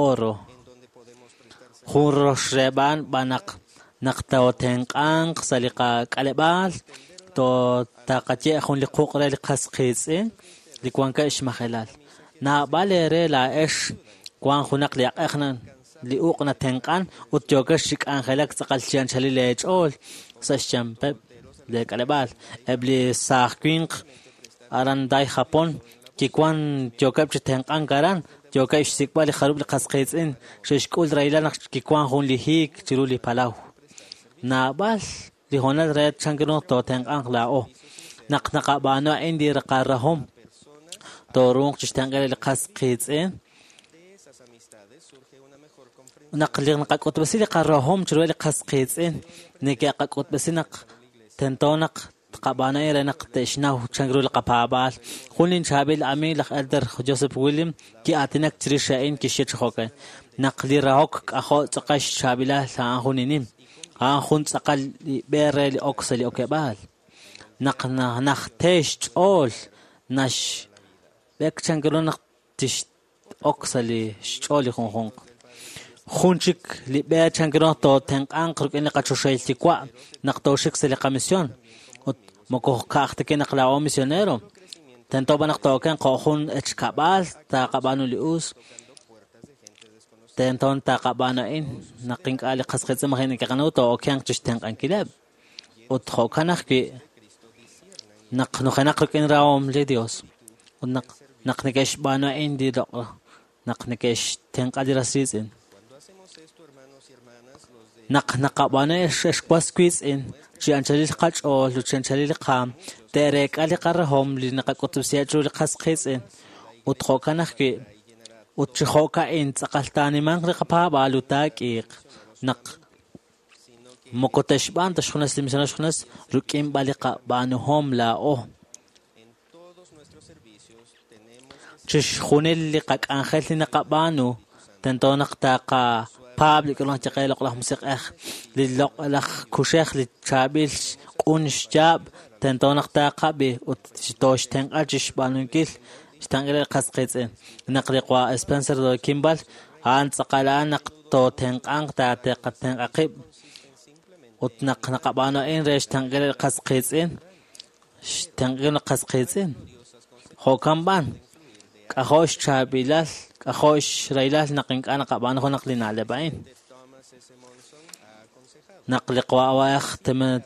oro jun roxreeb'an b'an naq naq tootenq'anq sa' li qak'aleb'aal taqaye jun li quq' re li qas qiitz'in li wankeb' xmajelal. Naab'al eere laa'ex wan junaq li aq'ej li uq' natenq'an ut yookex chi k'anjelak tz'aqal chi anchalil eech'ool sa' xyampeb' leek'aleb'aal. Eb' li saaj winq aran Dai Japón kiwan yookeb' chi tenq'ank aran yookeb' xsik'b'al li jarub' li qas qiitz'in xe'xk'ul rahilal naq kiwan jun li hiik chiru li palaw. Naab'al li hoonal re chan ru tootenq'anq laa'o. Naq naqab'aanu a'in li qarahom tooruuq chixtenq'il li qas qiitz'in. Naq li naqak'utb'esi li qarahom chiru li qas qiitz'in neke'qak'utb'esi naq tento naq tqab'aanu a'in re naq te'xnaw chan ru li qapaab'aal. Jun li chaab'il amiig laj Elder Joseph William ki'aatinak chirix a'in kixye chi jo'kan. Naq li rahok k'ajo' tz'aqal xchaab'ilal a'an jun inim. A'an jun tz'aqal li b'e re li ok sa' li okeb'aal. Naq najte xch'ool naxb'ek chan ru naq tix ok sa' li xch'ool li junjunq. Jun chik li b'e chan ru tootenq'anq rik'in li qachoxahil yuwa' naq tooxik sa' li qamision. Ut moko ka'aj ta naq laa'o misionero. Tento b'an naq tookenq jo' jun echkab'aal taqab'aanu li us. Tento taqab'aanu a'in naq ink'a' li qas qiitz'in maji' neke'qanaw tookenq chixtenq'ankileb'. Ut jo'kan ajwi' naq nujenaq rik'in rahom li Dios. Ut naq naq neke'xb'aanu a'in li loq' naq neke'xtenq'a li ras riitz'in. Naq naqab'aanu xwas wiitz'in chi anchalil qach'ool ut chi anchalil qaam te'reek'a li qarahom li naqak'utb'esiheb' chiru li qas qiitz'in. Ut jo'kan ajwi' ut chi jo'ka'in tz'aqal taanimanq li qapaab'aal ut taak'iiq naq moko te'xb'aan ta xjunes li misionero xjunes rik'in b'an li qab'aanuhom laa'o. Chixjunil li qak'anjel li naqab'aanu tento naq taqapaab' li k'ulunk chaqe loq'laj musiq'ej li loq'laj kuxej li chaab'il q'un xyaab' tento naq taqab'i ut tooxtenq'a chixb'aanunkil xtenq'il li qas qiitz'in. Naq li qawa Spencer Kimball a'an tz'aqal a'an naq tootenq'anq taateqatenq'a qib' ut naq naqab'aanu a'in re xtenq'il li qas qiitz'in xtenq'il li qas qiitz'in. Jo'kan b'an k'ajo' xchaab'ilal k'ajo' xraylal naq ink'a' naqab'aanu junaq li na'leb' a'in. Naq li qawa'ej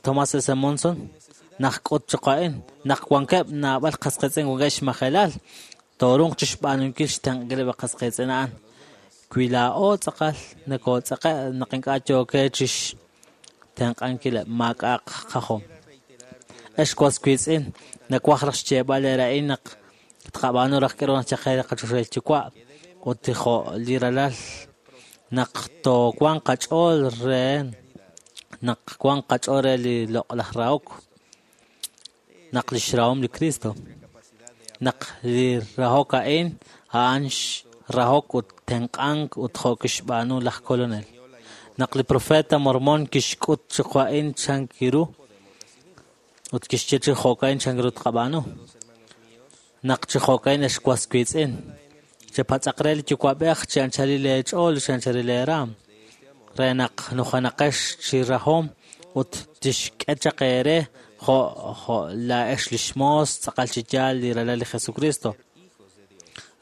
Thomas S. Monson naq k'ut choq a'in naq wankeb' naab'al qas qiitz'in wankeb' xmajelal tooruuq chixb'aanunkil xtenq'ileb' li qas qiitz'in a'an. Wi laa'o tz'aqal nakootz'aqe' naq ink'a' yookeb' chixtenq'ankileb' maak'a'aq qajom. Ex was wiitz'in nawaj raj xyeeb'al eere a'in naq tqab'aanu raj k'aru naq chaqe li qachoxahil yuwa' ut jo' li ralal naq toowanq qach'ool re naq wanq qach'ool re li loq'laj rahok naq lix rahom li Cristo naq li rahok a'in a'an rahok ut tenq'ank ut jo' kixb'aanu laj Kolonel. Naq li profeta Mormon kixk'ut chi jo'ka'in chan ru ut kixye chi jo'ka'in chan ru tqab'aanu. Naq chi jo'ka'in ex was wiitz'in, chepatz'aq re li yuwa'b'ej chi anchalil eech'ool chi anchalil eeraam, re naq nujanaqex chi rahom ut tixk'e chaq eere jo' laa'ex lix moos tz'aqal chi yaal li ralal li Jesucristo,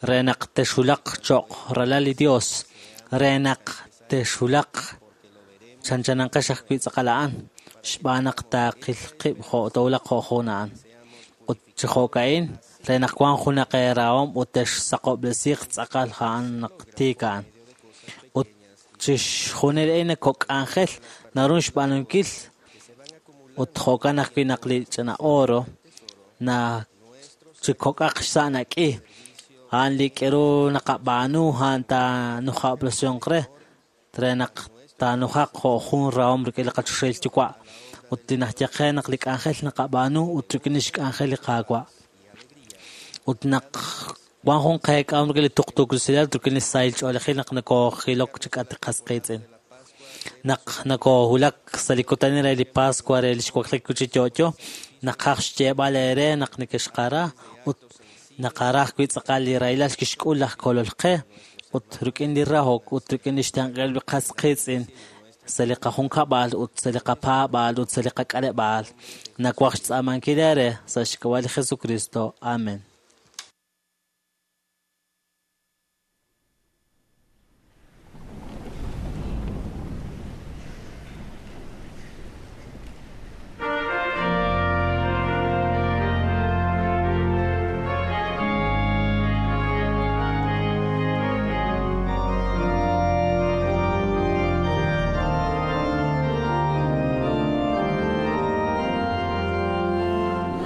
re naq texulaq cho'q ralal li Dios, re naq texulaq chanchananqex ajwi' tz'aqal a'an, xb'aan naq taaqil qib' jo' towulaq jo' jun a'an. Ut chi jo'ka'in, re naq wan junaq eerahom ut texsaqob'resiiq tz'aqal a'an naq tiik a'an. Ut chixjunil a'in kok' k'anjel naru xb'aanunkil ut jo'kan ajwi' naq li ch'ina oro na chi kok'aq xsa' nak'i a'an li k'eru naqab'aanu a'an taanujab'resihonq re re naq taanujaq jo' jun rahom rik'in li qachoxahil yuwa' ut li najye qe naq li k'anjel naqab'aanu ut rik'in lix k'anjel li Qaawa'. Ut naq wan jun qeek'ahom rik'in li tuqtuukilal rik'in li sahil ch'oolejil naq nakojilok chi k'at qas qiitz'in. Naq nakohulak sa' li kutan re li Pascua re lix waklik chi yo'yo, naqaj xyeeb'al eere naq nekexqara ut naqara ajwi' tz'aqal li rahilal kixk'ul laj Kolol qe ut rik'in li rahok ut rik'in lix tenq'el li qas qiitz'in sa' li qajunkab'al ut sa' li qapaab'al ut sa' li qak'aleb'aal. Nawaj xtz'aamankil eere sa' xk'ab'a' li Jesucristo. Amen.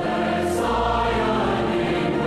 Let Zion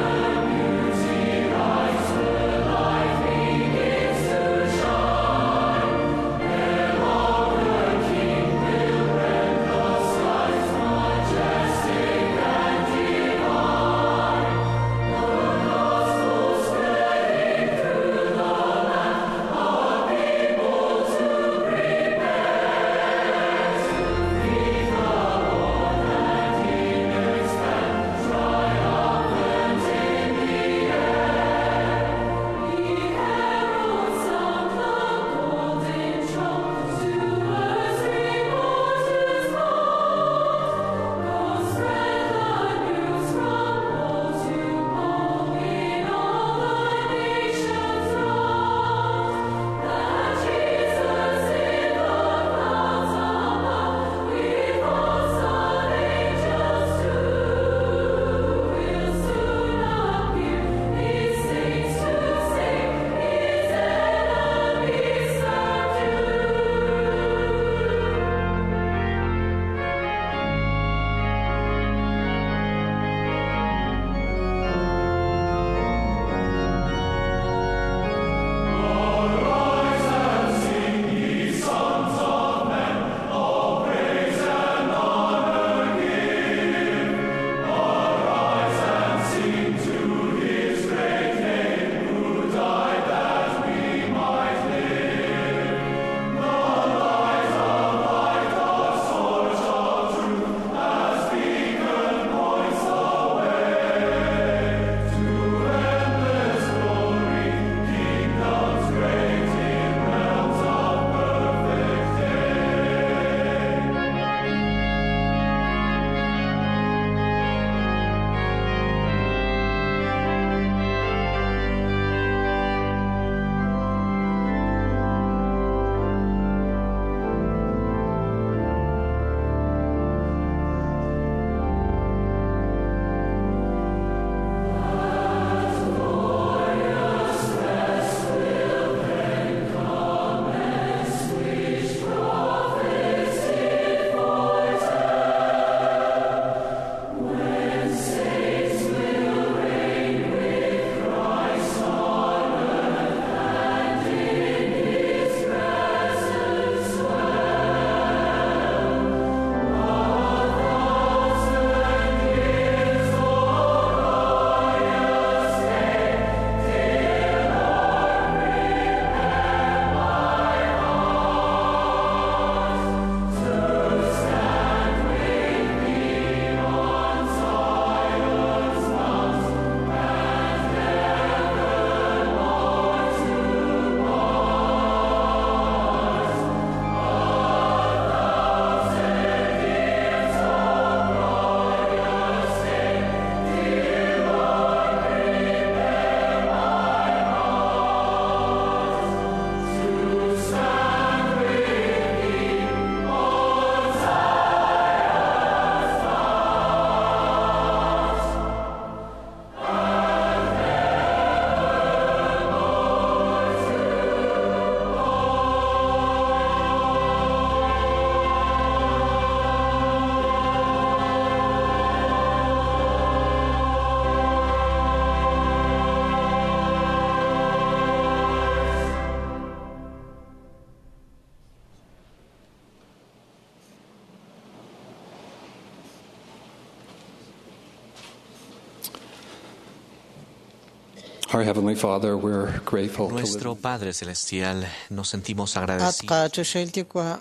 Our Heavenly Father, we're grateful to live Nuestro Padre Celestial, nos sentimos At agradecidos qachoxahil Yuwa',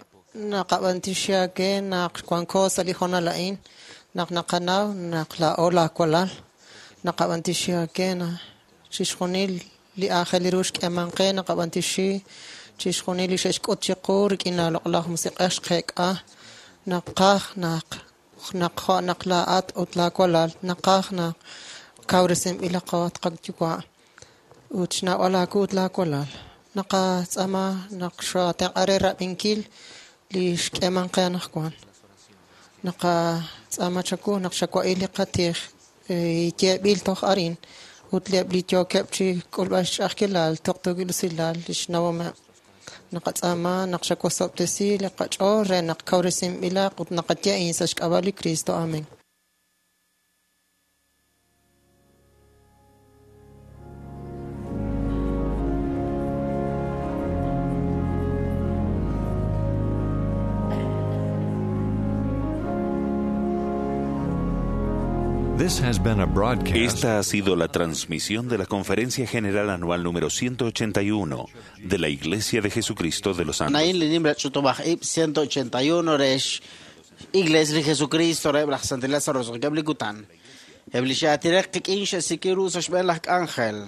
naqab'antioxi aawe naq wanko sa' li hoonal a'in, naq naqanaw naq laa'o laawalal, naqab'antioxi aawe naq chixjunil li aajel ru xk'eeman qe, naqab'antioxi chixjunil li xe'xk'ut chiqu rik'in laaloq'laj musiq'ej xqeek'a, naqaj naq naq jo' naq laa'at ut laawalal, naqaj naq kawresinb'ilaqo at qayuwa' ut xnawb'al aawu ut laawalal. Naqatz'aama naq xootenq'a re rab'inkil li xk'eeman qe anaqwan. Naqatz'aama chawu naq xawa'il li qatij yeeb'il toj arin ut eb' li yookeb' chi k'ulb'al xch'a'ajkilal tuqtuukil usilal li xnawomeb'. Naqatz'aama naq xawosob'tesi li qach'ool re naq kawresinb'ilaq ut naqaye a'in sa' xk'ab'a' li Kristo. Amen. This has been a broadcast. Esta ha sido la transmisión de la Conferencia General Anual número 181 de la Iglesia de Jesucristo de los Santos. A'in li nimla ch'utub'aj ib' 181 re Iglesia li Jesucristo re laj Santil Lázaro roso'jikeb' li kutan. Eb' li xe'atirek qik'in xe'sik'i ru sa' xb'een laj k'anjel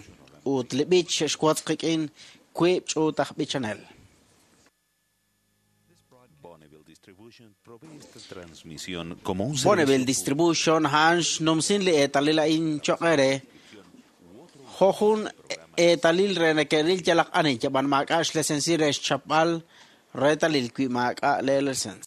ut li b'ich xe'xwotz qik'in wiib' ch'uut aj b'ichanel. Transmisión como un Bonneville servicio Distribution a'an xnumsin li eetalil a'in choq' eere jo' jun eetalil re neke'ril yalaq ani yab'an maak'a' xlesensi re xchapb'al reetalil wi maak'a' lee lesens.